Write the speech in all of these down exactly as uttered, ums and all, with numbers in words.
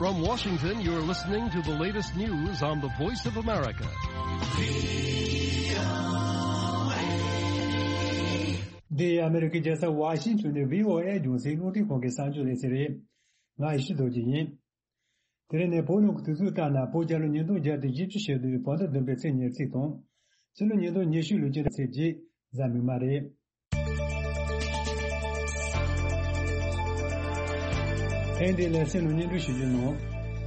From Washington, you're listening to the latest news on the Voice of America. འདི་ཨ་མི་རི་ཀའི་རྒྱལ་ས་ཝ་ཤིང་ཊོན་ནས་བྷི་ཨོ་ཨེ་རྒྱང་སྲིང་རླུང་འཕྲིན་ཁང་གི་གསར་འགྱུར་ལེ་ཚན་རེད། ང་ཡེ་ཤེས་རྡོ་རྗེ་ཡིན། དེ་རིང་ནས་བོད་ནང་གི་དུས་ཚོད་ལྟར་ན་བོད་རྒྱལ་ལོ་ཉིས་སྟོང་བརྒྱ་དང་བཞི་བཅུ་ཞེ་བདུན་བོད་ཟླ་བདུན་པའི་ཚེས་ཉེར་གཅིག་དང་། ཕྱི་ལོ་ཉིས་སྟོང་ཉི་ཤུ་ལོའི་སྤྱི་ཟླ་ཚེས་བརྒྱད་གཟའ་མིག་དམར་རེད། ཐེངས་འདིའི་ལེ་ཚན་ནང་སྙན་སྒྲོན་ཞུ་རྒྱུ་ནང་།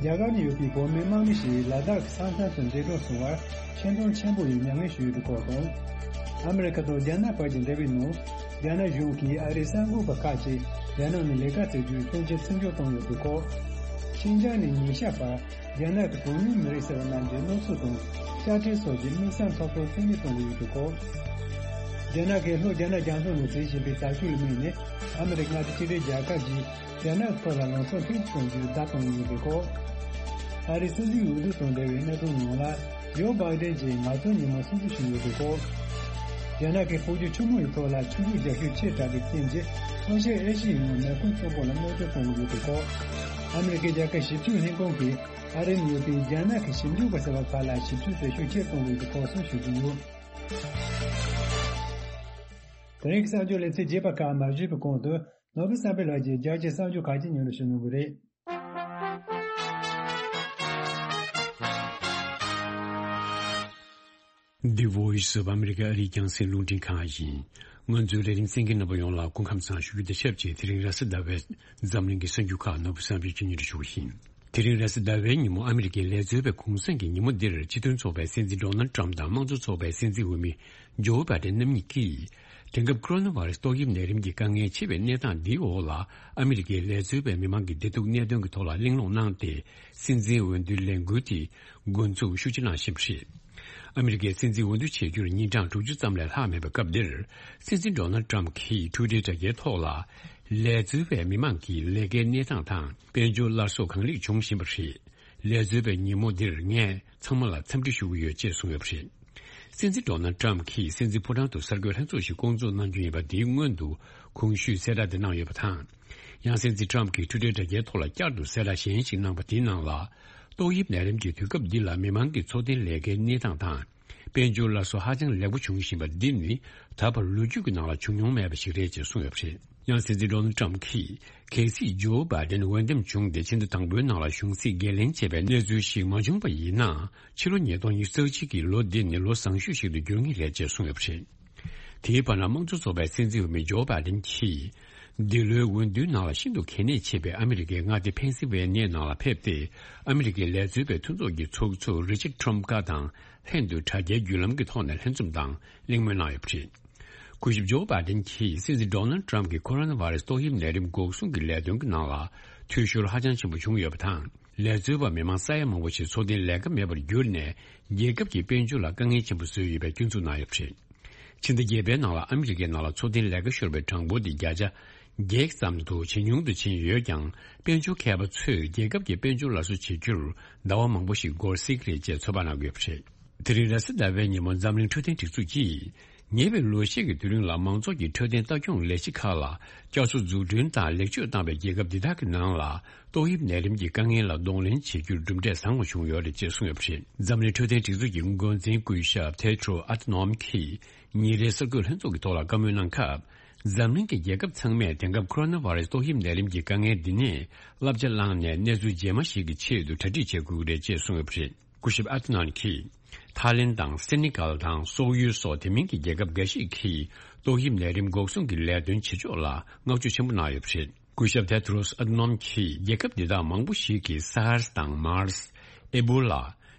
རྒྱ་གར་ནང་ཡོད་པའི་བོད་མི་དམག་མི་ཞིག་ལ་དྭགས་ཀྱི་ས་མཚམས་སུ་འདས་གྲོངས་སོང་བར་ཆེ་མཐོང་ཆེན་པོ་ཡིས་མྱ་ངན་ཞུས་ཡོད་པའི་སྐོར་དང་། ཨ་མི་རི་ཁ་དང་རྒྱ་ནག་བར་གྱི་འབྲེལ་བའི་ནང་། རྒྱ་ནག་གཞུང་གིས་ཨ་རིའི་གསར་འགོད་པ་ཁག་ཅིག་རྒྱ་ནག་ནང་ལས་ཀ་བྱེད་རྒྱུའི་མཐུན་རྐྱེན་བརྩི་འཇོག་བཏང་ཡོད་པའི་སྐོར། ཤིན་ཅང་ནས་ཉིན་ཤས་བར་རྒྱ་ནག་གི་གྲངས་ཉུང་མི་རིགས་ཟེར་བ་རྣམས་ཀྱི་གནས་ཚུལ་དང་དཔྱ་ཁྲལ་སོགས་ཀྱི་དམིགས་བསལ་ཐོབ་ཐང་རྩིས་མེད་གཏོང་གི་ཡོད་པའི་སྐོར། རྒྱ་ནག་གིས་ལྷོ་རྒྱ་ནག་རྒྱ་མཚོ་ནང་འཛིན་བཞིན་པའི་དར་ལྕོག་ལ་དམིགས་ནས་ཨ་མི་རི་ཀ་མངའ་སྡེ་གཅིག་སྒྲིལ་རྒྱལ་ཁབ་ཀྱིས་རྒྱ་ནག་གི་ཐོག་ལ་ལམ་སང་ཐེངས་གཅིག་ཙམ་གྱི་བརྡ་བཏང་ཡོད་པའི་སྐོར། ཨ་རིའི་སྲིད་འཛིན་འོས་བསྡུ་དང་འབྲེལ་བའི་གནད་དོན་ནང་ལ། ཇོ་བྷའི་ཏན་གྱིས་ངལ་རྩོལ་ཉིན་མོ་སྲུང་བརྩི་ཞུས་ཡོད་པའི་སྐོར། རྒྱ་ནག་གིས་བོད་ཀྱི་ཆུ་མོ་ཡི་ཐོག་ལ་ཆུ་འཇུག་རྒྱག་ཤུགས་ཆེ་དྲགས་པའི་རྐྱེན་གྱིས་ལྷོ་ཤར་ཨེ་ཤི་ཡའི་ནང་མེ་འཁོར་གཙོ་པོ་ལ་གནོད་སྐྱོན་གཏོང་གི་ཡོད་པའི་སྐོར། ཨ་མི་རི་ཀའི་རྒྱལ་ཁབ་ཞིབ་འཇུག་ལྷན་ཁང་གིས་ཨ་རིར་ཡོད་པའི་རྒྱ་ནག་གི་ཞིབ་འཇུག་པ་ཟེར་བ་ཁག་ལ་ཞིབ་འཇུག་བྱེད་ཤུགས་ཆེར་གཏོང་དགོས་པའི་སྐོར་སོགས་ཞུ་རྒྱུ་ཡོད། དེ་རིང་གི་གསར་འགྱུར་ལེ་ཚན་རྒྱས་པ་ཁག་མ་ཞུས་པའི་གོང་དུ་ནོར་བུ་བསམ་འཕེལ་ལགས་ཀྱིས་རྒྱ་ཆེའི་གསར་འགྱུར་ཁག་ཅིག་སྙན་སྒྲོན་ཞུ་གནང་གི་རེད། The Voice of America ཨ་རིའི་རྒྱང་སྲིང་རླུང་འཕྲིན་ཁང་ཡིན། ང་ཚོའི་ལས་རིམ་གསན་མཁན་རྣམ་པ་ཡོངས་ལ་སྐུ་ཁམས་བཟང་ཞུ་རྒྱུ་དང་ཆབས་ཅིག་དེ་རིང་རེས་གཟའ་ཟླ་བའི་འཛམ་གླིང་གི་གསར་འགྱུར་ཁག་ནོར་བུ་བསམ་འཕེལ་གྱིས་སྙན་སྒྲོན་ཞུ་བ་ཡིན། དེ་རིང་རེས་གཟའ་ཟླ་བའི་ཉིན་མོ་ཨ་མི་རི་ཀའི་ལས་རྩོལ་བའི་གུང་སེང་གི་ཉིན་མོ་འདིར་སྤྱི་མཐུན་ཚོགས་པའི་སྲིད་འཛིན་ཌོ་ནལ་ཏྲམ་དང་དམངས་གཙོ་ཚོགས་པའི་སྲིད་འཛིན་འོས་མི་ཇོ་བྷའི་ཏན་རྣམ་གཉིས་ཀྱིས། དེང་སྐབས་ཀོ་རོ་ན་བྷ་རེ་སི་ཏོག་དབྱིབས་ནད་རིམས་ཀྱི་དཀའ་ངལ་ཆེ་བའི་གནས་སྟངས་འདིའི་འོག་ལ་ཨ་མི་རི་ཀའི་ལས་རྩོལ་བའི་མི་མང་གི་བདེ་སྡུག་གནད་དོན་གྱི་ཐོག་ལ་གླེང་སློང་གནང་སྟེ། སྲིད་འཛིན་འོས་བསྡུའི་ལས་འགུལ་དེ་འགོ་འཛུགས་ཤུགས་ཆེ་གནང་བཞིན་པ་རེད། ཨ་མི་རི་ཀའི་སྲིད་འཛིན་འོས་བསྡུ་བྱེད་རྒྱུར་ཉིན་གྲངས་དྲུག་ཅུ་ཙམ་ལས་ལྷག་མེད་པའི་སྐབས་འདིར། སྲིད་འཛིན་ཌོ་ནལ་ཏྲམ་གྱིས་ཊུའི་ཊར་དྲ་རྒྱའི་ཐོག་ལ། ལས་རྩོལ་བའི་མི་མང་གི་ལས་ཀའི་གནས་སྟངས་དང་དཔལ་འབྱོར་སླར་གསོ་གང་ལེགས་བྱུང་བཞིན་པ་རེད། ལས་རྩོལ་བའི་ཉིན་མོ་འདིར་ངས་ཚང་མ་ལ་འཚམས་འདྲི་ཞུ་གི་ཡོད་ཅེས་གསུངས་ཡོད་པ་རེད། སྲིད་འཛིན་ཌོ་ནལ་ཏྲམ་གྱིས་སྲིད་འཛིན་ཕོ་བྲང་དུ་གསར་འགོད་ལྷན་ཚོགས་ཤིག་བསྐོང་ཚོགས་གནང་རྒྱུ་ཡིན་པ་འདིའི་སྔོན་དུ་གོང་ཞུས་གསལ་བསྒྲགས་འདི་གནང་ཡོད་པ་དང་། ཡང་སྲིད་འཛིན་ཏྲམ་གྱིས་ཊུའི་ཊར་དྲ་རྒྱའི་ཐོག་ལ་བསྐྱར་དུ་གསལ་བསྒྲགས་གཞན་ཞིག་གནང་པ་འདིའི་ནང་ལ། ཏོག་དབྱིབས་ནད་རིམས་ཀྱི་དུས་སྐབས་འདི་ལ་མི་མང་གི་འཚོ་རྟེན་ལས་ཀའི་གནས་སྟངས་དང་། དཔལ་འབྱོར་སླར་གསོ་ཧ་ཅང་ལེགས་པོ་བྱུང་བཞིན་པ་འདི་ནི་ད་བར་ལོ་རྒྱུས་ཀྱི་ནང་ལ་བྱུང་མྱོང་མེད་པ་ཞིག་རེད་ཅེས་གསུངས་ཡོད་པ་རེད། ཡང་སྲིད་འཛིན་ཌོ་ནལ་ཏྲམ་གྱིས་གལ་སྲིད་ཇོ་བྷའི་ཏན་འོས་འདེམས་བྱུང་སྟེ་ཕྱི་ཟླ་དང་པོའི་ནང་ལ་གཞུང་སྲིད་འགན་ལེན་བྱས་པའི་གནས་ཚུལ་ཞིག་མ་བྱུང་པ་ཡིན་ན། ཕྱི་ལོ་ཉིས་སྟོང་ཉི་ཤུ་རྩ་གཅིག་གི་ལོ་འདི་ནི་ལོ་བཟང་ཤོས་ཤིག་ཏུ་འགྱུར་ངེས་རེད་ཅེས་གསུངས་ཡོད་པ་རེད། དེའི་བར་ན་དམངས་གཙོ་ཚོགས་པའི་སྲིད་འཛིན་འོས་མི་ཇོ་བྷའི་ཏན་གྱིས། འདི་ལོའི་འོས་བསྡུའི་ནང་ལ་ཤིན་ཏུ་གལ་གནད་ཆེ་བའི་ཨ་མི་རི་ཀའི་མངའ་སྡེ་ཕེན་སིལ་ཝེ་ནི་ཡའི་ནང་ལ་ཕེབས་ཏེ། ཨ་མི་རི་ཀའི་ལས་རྩོལ་བའི་མཐུན་ཚོགས་ཀྱི་ཚོགས་གཙོ་རི་ཅར་ཌ་ཊམ་ཀ་དང་ལྷན་དུ་དྲ་རྒྱའི་བརྒྱུད་ལམ་གྱི་ཐོག་ནས་ལྷན་འཛོམས་དང་གླེང་མོལ་གནང་ཡོད་པ་རེད། སྐུ་ཞབས་ཇོ་བྷའི་ཏན་གྱིས་སྲིད་འཛིན་ཌོ་ནལ་ཏྲམ་གྱི་ཁོ་རོ་ན་བྷ་རེ་སི་ཏོག་དབྱིབས་ནད་རིམས་འགོག་སྲུང་གི་ལས་དོན་གྱི་ནང་ལ་འཐུས་ཤོར་ཧ་ཅང་ཆེན་པོ་བྱུང་ཡོད་པ་དང་། ལས་རྩོལ་བ་མི་མང་ས་ཡ་མང་པོ་ཞིག་འཚོ་རྟེན་ལས་ཀ་མེད་པར་གྱུར་ནས་རྒྱལ་ཁབ་ཀྱི་དཔལ་འབྱོར་ལ་དཀའ་ངལ་ཆེན་པོ་བཟོས་ཡོད་པའི་སྐྱོན་འཛུགས་གནང་ཡོད་པ་རེད། ཕྱི་ཟླ་བརྒྱད་པའི་ནང་ལ་ཨ་མི་རི་ཀའི་ནང་ལ་འཚོ་རྟེན་ལས་ཀ་ཤོར་བའི་གྲངས་འབོར་དེ་བརྒྱ་ཆ་བརྒྱད་ཙམ་དུ་ཇེ་ཉུང་དུ་ཕྱིན་ཡོད་ཀྱང་། དཔལ་འབྱོར་མཁས་པ་ཚོས་རྒྱལ་ཁབ་ཀྱི་དཔལ་འབྱོར་སླར་གསོ་བྱེད་རྒྱུར་ཟླ་བ་མང་པོ་ཞིག་འགོར་སྲིད་ཀྱི་རེད་ཅེས་ཚོད་དཔག་གནང་གི་ཡོད་པ་རེད། དེ་རིང་རེས་གཟའ་ཟླ་བའི་ཉིན་མོ་འཛམ་གླིང་འཕྲོད་བསྟེན་སྒྲིག་འཛུགས་ཀྱིས། ཉེ་བའི་ལོ་ཤས་ཀྱི་དུས་རིང་ལ་མང་ཚོགས་ཀྱི་འཕྲོད་བསྟེན་ལྟ་སྐྱོང་ལས་གཞི་ཁག་ལ་བསྐྱར་གསོ་འཛུགས་སྐྲུན་དང་ལེགས་བཅོས་བཏང་བའི་རྒྱལ་ཁབ་འདི་དག་གི་ནང་ལ། ཏོག་དབྱིབས་ནད་རིམས་ཀྱི་དཀའ་ངལ་ལ་གདོང་ལེན་བྱེད་རྒྱུར་གྲུབ་འབྲས་བཟང་བ་བྱུང་ཡོད་རེད་ཅེས་གསུངས་ཡོད་པ་རེད། འཛམ་གླིང་འཕྲོད་བསྟེན་སྒྲིག་འཛུགས་ཀྱི་འགོ་འཛིན་སྐུ་ཞབས་ཐེ་ཏྲོ་ཨ་ཐ་ནོམ་གྱིས་ཉིན་རེའི་གསར་འགོད་ལྷན་ཚོགས་ཀྱི་ཐོག་ལ་བཀའ་མོལ་གནང་སྐབས། འཛམ་གླིང་གི་རྒྱལ་ཁབ་ཚང་མས་དེང་སྐབས་ཁོ་རོ་ན་བྷ་རེ་སི་ཏོག་དབྱིབས་ནད་རིམས་ཀྱི་དཀའ་ངལ་འདི་ནས་བསླབ་བྱ་བླངས་ནས་གནས་ཚུལ་རྗེས་མ་ཞིག་གི་ཆེད་དུ་གྲ་སྒྲིག་བྱེད་དགོས་ཀྱི་རེད་ཅེས་གསུངས་ཡོད་པ་རེད། སྐུ་ཞབས་ཨ་ཐ་ནོམ་གྱིས། ཐའི་ལེན་དང་སེ་ནི་གལ་དང་སོག་ཡུལ་སོགས་དེ་མིན་གྱི་རྒྱལ་ཁབ་འགའ་ཞིག་གིས་ཏོག་དབྱིབས་ནད་རིམས་འགོག་སྲུང་གི་ལས་དོན་བྱེད་ཕྱོགས་ལ་བསྔགས་བརྗོད་ཆེན་པོ་གནང་ཡོད་པ་རེད། སྐུ་ཞབས་ཐེ་ཏྲོས་ཨ་ཐ་ནོམ་གྱིས་རྒྱལ་ཁབ་འདི་དག་མང་པོ་ཞིག་གིས་སཱར་སི་དང་མཱར་སི། ཨེ་བྷོ་ལ།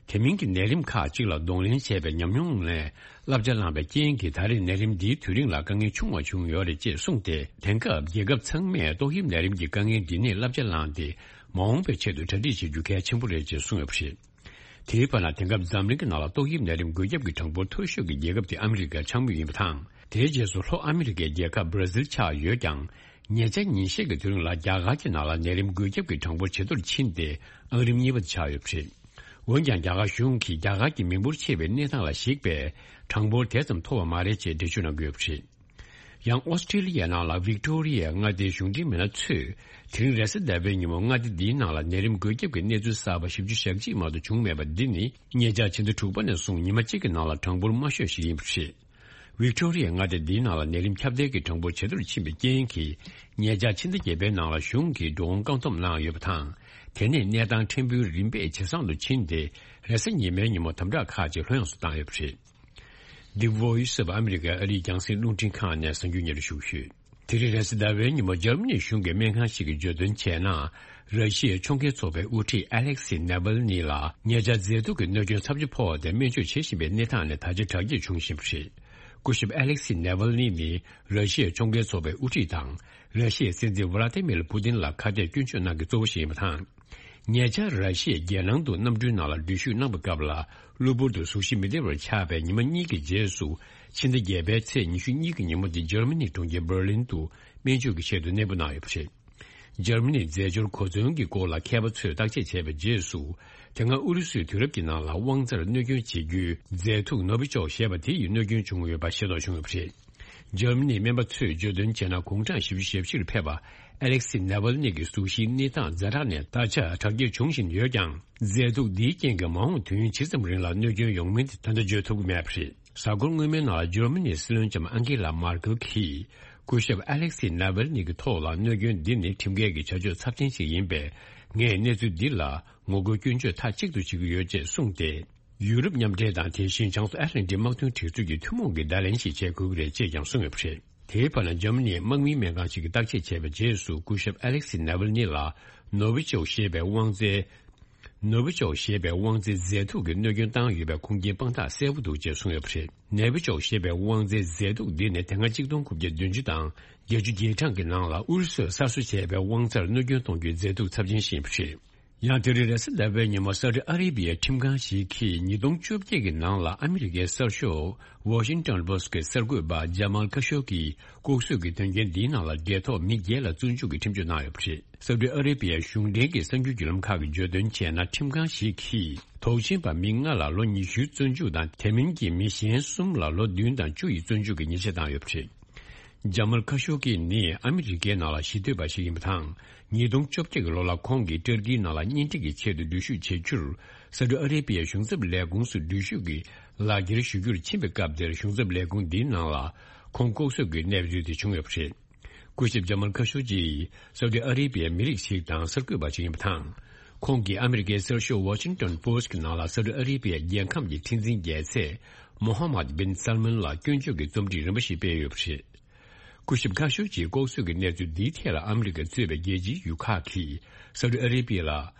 དེ་མིན་གྱི་ནད་རིམས་ཁག་ཅིག་ལ་གདོང་ལེན་བྱས་པའི་ཉམས་མྱོང་ལས་བསླབ་བྱ་བླངས་པའི་རྐྱེན་གྱིས་ད་རེས་ནད་རིམས་འདིའི་དུས་རིང་ལ་དཀའ་ངལ་ཆུང་བ་བྱུང་ཡོད་རེད་ཅེས་གསུངས་ཏེ། དེང་སྐབས་རྒྱལ་ཁབ་ཚང་མས་ཏོག་དབྱིབས་ནད་རིམས་ཀྱི་དཀའ་ངལ་འདི་ནས་བསླབ་བྱ་བླངས་ཏེ། མ་འོངས་པའི་ཆེད་དུ་གྲ་སྒྲིག་བྱེད་རྒྱུ་གལ་ཆེན་པོ་རེད་ཅེས་གསུངས་ཡོད་པ་རེད། དེའི་བར་ན་དེང་སྐབས་འཛམ་གླིང་གི་ནང་ལ་ཏོག་དབྱིབས་ནད་རིམས་འགོས་ཁྱབ་ཀྱི་གྲངས་འབོར་མཐོ་ཤོས་ཀྱི་རྒྱལ་ཁབ་དེ་ཨ་མི་རི་ཀ་ཆགས་མུས་ཡིན་པ་དང་། དེའི་རྗེས་སུ་ལྷོ་ཨ་མི་རི་ཀའི་རྒྱལ་ཁབ་བྷ་ར་ཟིལ་ཆགས་ཡོད་ཀྱང་། ཉེ་ཆར་ཉིན་ཤས་ཀྱི་དུས་རིང་ལ་རྒྱ་གར་གྱི་ནང་ལ་ནད་རིམས་འགོས་ཁྱབ་ཀྱི་གྲངས་འབོར་ཇེ་མཐོར་ཕྱིན་ཏེ་ཨང་རིམ་གཉིས་པ་དུ་ཆགས་ཡོད་པ་རེད། འོན་ཀྱང་རྒྱ་གར་གཞུང་གིས་རྒྱ་གར་གྱི་མི་འབོར་ཆེ་བའི་གནས་སྟངས་ལ་གཞིགས་པའི་གྲངས་འབོར་དེ་ཙམ་མཐོ་བ་མ་རེད་ཅེས་འགྲེལ་བརྗོད་གནང་གི་ཡོད་པ་རེད། ཡང་ཨོ་སི་ཀྲི་ལི་ཡའི་ནང་ལ་ཝིག་ཏོ་རི་ཡའི་མངའ་སྡེའི་གཞུང་འབྲེལ་མི་སྣ་ཚོས་དེ་རིང་རེས་གཟའ་ཟླ་བའི་ཉིན་མོ་མངའ་སྡེ་འདིའི་ནང་ལ་ནད་རིམས་འགོས་ཁྱབ་ཀྱི་གནས་ཚུལ་གསར་པ་བཞི་བཅུ་ཞེ་གཅིག་མ་གཏོགས་བྱུང་མེད་པ་འདི་ནི་ཉེ་ཆར་ཕྱི་ཟླ་དྲུག་པ་ནས་བཟུང་ཉི་མ་གཅིག་གི་ནང་ལ་གྲངས་འབོར་དམའ་ཤོས་ཤིག་ཡིན་པ་རེད། ཝིག་ཏོ་རི་ཡའི་མངའ་སྡེ་འདིའི་ནང་ལ་ནད་རིམས་ཁྱབ་གདལ་གྱི་གྲངས་འབོར་ཇེ་མཐོར་ཕྱིན་པའི་རྐྱེན་གྱིས། ཉེ་ཆར་ཕྱི་ཟླ་བརྒྱད་པའི་ནང་ལ་གཞུང་གིས་འགྲོ་འོང་བཀག་སྡོམ་གནང་ཡོད་པ་དང་། དེ་ནས་གནས་སྟངས་ཕྲན་བུ་རིམ་པས་ཇེ་བཟང་དུ་ཕྱིན་ཏེ། རེས་གཟའ་ཉི་མའི་ཉིན་མོ་དམ་དྲག་ཁག་ཅིག་ལྷོད་ཡངས་སུ་བཏང་ཡོད་པ་རེད། འདི་བོ་ཡི་སོགས་པ་ཨ་མི་རི་ཀའི་ཨ་རིའི་རྒྱང་སྲིང་རླུང་འཕྲིན་ཁང་ནས་གསར་འགྱུར་སྙན་སྒྲོན་ཞུ་གི་ཡོད། དེ་རིང་རེས་གཟའ་ཟླ་བའི་ཉིན་མོ་འཇར་མ་ནི་གཞུང་གི་སྨན་ཁང་ཞིག་གིས་བརྗོད་དོན་བྱས་ན། ར་ཤི་ཡའི་ཕྱོགས་འགལ་ཚོགས་པའི་དབུ་ཁྲིད་ཨ་ལེག་སི་ནེ་ཝལ་ནི་ལ་ཉེ་ཆར་མཛེས་སྡུག་གི་གནོད་སྐྱོན་ཚབས་ཆེ་ཕོག་སྟེ་སྨན་བཅོས་བྱེད་བཞིན་པའི་གནས་སྟངས་ནས་ད་ཆ་དྲག་སྐྱེད་བྱུང་བཞིན་པ་རེད། སྐུ་ཞབས་ཨ་ལེག་སི་ནེ་ཝལ་ནི་ནི་ར་ཤི་ཡའི་ཕྱོགས་འགལ་ཚོགས་པའི་དབུ་ཁྲིད་དང་། ར་ཤི་ཡའི་སྲིད་འཛིན་ཝ་ལ་ཏི་མིར་པུ་ཏིན་ལ་ཁ་གཏད་སྐྱོན་བརྗོད་གནང་མཁན་གཙོ་བོ་ཞིག་ཡིན་པ་དང་། ཉེ་ཆར་ར་ཤི་ཡའི་རྒྱལ་ནང་དུ་གནམ་གྲུའི་ནང་ལ་འགྲུལ་བཞུད་གནང་པའི་སྐབས་ལ། གློ་བུར་དུ་གཟུགས་གཞི་མི་བདེ་བར་ཆགས་པའི་ཉི་མ་གཉིས་ཀྱི་རྗེས་སུ། ཕྱི་ཟླ་བརྒྱད་པའི་ཚེས་ཉི་ཤུ་གཉིས་ཀྱི་ཉིན་མོ་དེ་འཇར་མ་ནིའི་གྲོང་ཁྱེར་འབར་ལིན་དུ་སྨན་བཅོས་ཀྱི་ཆེད་དུ་གནས་སྤོ་གནང་ཡོད་པ་རེད། འཇར་མ་ནིའི་རྫས་སྦྱོར་གོ་མཚོན་གྱི་སྐོར་ལ་མཁས་པ་ཚོས་བརྟག་དཔྱད་བྱས་པའི་རྗེས་སུ། དེ་སྔ་ཨུ་རུ་སུའི་དུས་རབས་ཀྱི་ནང་ལ་དབང་རྩར་གནོད་སྐྱོན་བྱེད་རྒྱུའི་རྫས་མཐུག་ནོ་བི་ཅོག་ཞེས་པ་དེ་ཡིས་གནོད་སྐྱོན་བྱུང་ཡོད་པ་ཤེས་རྟོགས་བྱུང་ཡོད་པ་རེད། འཇར་མ་ནིའི་སྨན་པ་ཚོས་བརྗོད་དོན་བྱས་ན། དགུང་གྲངས་བཞི་བཅུ་ཞེ་བཞི་ལ་ཕེབས་པ་ཨ་ལེག་སི་ནེ་ཝལ་ནི་གི་གཟུགས་གཞིའི་གནས་སྟངས་ཛ་དྲག་ནས་ད་ཆ་དྲག་སྐྱེད་བྱུང་བཞིན་ཡོད་ཀྱང་། རྫས་མཐུག་འདིའི་རྐྱེན་གྱིས་མ་འོངས་དུས་ཡུན་ཇི་ཙམ་རིང་ལ་གནོད་སྐྱོན་ཡོང་མིན་དེ་ད་ལྟ་བརྗོད་ཐུབ་ཀྱི་མེད་པ་རེད། གཟའ་འཁོར་སྔོན་མའི་ནང་ལ་འཇར་མ་ནིའི་སྲིད་བློན་ལྕམ་ཨང་ཀེ་ལ་མར་ཀེལ་གྱིས། སྐུ་ཞབས་ཨ་ལེག་སི་ནེ་ཝལ་ནི་གི་ཐོག་ལ་གནོད་སྐྱོན་འདི་ནི་ཁྲིམས་འགལ་གྱི་བྱ་སྤྱོད་ཚབས་ཆེན་ཞིག་ཡིན་པས། ངས་གནས་ཚུལ་འདི་ལ་ངོ་རྒོལ་སྐྱོན་བརྗོད་མཐའ་གཅིག་ཏུ་བྱེད་ཀྱི་ཡོད་ཅེས་གསུངས་ཏེ། ཡུ་རོབ་མཉམ་འབྲེལ་དང་། དེ་བཞིན་བྱང་མཚོ་ཨེཊ་ལན་ཏིག་དམག་དོན་སྒྲིག་འཛུགས་ཀྱི་ཐུན་མོང་གི་བརྡ་ལན་ཞིག་བྱེད་དགོས་ཀྱི་རེད་ཅེས་ཀྱང་གསུངས་ཡོད་པ་རེད། དེའི་བར་ན། འཇར་མ་ནིའི་དམག་མིའི་སྨན་ཁང་ཞིག་གིས་བརྟག་དཔྱད་བྱས་པའི་རྗེས་སུ། སྐུ་ཞབས་ཨ་ལེག་སི་ནེ་ཝལ་ནི་ལ་ནོ་བི་ཅོག་ཞེས་པའི་དབང་རྩའི། ནོ་བི་ཅོག་ཞེས་པའི་དབང་རྩའི་རྫས་མཐུག་གིས་གནོད་སྐྱོན་བཏང་ཡོད་པའི་ཁུངས་སྐྱེལ་དཔང་རྟགས་གསལ་པོ་འདུག་ཅེས་གསུངས་ཡོད་པ་རེད། ནོ་བི་ཅོག་ཞེས་པའི་དབང་རྩའི་རྫས་མཐུག་འདི་ནི་དེ་སྔ་གཅིག་སྟོང་དགུ་བརྒྱ་བདུན་ཅུ་དང་བརྒྱད་ཅུ་གྱ་གྲངས་ཀྱི་ནང་ལ་ཨུ་རུ་སུས་གསར་བཟོ་བྱས་པའི་དབང་རྩར་གནོད་སྐྱོན་གཏོང་རྒྱུའི་རྫས་མཐུག་ཚབས་ཆེན་ཞིག་ཡིན་པ་རེད། ཡང་དེ་རིང་རེས་གཟའ་ཟླ་བའི་ཉིན་མོ། སའུ་ཏི་ཨ་རེ་བི་ཡའི་ཁྲིམས་ཁང་ཞིག་གིས་ཉིས་སྟོང་བཅོ་བརྒྱད་ཀྱི་ནང་ལ་ཨ་མི་རི་ཀའི་གསར་ཤོག་Washington Post་གི་གསར་འགོད་པ་ཇ་མལ་ཁ་ཤོ་ཀིས་ལྐོག་གསོད་ཀྱི་དོན་རྐྱེན་འདིའི་ནང་ལ་འབྲེལ་ཐོགས་མི་བརྒྱད་ལ་བཙོན་འཇུག་གི་ཁྲིམས་གཅོད་གནང་ཡོད་པ་རེད། སའུ་ཏི་ཨ་རེ་བི་ཡའི་གཞུང་འབྲེལ་གྱི་གསར་འགྱུར་བརྒྱུད་ལམ་ཁག་གིས་བརྗོད་དོན་བྱས་ན། ཁྲིམས་ཁང་ཞིག་གིས་དོགས་ཟོན་པ་མི་ལྔ་ལ་ལོ་ཉི་ཤུའི་བཙོན་འཇུག་དང་། དེ་མིན་གྱི་མི་གཞན་གསུམ་ལ་ལོ་བདུན་དང་བཅུ་ཡི་བཙོན་འཇུག་གི་ཉེས་ཆད་བཏང་ཡོད་པ་རེད། ཇ་མལ་ཁ་ཤོ་ཀི་ནི་ཨ་མི་རི་ཀའི་ནང་ལ་གཞིས་སྡོད་པ་ཞིག་ཡིན་པ་དང་། ཉིས་སྟོང་བཅོ་བརྒྱད་ཀྱི་ལོ་ལ་ཁོང་གིས་ཏུར་ཀིའི་ནང་ལ་གཉེན་སྒྲིག་གི་ཆེད་དུ་འགྲུལ་བཞུད་བྱེད་རྒྱུར། སའུ་ཏི་ཨ་རེ་བི་ཡའི་གཞུང་ཚབ་ལས་ཁུངས་སུ་འགྲུལ་བཞུད་ཀྱི་ལག་འཁྱེར་ཞུ་རྒྱུར་ཕྱིན་པའི་སྐབས་དེར། གཞུང་ཚབ་ལས་ཁུངས་འདིའི་ནང་ལ་ཁོང་ལྐོག་གསོད་ཀྱི་གནས་ཚུལ་དེ་བྱུང་ཡོད་པ་རེད། སྐུ་ཞབས་ཇ་མལ་ཁ་ཤོ་ཀི་སའུ་ཏི་ཨ་རེ་བི་ཡའི་མི་རིགས་ཤིག་དང་གསར་འགོད་པ་ཞིག་ཡིན་པ་དང་། ཁོང་གིས་ཨ་མི་རི་ཀའི་གསར་ཤོག་Washington Post་གི་ནང་ལ། སའུ་ཏི་ཨ་རེ་བི་ཡའི་རྒྱལ་ཁམས་ཀྱི་ཁྲི་འཛིན་རྒྱལ་མཚན་མོ་ཧ་མད་བིན་སལ་མན་ལ་སྐྱོན་བརྗོད་ཀྱི་རྩོམ་སྒྲིག་རིམ་པ་ཞིག་སྤེལ་ཡོད་པ་རེད། སྐུ་ཞབས་ཁ་ཤོ་ཀིས་ལྐོག་གསོད་ཀྱི་གནས་ཚུལ་འདིའི་ཐད་ལ་ཨ་མི་རི་ཀ་གཙོས་པའི་རྒྱལ་སྤྱིའི་ཡུལ་ཁག་གིས་སའུ་ཏི་ཨ་རེ་བི་ཡ་ལ་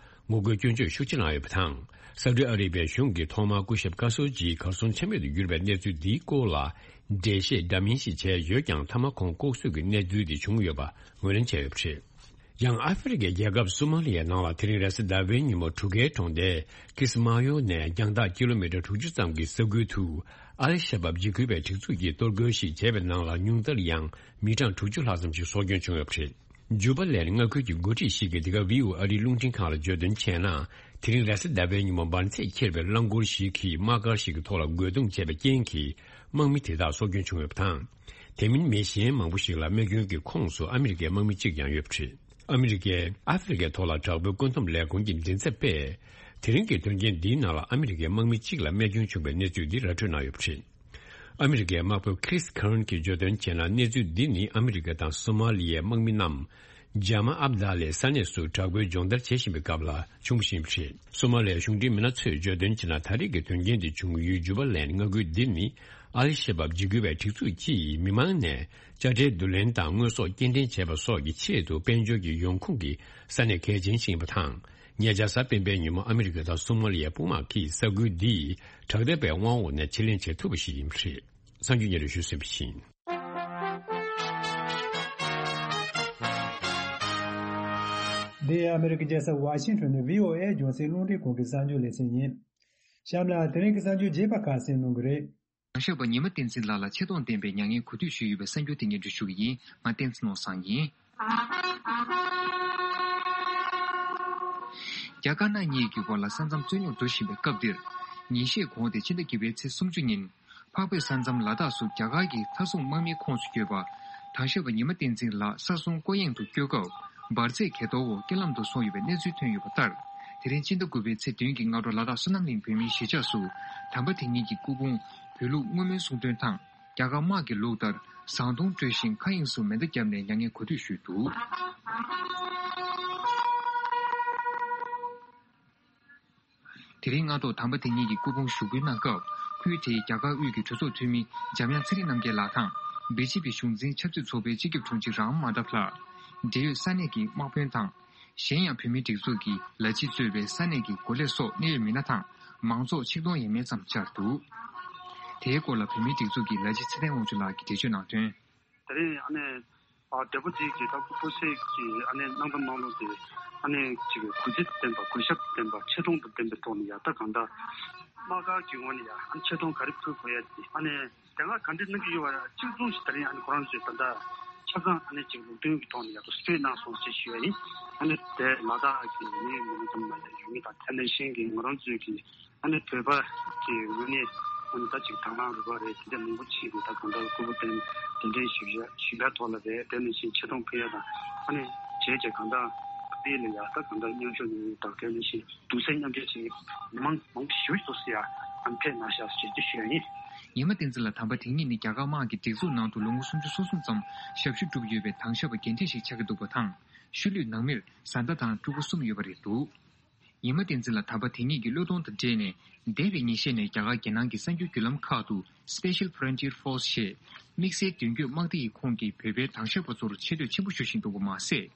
ངོ་རྒོལ་སྐྱོན་བརྗོད་ཤུགས་ཆེ་གནང་ཡོད་པ་དང་། སའུ་ཏི་ཨ་རེ་བི་ཡའི་གཞུང་གིས་ཐོག་མར་སྐུ་ཞབས་ཁ་ཤོ་ཀི་གར་སོང་ཆ་མེད་དུ་གྱུར་པའི་གནས་ཚུལ་འདིའི་སྐོར་ལ་འགྲེལ་བཤད་འདྲ་མིན་ཞིག་བྱས་ཡོད་ཀྱང་། མཐའ་མ་ཁོང་ལྐོག་གསོད་ཀྱི་གནས་ཚུལ་དེ་བྱུང་ཡོད་པ་ངོས་ལེན་བྱས་ཡོད་པ་རེད། ཡང་ཨ་ཧྥེ་རི་ཁའི་རྒྱལ་ཁབ་སོ་མ་ལི་ཡའི་ནང་ལ་དེ་རིང་རེས་གཟའ་ཟླ་བའི་ཉིན་མོ་གྲུ་ཁའི་གྲོང་སྡེ་ཀི་སི་མ་ཡོ་ནས་རྒྱང་ཐག་ཀི་ལོ་མི་ཊར་དྲུག་ཅུ་ཙམ་གྱི་ས་ཁུལ་དུ་ཨལ་ཤ་བབ་འཇིགས་སྐུལ་བའི་སྒྲིག་འཛུགས་ཀྱིས་གཏོར་རྒོལ་ཞིག་བྱས་པའི་ནང་ལ། ཉུང་མཐར་ཡང་མི་གྲངས་དྲུག་ཅུ་ལྷག་ཙམ་ཞིག་སྲོག་སྐྱོན་བྱུང་ཡོད་པ་རེད། ཇུ་པ་ལན་མངའ་ཁུལ་གྱི་འགོ་ཁྲིད་ཞིག་གིས་འདི་ག་བྷི་ཨོ་ཨེ་ཨ་རིའི་རླུང་འཕྲིན་ཁང་ལ་བརྗོད་དོན་བྱས་ན། དེ་རིང་རེས་གཟའ་ཟླ་བའི་ཉིན་མོ་འབར་འཛེགས་འཁྱེར་བའི་རླངས་འཁོར་ཞིག་གིས་དམག་སྒར་ཞིག་གི་ཐོག་ལ་རྒོལ་རྡུང་བྱས་པའི་རྐྱེན་གྱིས། དམག་མི་དེ་དག་སྲོག་སྐྱོན་བྱུང་ཡོད་པ་དང་། དེ་མིན་མི་གཞན་མང་པོ་ཞིག་ལ་རྨས་སྐྱོན་གྱི་ཁོངས་སུ་ཨ་མི་རི་ཀའི་དམག་མི་གཅིག་ཀྱང་ཡོད་པ་རེད། ཨ་མི་རི་ཀས་ཨ་ཧྥེ་རི་ཀའི་ཐོག་ལ་དྲག་པོའི་བཀོད་འདོམས་ལས་ཁུངས་ཀྱི་མགྲིན་ཚབ་པས། དེ་རིང་གི་དོན་རྐྱེན་འདིའི་ནང་ལ་ཨ་མི་རི་ཀའི་དམག་མི་གཅིག་ལ་རྨས་སྐྱོན་བྱུང་བའི་གནས་ཚུལ་འདི་ར་སྤྲོད་གནང་ཡོད་པ་རེད། ཨ་མི་རི་ཀའི་དམག་དཔོན་ཁི་རིས་ཁེ་རན་གྱིས་བརྗོད་དོན་བྱས་ན། གནས་ཚུལ་འདི་ནི་ཨ་མི་རི་ཀ་དང་སོ་མ་ལི་ཡའི་དམག་མི་རྣམས་ཇ་མ་ཨབ་དཱ་ལའི་ས་གནས་སུ་དྲག་པོའི་སྦྱོང་བརྡར་བྱེད་བཞིན་པའི་སྐབས་ལ་བྱུང་བཞིན་པ་རེད། སོ་མ་ལི་ཡའི་གཞུང་འབྲེལ་མི་སྣ་ཚོས་བརྗོད་དོན་བྱས་ན། ད་རེས་ཀྱི་དོན་རྐྱེན་འདི་བྱུང་ཡུལ་ཇུ་པ་ལན་མངའ་ཁུལ་འདི་ནི་ཨལ་ཤ་བབ་འཇིགས་སྐུལ་བའི་སྒྲིག་འཛུགས་ཀྱིས་མི་མང་ནས་དཔྱ་ཁྲལ་བསྡུ་ལེན་དང་དངོས་ཟོག་སྐྱེལ་འདྲེན་བྱེད་པ་སོགས་ཀྱི་ཆེད་དུ་དཔལ་འབྱོར་གྱི་ཡོང་ཁུངས་ཀྱི་ས་གནས་གལ་ཆེན་ཞིག་ཡིན་པ་དང་། ཉེ་ཆར་གཟའ་སྤེན་པའི་ཉིན་མོ་ཨ་མི་རི་ཀ་དང་སོ་མ་ལི་ཡའི་དཔུང་དམག་གིས་ས་ཁུལ་འདི་དྲག་འཐབ་པའི་དབང་འོག་ནས་ཕྱིར་ལེན་བྱེད་ཐུབ་པ་ཞིག་ཡིན་པ་རེད། གསར་འགྱུར་སྙན་སྒྲོན་ཞུས་ཟིན་པ་ཡིན། འདི་ཨ་མི་རི་ཀའི་རྒྱལ་ས་ཝ་ཤིང་ཊོན་ནས་བྷི་ཨོ་ཨེ་རྒྱང་སྲིང་རླུང་འཕྲིན་ཁང་གི་གསར་འགྱུར་ལེ་ཚན་ཡིན། གཤམ་ལ་དེ་རིང་གི་གསར་འགྱུར་རྒྱས་པ་ཁ་གསན་གནང་གི་རེད། གང་ཤེས་པ་ཉི་མ་བསྟན་འཛིན་ལགས་ལ་ཆེ་མཐོང་ལྡན་པའི་མྱ་ངན་གུས་འདུད་ཞུས་ཡོད་པའི་གསར་འགྱུར་དེ་སྙན་སྒྲོན་ཞུ་གི་ཡིན། ང་བསྟན་འཛིན་ནོར་བཟང་ཡིན། རྒྱ་དཀར་ནག་གཉིས་ཀྱི་བར་ལ་ས་མཚམས་རྩོད་རྙོག་འགྲོ་བཞིན་པའི་སྐབས་འདིར། ཉིན་ཤས་གོང་སྟེ་ཕྱི་ཟླ་བརྒྱད་པའི་ཚེས་སུམ་ཅུ་ཉིན། འཕགས་བོད་ས་མཚམས་ལ་དྭགས་སུ་རྒྱ་གར་གྱི་མཐའ་སྲུང་དམག་མིའི་ཁོངས་སུ་ཡོད་པ། དྭངས་ཞབས་པ་ཉི་མ་བསྟན་འཛིན་ལགས་ས་སྲུང་སྐོར་གཡེང་དུ་བསྐྱོད་སྐབས་འབར་རྫས་གས་གཏོར་འོག་རྐྱེན་ལམ་དུ་སོང་ཡོད་པའི་གནས་ཚུལ་ཐོན་ཡོད་པ་ལྟར། དེ་རིང་སྤྱི་ཟླ་དགུ་པའི་ཚེས་བདུན་གྱི་སྔ་དྲོ་ལ་དྭགས་བསོད་ནམས་གླིང་བོད་མིའི་གཞིས་ཆགས་སུ་དམ་པ་དེ་ཉིད་ཀྱི་སྐུ་ཕུང་བོད་ལུགས་བསྔོ་སྨོན་གསུང་འདོན་དང་། རྒྱ་གར་དམག་གི་ལུགས་ལྟར་ཟངས་མདོང་དཀྲོལ་ཞིང་མཁའ་དབྱིངས་སུ་མེ་མདའ་བརྒྱབ་ནས་མྱ་ངན་གོ་སྒྲིག་ཞུས་འདུག་དེ་རིང་སྔ་དྲོ་དམ་པ་དེ་ཉིད་ཀྱི་སྐུ་ཕུང་ཞུགས་འབུལ་གནང་སྐབས། ཁུལ་དེའི་རྒྱ་གར་དབུས་ཀྱི་གྲོས་ཚོགས་འཐུས་མི་འཇམ་དབྱངས་ཚེ་རིང་རྣམ་རྒྱལ་ལགས་དང་། བི་ཇེ་པི་གཞུང་འཛིན་ཆབ་སྲིད་ཚོགས་པའི་སྤྱི་ཁྱབ་དྲུང་ཆེ་རམ་མན་ཌབ་ལགས། འབྲེལ་ཡོད་ས་གནས་ཀྱི་དམག་དཔོན་དང་། གཞན་ཡང་བོད་མིའི་སྒྲིག་འཛུགས་ཀྱི་ལས་བྱེད་གཙོས་པའི་ས་གནས་ཀྱི་འགོ་ལས་སོགས་གནད་ཡོད་མི་སྣ་དང་མང་ཚོགས་ཆིག་སྟོང་ཡས་མས་ཙམ་བཅར་འདུག་དེའི་སྐོར་ལ་བོད་མིའི་སྒྲིག་འཛུགས་ཀྱི་ལས་བྱེད་ཚེ་བརྟན་དབང་ཕྱུག་ལགས་ཀྱིས་འགྲེལ་བརྗོད་གནང་དོན། དེ་རིང་ཨ་ནེ་ཨ་བདེ་པོ་ཅིག་གིས་ད་སྐུ་སྤུ་སེ་གི་ཨ་ནེ་གནང་དང་གནང་ལུགས་དེ་ཨ་ནེ་ཅིག་གུས་བརྩི་དང་ལྡན་པ་གུས་ཞབས་དང་ལྡན་པ་ཆེ་མཐོང་དང་ལྡན་པའི་ཐོག་ནས་ཡ་ད་གང་ལྟར་དམག་སྒར་གྱི་ངོས་ནས་ཡ་ཨ་ནེ་ཆེ་མཐོང་ག་རེ་ཕུལ་དགོས་ཡ་དེ་ཨ་ནེ་དེ་སྔ་ག་འདྲ་གནང་གི་ཡོད་པ་གཅིག་མཚུངས་ཤིག་དེ་རིང་ཨ་ནེ་ཁོ་རང་ཚོས་ད་ལྟ་ཆ་ཚང་ཨ་ནེ་ཅིག་ལུགས་མཐུན་གྱི་ཐོག་ནས་ཡ་ད་སྤྲོད་གནང་སོང་ཞེས་ཞུ་ཡ་ཡིན། ཨ་ནེ་དེ་ལ་དྭགས་ཀྱི་མི་མི་ཙམ་མ་ཡ་ཡོད་མི་དང་དེ་ནང་བཞིན་གྱི་ང་རང་ཚོའི་གི་ཨ་ནི་བོད་པ་གི་ངོས་ནས་ཨ་ནི་ད་ཅིག་དང་བླངས་རུ་ཁག་རེད་དེ་འདྲ་མང་པོ་བྱས་ཏེ་ད་གང་ལྟར་སྐུ་པུ་གདན་གདན་འདྲེན་ཞུ་ཡ་ཞུ་ཡ་ཐོག་ལ་རེད། དེ་ནང་བཞིན་ཆེ་མཐོང་ཕུལ་ཡ་དང་ཨ་ནི་བྱས་བྱས་གང་ལྟར་སྐུ་དེ་ལ་ཡ་ད་གང་ལྟར་མཉམ་ཞུགས་གནང་ཡ་དང་དེ་ནང་བཞིན་གདུང་སེམས་མཉམ་སྐྱེད་བྱེད་མི་མང་མང་པོ་ཞིག་སོ་སོ་ཡ་ཨ་ནི་ཕེབས་གནང་ཤག་ཞེས་ཅིག་ཞུ་ཡ་ཡིན། ཉི་མ་བསྟན་འཛིན་ལགས་དམ་པ་དེ་ཉིད་ནི་རྒྱ་གར་དམག་གི་སྒྲིག་འཛུགས་ནང་དུ་ལོ་ངོ་སུམ་ཅུ་སོ་གསུམ་ཙམ་ཞབས་ཞུ་བསྒྲུབས་ཡོད་པའི་དྭངས་ཞབས་པ་རྒན་གྲས་ཤིག་ཆགས་ཀྱི་འདུག་པ་དང་། ཤུལ་ལུས་ནང་མིར་བཟའ་ཟླ་དང་ཕྲུ་གུ་གསུམ་ཡོད་པ་རེད་འདུག་ཉི་མ་བསྟན་འཛིན་ལགས་དམ་པ་དེ་ཉིད་ཀྱི་བློས་གཏོང་དང་འབྲེལ་ནས། འདས་པའི་ཉིན་ཤས་ནས་རྒྱ་གར་རྒྱལ་ནང་གི་གསར་འགྱུར་བརྒྱུད་ལམ་ཁག་ཏུ་Special Frontier Force ཞེས་དམིགས་བསལ་མདུན་སྐྱོད་དམག་སྡེ་ཡི་ཁོངས་ཀྱི་བོད་པའི་དྭངས་ཞབས་པ་ཚོར་ཆེ་བསྟོད་ཆེན་པོ་ཞུ་བཞིན་འདུག་པ་མ་ཟད།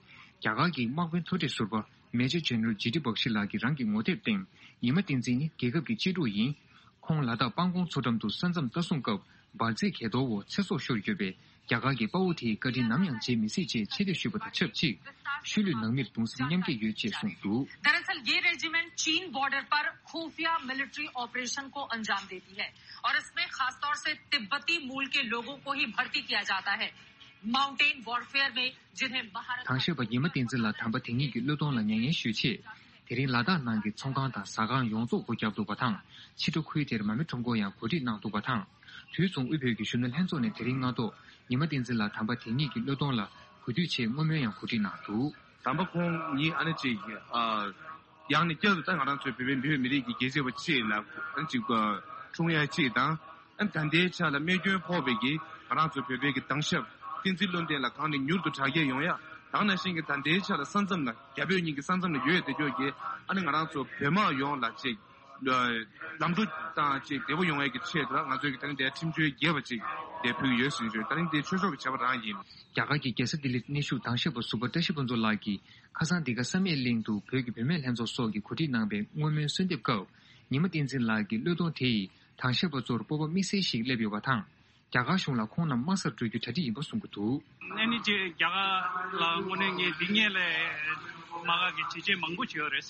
རྒྱ་གར་གྱི་དམག་དཔོན་མཐོ་གྲས་ཟུར་པ་Major General ཇི་ཏི་བག་ཤི་ལགས་ཀྱིས་རང་གི་ངོ་དེབ་སྟེང་། ཉི་མ་བསྟན་འཛིན་ནི་རྒྱལ་ཁབ་ཀྱི་གཅེས་ཕྲུག་ཡིན། ཁོང་ལ་དྭགས་སྤང་གོང་མཚོ་འགྲམ་དུ་ས་མཚམས་ལྟ་སྲུང་སྐབས་འབར་རྫས་གས་གཏོར་འོག་ཚེ་སྲོག་ཤོར་ཡོད་པས། རྒྱ་གར་གྱི་དཔའ་བོ་དེའི་བཀའ་དྲིན་ནམ་ཡང་བརྗེད་མི་སྲིད་ཅེས་ཆེ་བསྟོད་ཞུས་པ་དང་ཆབས་ཅིག་ཤུལ་ལུས་ནང་མིར་གདུང་སེམས་མཉམ་སྐྱེད་ཡོད་ཅེས་གསུངས་འདུག། दरअसल ये रेजिमेंट चीन बॉर्डर पर खुफिया military operation को अंजाम देती है और इसमें खासतौर से तिब्बती मूल के लोगों को ही भर्ती किया जाता है। माउंटेन वॉरफेयर में जिन्हें महारत དྭངས་ཞབས་པ་ཉི་མ་བསྟན་འཛིན་ལགས་དམ་པ་དེ་ཉིད་ཀྱི་བློས་གཏོང་ལ་མྱ་ངན་ཞུ་ཆེད། དེ་རིང་ལ་དྭགས་ནང་གི་ཚོང་ཁང་དང་ཟ་ཁང་ཡོངས་རྫོགས་སྒོ་བརྒྱབ་འདུག་པ་དང་། ཕྱི་དྲོ་ཁུལ་དེར་མ་རྨོས་ཁྲོམ་སྐོར་ཡང་གོ་སྒྲིག་གནང་འདུག་པ་དང་། དུས་མཚུངས་དབུས་བོད་ཀྱི་གཞོན་ནུ་ལྷན་ཚོགས་ནས་དེ་རིང་སྔ་དྲོ་ཉི་མ་བསྟན་འཛིན་ལགས་དམ་པ་དེ་ཉིད་ཀྱི་བློས་གཏོང་ལ་གུས་འདུད་ཆེད་བསྔོ་སྨོན་ཡང་གོ་སྒྲིག་གནང་འདུག། དམ་པ་ཁོང་ཉིད་ཨ་ནི་ཅིག་ཨ། ཡང་ནས་བསྐྱར་དུ་ད་ང་རང་ཚོའི་བོད་པའི་མི་བོད་མི་རིགས་ཀྱི་རྒྱལ་གཅེས་པ་ཅིག་ལ་ཨ་ནི་ཅིག་འཁྲུངས་ཡ་ཅིག་དང་། ཨ་ནི་ད་ལྟའི་ཆ་ལ་རྨས་སྐྱོན་ཕོག་པའི་གི་ང་རང་ཚོ་བོད་པའི་གི་དྭངས་ཞབས་བསྟན་འཛིན་བློ་ལྡན་ལགས་གང་ནས་མྱུར་དུ་དྲག་སྐྱེད་ཡོང་ཡ། ད་ག་ནང་བཞིན་གི་ད་ལྟའི་ཆ་ལ་ས་མཚམས་ལ་རྒྱ་བོད་གཉིས་ཀྱི་ས་མཚམས་ལ་ཡོད་བསྡད་ཀྱོག་གི་ཨ་ནི་ང་རང་ཚོ་བོད་དམག་ཡོངས་ལ་ཅིག་ལམ་འགྲོ་དང་ཅིག་བདེ་པོ་ཡོང་ཡ་གི་ཆེད་དུ་ལ་ང་ཚོའི་གི་ད་རིང་འདིར་ཁྲིམས་གཅོད་རྒྱས་པ་ཅིག་འདིར་ཕུལ་གྱི་ཡོད་ཟེར་ཞུ། ད་རིང་འདི་ཆོས་ཕྱོགས་ཀྱི་བྱ་བ་རང་ཡིན། རྒྱ་གར་གྱི་རྒྱལ་ས་ལྡི་ལིར་གནས་བཞུགས་དྭངས་ཞབས་པ་ཟུར་པ་བཀྲ་ཤིས་ཕུན་ཚོགས་ལགས་ཀྱིས་ཁ་སང་འདི་ག་བསམ་ཡས་གླིང་དུ་བོད་ཀྱི་བུད་མེད་ལྷན་ཚོགས་སོགས་ཀྱིས་གོ་སྒྲིག་གནང་བའི་བསྔོ་སྨོན་གསོལ་འདེབས་སྐབས། ཉི་མ་བསྟན་འཛིན་ལགས་ཀྱི་བློས་གཏོང་དེ་ཡིས་དྭངས་ཞབས་པ་ཚོར་སྤོབས་པ་དམིགས་བསལ་ཞིག་སླེབས་ཡོད་པ་དང་། རྒྱ་གར་གཞུང་ལ་ཁོང་རྣམས་དམག་སར་འགྲོ་རྒྱུ་གྲ་སྒྲིག་ཡིན་པ་གསུང་གི་འདུག། ཨ་ནི་རྗེས་རྒྱ་གར་ལ་དངོས་གནས་ངས་འདི་སྔོན་ལ་དམག་སྒར་གྱི་བྱས་རྗེས་མང་པོ་བྱས་ཡོད་རེད།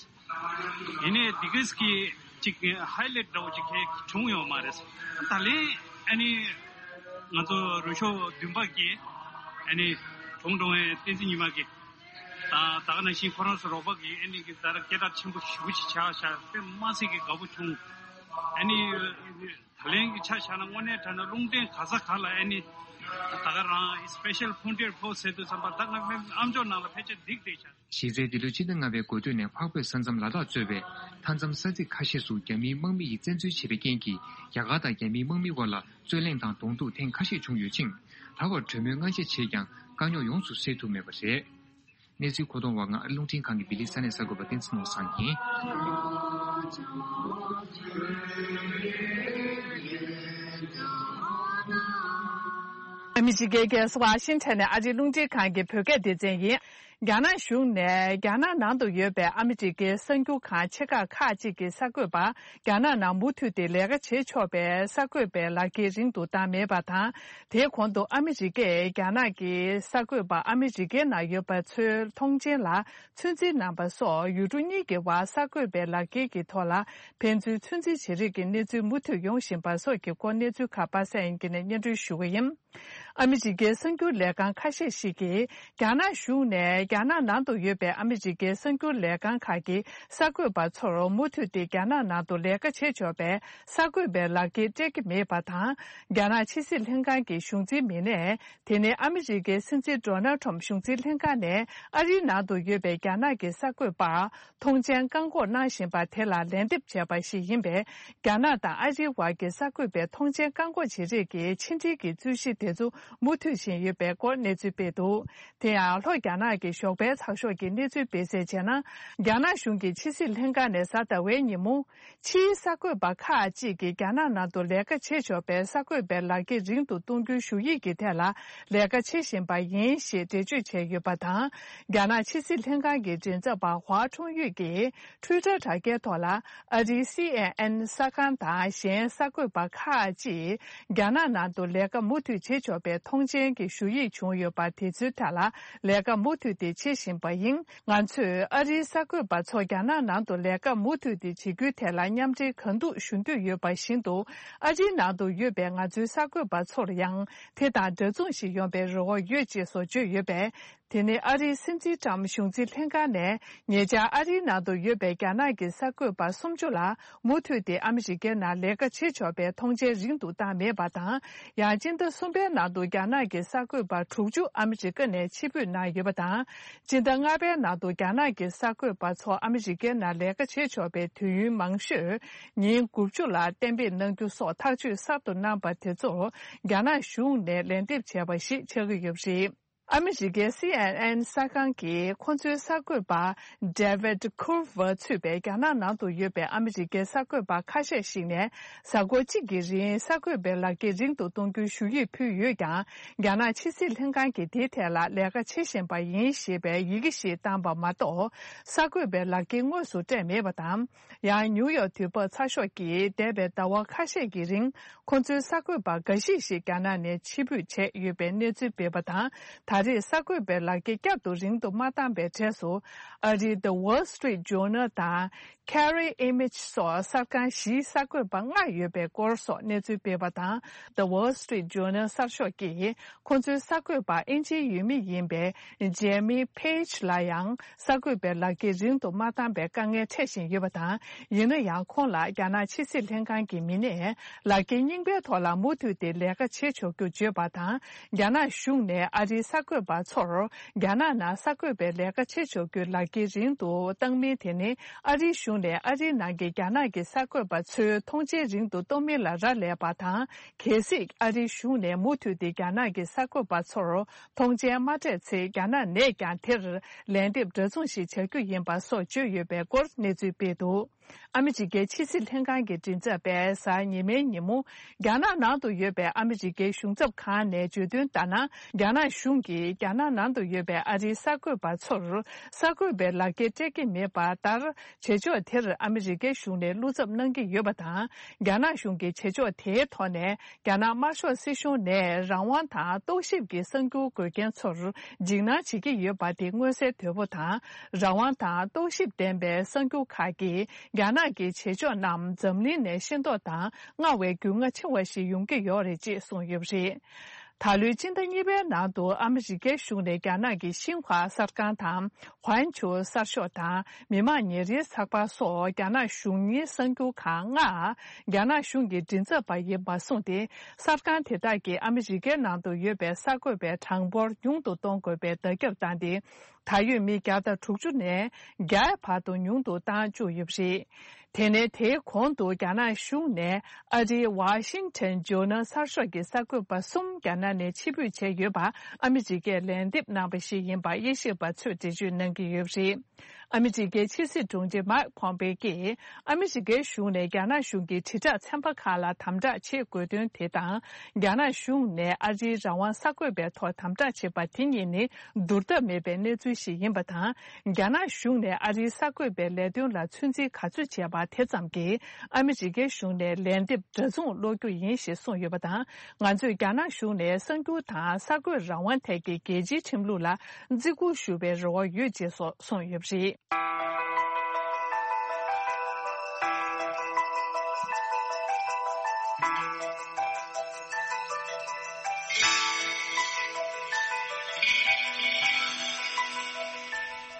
ཡིན་ནའི་འདི་གས་ཀྱི་ཅིག་ཧའི་ལེཊ་འདྲ་བོ་ཅིག་གས་བྱུང་ཡོད་མ་རེད། ད་ལན་ཨ་ནི་ང་ཚོ་རུ་ཤོག་བདུན་པ་གིས་ཨ་ནི་གྲོངས་གྲོངས་བའི་བསྟན་འཛིན་ཉི་མ་གིས་དང་ད་ག་ནང་བཞིན་ཁོ་རང་ཚོ་རོགས་པ་གིས་ཨ་ནི་གི་ད་ར་སྐད་གྲགས་ཆེན་པོ་ཞེ་པོ་ཅིག་ཆགས་ཤག་དཔེ་མ་སྲིད་ཀྱི་དགའ་པོ་བྱུང་། ཨ་ནི་ད་ལན་གྱི་ཆ་བཞག་ན་དངོས་གནས་དྲང་གནས་རླུང་འཕྲིན་ག་ས་ག་ལ་ཨ་ནི་ད་ག་རང་སི་པེ་ཤལ་ཕོན་ཊི་ཡར་ཕོ་སི་ཟེར་དུས་ཙམ་པ་ད་ང་ཨ་མཆོག་ནང་ལ་ཕལ་ཆེར་འགྲིག་བསྡད་ཤག། གཞི་རྩའི་འདི་ལོའི་སྤྱི་ཟླ་ལྔ་པའི་འགོ་སྟོད་ནས་འཕགས་བོད་ས་མཚམས་ལ་དྭགས་གཙོས་པའི་མཐའ་མཚམས་ས་ཚིགས་ཁ་ཤས་སུ་རྒྱ་མིའི་དམག་མི་ཡིས་བཙན་འཛུལ་བྱས་པའི་རྐྱེན་གྱིས་རྒྱ་གར་དང་རྒྱ་མིའི་དམག་མིའི་དབར་ལ་རྩོད་གླེང་དང་གདོང་ཐུག་ཐེངས་ཁ་ཤས་བྱུང་ཡོད་ཅིང་། ད་བར་གྲོས་མོལ་སྔ་ཕྱི་བྱས་ཀྱང་དཀའ་རྙོག་ཡོངས་སུ་སེལ་ཐུབ་མེད་པ་རེད། གནས་ཚུལ་མཁོ་གཏོང་བ་ང་ཨ་རི་རླུང་འཕྲིན་ཁང་གི་བྷི་ལི་ས་གནས་གསར་འགོད་པ་བསྟན་འཛིན་ནོར་བཟང་ཡིན། ཨ་མི་རི་ཀའི་རྒྱལ་ས་ཝ་ཤིང་ཊོན་ནས་ཨ་རིའི་རླུང་འཕྲིན་ཁང་གི་བོད་སྐད་སྡེ་ཚན་ཡིན། རྒྱ་ནག་གཞུང་ནས་རྒྱ་ནག་ནང་དུ་ཡོད་པའི་ཨ་མི་རི་ཀའི་གསར་འགྱུར་ཁང་ཆེ་ཁག་ཁག་ཅིག་གི་གསར་འགོད་པ་རྒྱ་ནག་ནང་མུ་མཐུད་དེ་ལས་ཀ་བྱེད་ཆོག་པའི་གསར་འགོད་པའི་ལག་འཁྱེར་རིང་དུ་བཏང་མེད་པ་དང་། དེའི་གོང་དུ་ཨ་མི་རི་ཀས་རྒྱ་ནག་གི་གསར་འགོད་པ་ཨ་མི་རི་ཀའི་ནང་ཡོད་པ་ཚོའི་མཐོང་མཆན་ལ་ཚོད་འཛིན་གནང་པ་སོགས་ཡུལ་གྲུ་གཉིས་ཀྱི་དབར་གསར་འགོད་པའི་ལག་འཁྱེར་གྱི་ཐོག་ལ་ཕན་ཚུན་ཚོད་འཛིན་བྱེད་རིགས་ཀྱི་གནས་ཚུལ་མུ་མཐུད་ཡོང་བཞིན་པ་སོགས་ཀྱི་སྐོར་གནས་ཚུལ་ཁག་པ་སངས་དབྱངས་སྐྱིད་ནས་སྙན་སྒྲོན་ཞུ་གི་ཡིན། ཨ་མི་རི་ཀའི་གསར་འགྱུར་ལས་ཁང་ཁ་ཤས་ཤིག་གིས། རྒྱ་ནག་གཞུང་ནས་རྒྱ་ནག་ནང་དུ་ཡོད་པའི་ཨ་མི་རི་ཀའི་གསར་འགྱུར་ལས་ཁང་ཁག་གི་གསར་འགོད་པ་ཚོར་མུ་མཐུད་དེ་རྒྱ་ནག་ནང་དུ་ལས་ཀ་བྱེད་ཆོག་པའི་གསར་འགོད་པའི་ལག་འཁྱེར་སྤྲད་ཀྱི་མེད་པ་དང་། རྒྱ་ནག་ཕྱི་སྲིད་ལྷན་ཁང་གི་གཞུང་འཛིན་མི་སྣས། དེ་ནི་ཨ་མི་རི་ཀའི་སྲིད་འཛིན་ཌོ་ནལ་ཁྲོམ་གཞུང་འཛིན་ལྷན་ཁང་ནས་ཨ་རིའི་ནང་དུ་ཡོད་པའི་རྒྱ་ནག་གི་གསར་འགོད་པར་མཐོང་མཆན་བཀག་འགོག་གནང་བཞིན་པ་དེ་ལ་ལན་འདེབས་བྱས་པ་ཞིག་ཡིན་པས། རྒྱ་ནག་དང་ཨ་རིའི་དབར་གྱི་གསར་འགོད་པའི་མཐོང་མཆན་བཀག་འགོག་བྱེད་རིགས་ཀྱི་ཕྱི་འབྲེལ་གྱི་རྩོད་གཞི་དེ་ཚོ་མུ་མཐུད་བཞིན་ཡོད་པའི་སྐོར་གནས་ཚུལ་སྤེལ་འདུག་དེ་ཡང་ལྷོ་རྒྱ་ནག་གི་ཞོགས་པའི་ཚགས་ཤོག་གིས་གནས་ཚུལ་སྤེལ་གསལ་བྱས་ན། རྒྱ་ནག་གཞུང་གི་ཕྱི་སྲིད་ལྷན་ཁང་ནས་གཟའ་ཟླ་བའི་ཉིན་མོ། ཕྱིའི་གསར་འགོད་པ་ཁག་ཅིག་གིས་རྒྱ་ནག་ནང་དུ་ལས་ཀ་བྱེད་ཆོག་པའི་གསར་འགོད་པའི་ལག་འཁྱེར་རིང་དུ་གཏོང་རྒྱུའི་ཞུ་ཡིག་གི་ཐད་ལ་ལས་ཀ་བྱེད་བཞིན་པ་ཡིན་ཞེས་འགྲེལ་བརྗོད་བྱས་ཡོད་པ་དང་། རྒྱ་ནག་ཕྱི་སྲིད་ལྷན་ཁང་གི་མགྲིན་ཚབ་པ་ཧྭ་ཁྲུང་ཡུས་ཀྱིས་Twitter་དྲ་རྒྱའི་ཐོག་ལ། ཨ་རིའི་སི་ཨེན་ཨེན་གསར་ཁང་དང་གཞན་གསར་འགོད་པ་ཁག་ཅིག་རྒྱ་ནག་ནང་དུ་ལས་ཀ་མུ་མཐུད་བྱེད་ཆོག་པའི་མཐོང་མཆན་གྱི་ཞུ་ཡིག་བྱུང་ཡོད་པ་དེ་ཚོའི་ཐད་ལ་ལས་ཀ་མུ་མཐུད་དེ་བྱེད་བཞིན་པ་ཡིན། ང་ཚོས་ཨ་རིའི་གསར་འགོད་པ་ཚོ་རྒྱ་ནག་ནང་དུ་ལས་ཀ་མུ་མཐུད་དེ་བྱེད་རྒྱུའི་ཐད་ལ་མཉམ་འབྲེལ་གང་ཐུབ་ཞུ་འདོད་ཡོད་པ་བཞིན་དུ། ཨ་རིའི་ནང་དུ་ཡོད་པའི་ང་ཚོའི་གསར་འགོད་པ་ཚོར་ཡང་དེ་དང་འདྲ་མཚུངས་ཤིག་ཡོང་པའི་རེ་བ་ཡོད་ཅེས་སོགས་བརྗོད་ཡོད་པས། དེ་ནི་ཨ་རིའི་སྲིད་འཛིན་ཀྲམ་གཞུང་འཛིན་ལྷན་ཁང་ནས་ཉེ་ཆར་ཨ་རིའི་ནང་དུ་ཡོད་པའི་རྒྱ་ནག་གི་གསར་འགོད་པ་སུམ་ཅུ་ལ་མུ་མཐུད་དེ་ཨ་མི་རི་ཀའི་ནང་ལས་ཀ་བྱེད་ཆོག་པའི་མཐོང་མཆན་རིང་དུ་བཏང་མེད་པ་དང་། ཡང་སྤྱི་ཟླ་གསུམ་པའི་ནང་དུ་རྒྱ་ནག་གི་གསར་འགོད་པ་དྲུག་ཅུ་ཨ་མི་རི་ཀ་ནས་ཕྱིར་འབུད་གནང་ཡོད་པ་དང་། སྤྱི་ཟླ་ལྔ་པའི་ནང་དུ་རྒྱ་ནག་གི་གསར་འགོད་པ་ཚོ་ཨ་མི་རི་ཀའི་ནང་ལས་ཀ་བྱེད་ཆོག་པའི་དུས་ཡུན་མང་ཤོས་ཉིན་དགུ་བཅུ་ལ་གཏན་འབེབས་གནང་རྒྱུ་སོགས་ཐག་གཅོད་གསར་དུ་གནང་པ་དེ་ཚོར་རྒྱ་ནག་གཞུང་ནས་ལན་འདེབས་བྱས་པ་ཞིག་ཆགས་ཀྱི་ཡོད་པ་རེད། ཨ་མི་རི་ཀའི་སི་ཨེན་ཨེན་གསར་ཁང་གིས་ཁོ་ཚོའི་གསར་འགོད་པ་David Culver་ཚུད་པའི་རྒྱ་ནག་ནང་དུ་ཡོད་པའི་ཨ་མི་རི་ཀའི་གསར་འགོད་པ་ཁ་ཤས་ཤིག་ནས་གཟའ་འཁོར་གཅིག་གི་རིང་གསར་འགོད་པའི་ལག་འཁྱེར་རིང་དུ་གཏོང་རྒྱུའི་ཞུ་ཡིག་ཕུལ་ཡོད་ཀྱང་། རྒྱ་ནག་ཕྱི་སྲིད་ལྷན་ཁང་གིས་དེའི་ཐད་ལ་ལས་ཀ་བྱེད་བཞིན་པ་ཡིན་ཞེས་པའི་ཡི་གེ་ཞིག་བཏང་པ་མ་གཏོགས། གསར་འགོད་པའི་ལག་འཁྱེར་དངོས་སུ་སྤྲད་མེད་པ་དང་། ཡང་ནིའུ་ཡོག་དུས་བབ་ཚགས་ཤོག་གིས་འདས་པའི་ཟླ་བ་ཁ་ཤས་ཀྱི་རིང་། ཁོ་ཚོའི་གསར་འགོད་པ་འགའ་ཞིག་ཞིག་རྒྱ་ནག་ནས་ཕྱིར་འབུད་བྱས་ཡོད་པའི་གནས་ཚུལ་སྤེལ་བ་དང་། ད་རེས་གསར་འགོད་པའི་ལག་འཁྱེར་བསྐྱར་དུ་རིང་དུ་མ་བཏང་པའི་གྲས་སུ། ཨ་རིའི་The Wall Street Journal་དང་། Carrie Image་སོགས་གསར་ཁང་བཞིའི་གསར་འགོད་པ་ལྔ་ཡོད་པའི་སྐོར་སོགས་གནས་ཚུལ་སྤེལ་བ་དང་། The Wall Street Journal་གསར་ཤོག་གིས་ཁོ་ཚོའི་གསར་འགོད་པ་ཨིན་ཇིའི་ཡུལ་མི་ཡིན་པའི་Jamie Page་ལ་ཡང་། གསར་འགོད་པའི་ལག་འཁྱེར་རིང་དུ་མ་བཏང་པའི་དཀའ་ངལ་འཕྲད་བཞིན་ཡོད་པ་དང་། ཡིན་ན་ཡང་ཁོང་ལ་རྒྱ་ནག་ཕྱི་སྲིད་ལྷན་ཁང་གི་མི་སྣས་ལག་འཁྱེར་རྙིང་པའི་ཐོག་ལ་མུ་མཐུད་དེ་ལས་ཀ་བྱེད་ཆོག་རྒྱུ་བརྗོད་པ་དང་། རྒྱ་ནག་གཞུང་ནས་ཨ་རིའི་གསར་འགོད་པ་ཚོར་རྒྱ་ནག་ནང་གསར་འགོད་པའི་ལས་ཀ་བྱེད་ཆོག་རྒྱུའི་ལག་འཁྱེར་རིང་དུ་བཏང་མིན་དེ་ནི། ཨ་རིའི་གཞུང་ནས་ཨ་རིའི་ནང་གི་རྒྱ་ནག་གི་གསར་འགོད་པ་ཚོའི་མཐོང་མཆན་རིང་དུ་གཏོང་མིན་ལ་རག་ལས་པ་དང་། གལ་སྲིད་ཨ་རིའི་གཞུང་ནས་མུ་མཐུད་དེ་རྒྱ་ནག་གི་གསར་འགོད་པ་ཚོར། མཐོང་མཆན་མ་སྤྲད་ཚེ་རྒྱ་ནག་ནས་ཀྱང་དེར་ལན་འདེབས་འདྲ་མཚུངས་ཤིག་བྱ་རྒྱུ་ཡིན་པ་སོགས་བརྗོད་ཡོད་པའི་སྐོར་གནས་ཚུལ་སྤེལ་འདུག་ཨ་མི་རི་ཀའི་ཕྱི་སྲིད་ལྷན་ཁང་གི་མགྲིན་ཚབ་པས་གཟའ་ཉི་མའི་ཉིན་མོ། རྒྱ་ནག་ནང་དུ་ཡོད་པའི་ཨ་མི་རི་ཀའི་གཞུང་ཚབ་ཁང་ནས་བརྗོད་དོན་ལྟར་ན། རྒྱ་ནག་གཞུང་གིས་རྒྱ་ནག་ནང་དུ་ཡོད་པའི་ཨ་རིའི་གསར་འགོད་པ་ཚོར། གསར་འགོད་པའི་ལག་འཁྱེར་སྤྲད་ཀྱི་མེད་པ་ལྟར། བྱེད་ཕྱོགས་དེར་ཨ་མི་རི་ཀའི་གཞུང་ནས་བློ་འཚབ་གནང་གི་ཡོད་པ་དང་། རྒྱ་ནག་གཞུང་གིས་བྱེད་ཕྱོགས་དེའི་ཐོག་ནས། རྒྱ་ནག་དམར་ཤོག་སྲིད་གཞུང་ནས་རང་དབང་དང་རྟོག་ཞིབ་ཀྱི་གསར་འགྱུར་འགོད་མཁན་ཚོར་འཇིགས་སྣང་བྱེད་ཀྱི་ཡོད་པ་དེ་མངོན་གསལ་དོད་པོ་དང་། རང་དབང་དང་རྟོག་ཞིབ་ལྡན་པའི་གསར་འགྱུར་ཁག་གིས་རྒྱ་ནག་གི་བྱེད་ཕྱོགས་རྣམས་འཛམ་གླིང་ནས་ཤེས་རྟོགས་དང་སྔར་བས་རྒྱུས་མངའ་ཆེ་བ་ཞིག་ཡོང་གི་ཡོད་རེད་ཅེས་གསུངས་ཡོད་པ་རེད། ད་ལོའི་སྤྱི་ཟླ་གཉིས་པའི་ནང་དུ་ཨ་མི་རི་ཀའི་གཞུང་ནས་རྒྱ་ནག་གི་ཤིན་ཧྭ་གསར་ཁང་དང་། ཧོན་ཆུ་གསར་ཤོག་དང་མི་དམངས་ཉིན་རེའི་ཚགས་པར་སོགས་རྒྱ་ནག་གཞུང་གཉེར་གསར་འགྱུར་ཁང་ལྔ། རྒྱ་ནག་གཞུང་གི་མགྲིན་ཚབ་པ་ཡིན་པ་སོང་སྟེ། གསར་ཁང་དེ་དག་གིས་ཨ་མི་རི་ཀའི་ནང་དུ་ཡོད་པའི་གསར་འགོད་པའི་གྲངས་འབོར་ཉུང་དུ་གཏོང་དགོས་པའི་བརྡ་ཁྱབ་བཏང་སྟེ། ད་ཡོད་མི་བརྒྱ་དང་དྲུག་ཅུ་ནས་བརྒྱ་བར་དུ་ཉུང་དུ་བཏང་བཅུག་ཡོད་པ་རེད། དེ་ནས་དེའི་གོང་དུ་རྒྱ་ནག་གཞུང་ནས་ཨ་རིའི་Washington Journal་གསར་ཤོག་གི་གསར་འགོད་པ་གསུམ་རྒྱ་ནག་ནས་ཕྱིར་འབུད་བྱས་ཡོད་པ་ཨ་མི་རི་ཀས་ལན་འདེབས་གནང་པ་ཞིག་ཡིན་པ་དབྱེ་ཞིབ་པ་ཚོས་འགྲེལ་བརྗོད་གནང་གི་ཡོད་པ་རེད། ཨ་མི་རི་ཀའི་ཕྱི་སྲིད་དྲུང་ཆེ་མཱིག་ཕོམ་པེ་ཀྱིས་ཨ་མི་རི་ཀའི་གཞུང་ནས་རྒྱ་ནག་གཞུང་གི་དྲིལ་བསྒྲགས་ཚན་པ་ཁག་ལ་དམ་དྲག་བྱེད་དགོས་དོན་དེ་དང་། རྒྱ་ནག་གཞུང་ནས་ཨ་རིའི་རང་དབང་གསར་འགོད་པའི་ཐོག་དམ་དྲག་བྱེད་པ་དེ་གཉིས་ནི་བསྡུར་ཐབས་མེད་པའི་གནས་ཚུལ་ཞིག་ཡིན་པ་དང་། རྒྱ་ནག་གཞུང་ནས་ཨ་རིའི་གསར་འགོད་པའི་ལས་དོན་ལ་ཚོད་འཛིན་ག་ཚོད་བྱས་པ་དེ་ཙམ་གྱིས་ཨ་མི་རི་ཀའི་གཞུང་ནས་ལན་འདེབས་འདྲ་མཚུངས་སློག་རྒྱུ་ཡིན་ཞེས་གསུངས་ཡོད་པ་དང་། ང་ཚོས་རྒྱ་ནག་གཞུང་ནས་གསར་འགྱུར་དང་གསར་འགོད་རང་དབང་ཐད་ཀྱི་རྒྱལ་སྤྱིའི་ཁྲིམས་ལུགས་ལ་བརྩི་བཀུར་ཞུ་བའི་རེ་བ་ཡོད་ཅེས་སོགས་གསུངས་ཡོད་པ་རེད།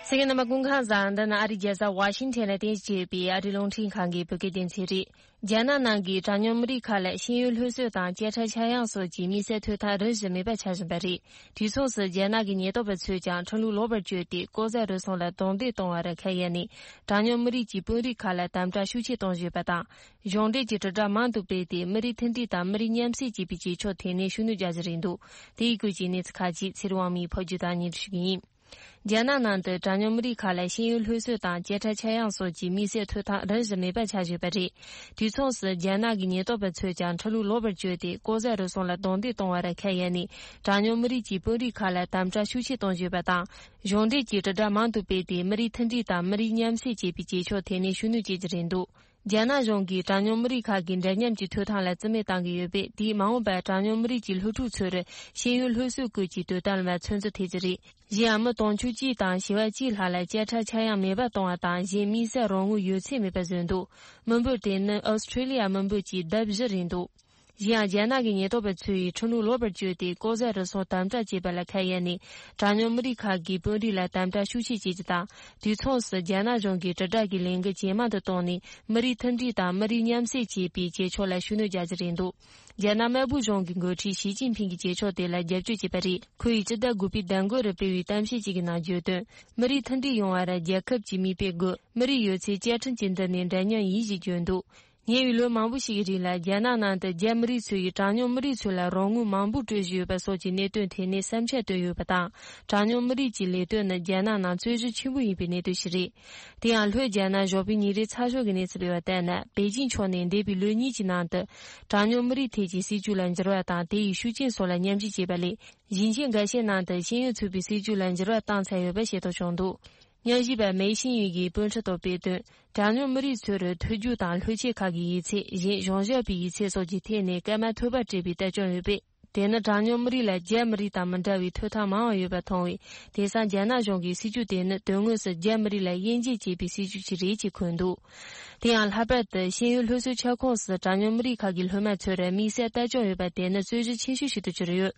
གསན་མཁན་རྣམ་པ་སྐུ་ཁམས་བཟང་། འདི་ནི་ཨ་རིའི་རྒྱལ་ས་ཝ་ཤིང་ཊོན་ལ་རྟེན་གཞི་བྱས་པའི་ཨ་རིའི་རླུང་འཕྲིན་ཁང་གི་བོད་སྐད་སྡེ་ཚན་རེད། རྒྱ་ནག་ནང་གི་གྲངས་ཉུང་མི་རིགས་ཁག་ལ་ཤེས་ཡོན་སློབ་གསོ་དང་བཅད་ཁྲ་ཆག་ཡང་སོགས་ཀྱི་དམིགས་བསལ་ཐོབ་ཐང་རིམ་བཞིན་མེད་པ་ཆགས་བཞིན་པ་རེད། དུས་མཚུངས་སུ་རྒྱ་ནག་གི་ཉེན་རྟོག་པ་ཚོས་ཀྱང་ཁྲིམས་ལུགས་ལོག་པར་བཅོས་ཏེ་ལྐོག་ཟ་རུལ་སུངས་ལ་རྡུང་རྡེག་གཏོང་བར་ཁ་གཡར་ནས། གྲངས་ཉུང་མི་རིགས་ཀྱི་དཔོན་རིགས་ཁག་ལ་དམ་དྲག་ཤུགས་ཆེ་གཏོང་བཞིན་ཡོད་པ་དང་། གཞུང་འབྲེལ་གྱི་དྲིལ་བསྒྲགས་མང་དུ་སྤེལ་ཏེ། མི་རིགས་མཐུན་སྒྲིལ་དང་མི་རིགས་མཉམ་བསྲེས་བྱེད་པའི་བྱེད་ཕྱོགས་ཐད་ནས་ཤུགས་སྣོན་རྒྱག་བཞིན་རེད་འདུག་དེའི་སྐོར་གྱི་གནས་ཚུལ་ཁག་ཅིག་ཚེ་རིང་དབང་མོས་ཕབ་སྒྱུར་དང་སྙན་སྒྲོན་ཞུ་གི་ཡིན། རྒྱ་ནག་ནང་དུ་གྲངས་ཉུང་མི་རིགས་ཁག་ལ་ཤེས་ཡོན་སློབ་གསོ་དང་བཅད་ཁྲ་ཆག་ཡང་སོགས་ཀྱི་དམིགས་བསལ་ཐོབ་ཐང་རིམ་བཞིན་མེད་པ་ཆགས་བཞིན་པ་རེད། དུས་མཚུངས་སུ་རྒྱ་ནག་གི་ཉེན་རྟོག་པ་ཚོས་ཀྱང་ཁྲིམས་ལུགས་ལོག་པར་བཅོས་ཏེ་ལྐོག་ཟ་རུལ་སུངས་ལ་རྡུང་རྡེག་གཏོང་བར་ཁ་གཡར་ནས། གྲངས་ཉུང་མི་རིགས་ཀྱི་དཔོན་རིགས་ཁག་ལ་དམ་དྲག་ཤུགས་ཆེ་གཏོང་བཞིན་པ་དང་། གཞུང་འབྲེལ་གྱི་དྲིལ་བསྒྲགས་མང་དུ་སྤེལ་ཏེ། མི་རིགས་མཐུན་སྒྲིལ་དང་མི་རིགས་མཉམ་བསྲེས་བྱེད་པའི་བྱེད་ཕྱོགས་ཐད་ནས་ཤུགས་སྣོན་བྱེད་ཀྱི་རེད་འདུག་རྒྱ་ནག་གཞུང་གིས་གྲངས་ཉུང་མི་རིགས་ཁག་གི་འདྲ་མཉམ་གྱི་ཐོབ་ཐང་ལ་རྩིས་མེད་བཏང་གི་ཡོད་པས། དེས་མ་འོངས་པར་གྲངས་ཉུང་མི་རིགས་ཀྱི་སློབ་ཕྲུག་ཚོར་ཤེས་ཡོན་སློབ་གསོའི་སྐོར་གྱི་དོ་དམ་ལ་ཚོད་འཛིན་ཐེབས་ཀྱི་རེད། གཞན་ཡང་། མི་དུང་ཕྱུར་གཅིག་དང་བྱེ་བ་གཅིག་ལྷག་ལ་བཅད་ཁྲ་ཆག་ཡང་མེད་པར་གཏོང་བ་དང་། གཞན་དམིགས་བསལ་རོགས་དངུལ་ཡོད་ཚད་མེད་པར་བཟོས་འདུག་མི་འབོར་དེ་ནི་ཨོ་སི་ཁྲི་ལི་ཡ་མི་འབོར་གྱི་ལྡབ་བཞི་རེད་འདུག་གཞན་ཡང་། རྒྱ་ནག་གི་ཉེན་རྟོག་པ་ཚོས་ཁྲིམས་ལུགས་ལོག་པར་བཅོས་ཏེ་ལྐོག་ཟ་རུལ་སུངས་དམ་དྲག་བྱེད་པ་ལ་ཁ་གཡར་ནས། གྲངས་ཉུང་མི་རིགས་ཁག་གི་དཔོན་རིགས་ལ་དམ་དྲག་ཤུགས་ཆེ་བྱེད་རྒྱུ་དང་། དུས་མཚུངས་སུ་རྒྱ་ནག་གཞུང་གིས་དྲིལ་བསྒྲགས་ཀྱི་ལས་འགུལ་ཇེ་མང་དུ་བཏང་ནས། མི་རིགས་མཐུན་སྒྲིལ་དང་མི་རིགས་མཉམ་བསྲེས་བྱེད་པའི་བྱེད་ཕྱོགས་ལ་ཤུགས་སྣོན་རྒྱག་རྒྱུ་རེད་འདུག་རྒྱ་ནག་དམར་པོའི་གཞུང་གི་འགོ་ཁྲིད་ཞི་ཅིན་ཕིང་གིས་བྱེད་ཕྱོགས་དེ་ལ་རྒྱབ་སྐྱོར་བྱས་པ་རེད། ཁོ་ཡིས་སྤྱི་ཟླ་དགུ་པའི་ཟླ་འགོ་རུ་སྤེལ་བའི་གཏམ་བཤད་ཅིག་གི་ནང་བརྗོད་དོན། མི་རིགས་མཐུན་སྒྲིལ་ཡོང་བར་རྒྱལ་ཁབ་ཀྱི་མིག་དཔེ་དགོས། མི་རིགས་ཡོད་ཚད་བཅའ་ཁྲིམས་ཀྱི་མདུན་ནས་འདྲ་མཉམ་ཡིན་ཞེས་བརྗོད་འདུག་ཉེ་བའི་ལོ་མང་པོ་ཞིག་གི་རིང་ལ། རྒྱ་ནག་ནང་དུ་རྒྱ་མི་རིགས་ཚོ་ཡིས་གྲངས་ཉུང་མི་རིགས་ཚོ་ལ་རོགས་དངུལ་མང་པོ་སྤྲོད་བཞིན་ཡོད་པ་སོགས་ཀྱི་གནད་དོན་ཐད་ནས་བསམ་འཆར་བཏོན་ཡོད་པ་དང་། གྲངས་ཉུང་མི་རིགས་ཀྱི་ལས་དོན་ནི་རྒྱ་ནག་ནང་རྩོད་གཞི་ཆེན་པོ་ཡིན་པའི་གནད་དོན་ཞིག་རེད། དེ་ཡང་། ལྷོ་རྒྱ་ནག་ཞོགས་པའི་ཉིན་རེའི་ཚགས་ཤོག་གི་གནས་ཚུལ་སྤེལ་བ་ལྟར་ན། པེ་ཅིང་ཕྱོགས་ནས་འདས་པའི་ལོ་གཉིས་ཀྱི་ནང་དུ། གྲངས་ཉུང་མི་རིགས་ཐད་ཀྱི་སྲིད་ཇུས་ལ་འགྱུར་བ་དང་། དེ་ཡི་ཤུགས་རྐྱེན་སོགས་ལ་མཉམ་ཞིབ་བྱས་པ་ལས། ཞིང་ཆེན་འགའ་ཤས་ནང་དུ་ཤེས་ཡོན་ཚུད་པའི་སྲིད་ཇུས་ལ་འགྱུར་བ་བཏང་ཚར་ཡོད་པ་ཤེས་རྟོགས་བྱུང་འདུག་ཉམས་ཞིབ་པ་མེ་ཤིན་ཡུས་ཀྱིས་དཔོན་ཁྲིད་ཐོག་སྤེལ་དོན། གྲངས་ཉུང་མི་རིགས་ཚོར་ཐོས་རྒྱུགས་དང་ལྷུག་ཆེས་ཁག་གི་ཡིག་ཚད། གཞན་གཞུང་ཞབས་པའི་ཡིག་ཚད་སོགས་ཀྱི་ཐད་ནས་སྐར་མ་ཐོལ་པར་སྤྲད་པའི་ལྟ་སྐྱོང་ཡོད་པས། དེ་ནི་གྲངས་ཉུང་མི་རིགས་ལ་རྒྱ་མི་རིགས་དང་མི་འདྲ་བའི་ཐོབ་ཐང་མང་བ་ཡོད་པ་མཐོང་བས། དེང་སང་རྒྱ་ནག་གཞུང་གི་སྲིད་ཇུས་དེ་ནི་དོན་དངོས་སུ་རྒྱ་མི་རིགས་ལ་དབྱེ་འབྱེད་བྱེད་པའི་སྲིད་ཇུས་ཤིག་རེད་ཅེས་འཁོད་འདུག་དེ་ཡང་། ལྷག་པར་དུ་ཤེས་ཡོན་སློབ་གསོའི་ཁྱབ་ཁོངས་སུ་གྲངས་ཉུང་མི་རིགས་ཁག་གི་སློབ་མ་ཚོར་དམིགས་བསལ་ལྟ་སྐྱོང་ཡོད་པ་དེ་ནི་རྩོད་གཞི་ཆེ་ཤོས་ཤིག་ཏུ་གྱུར་ཡོད།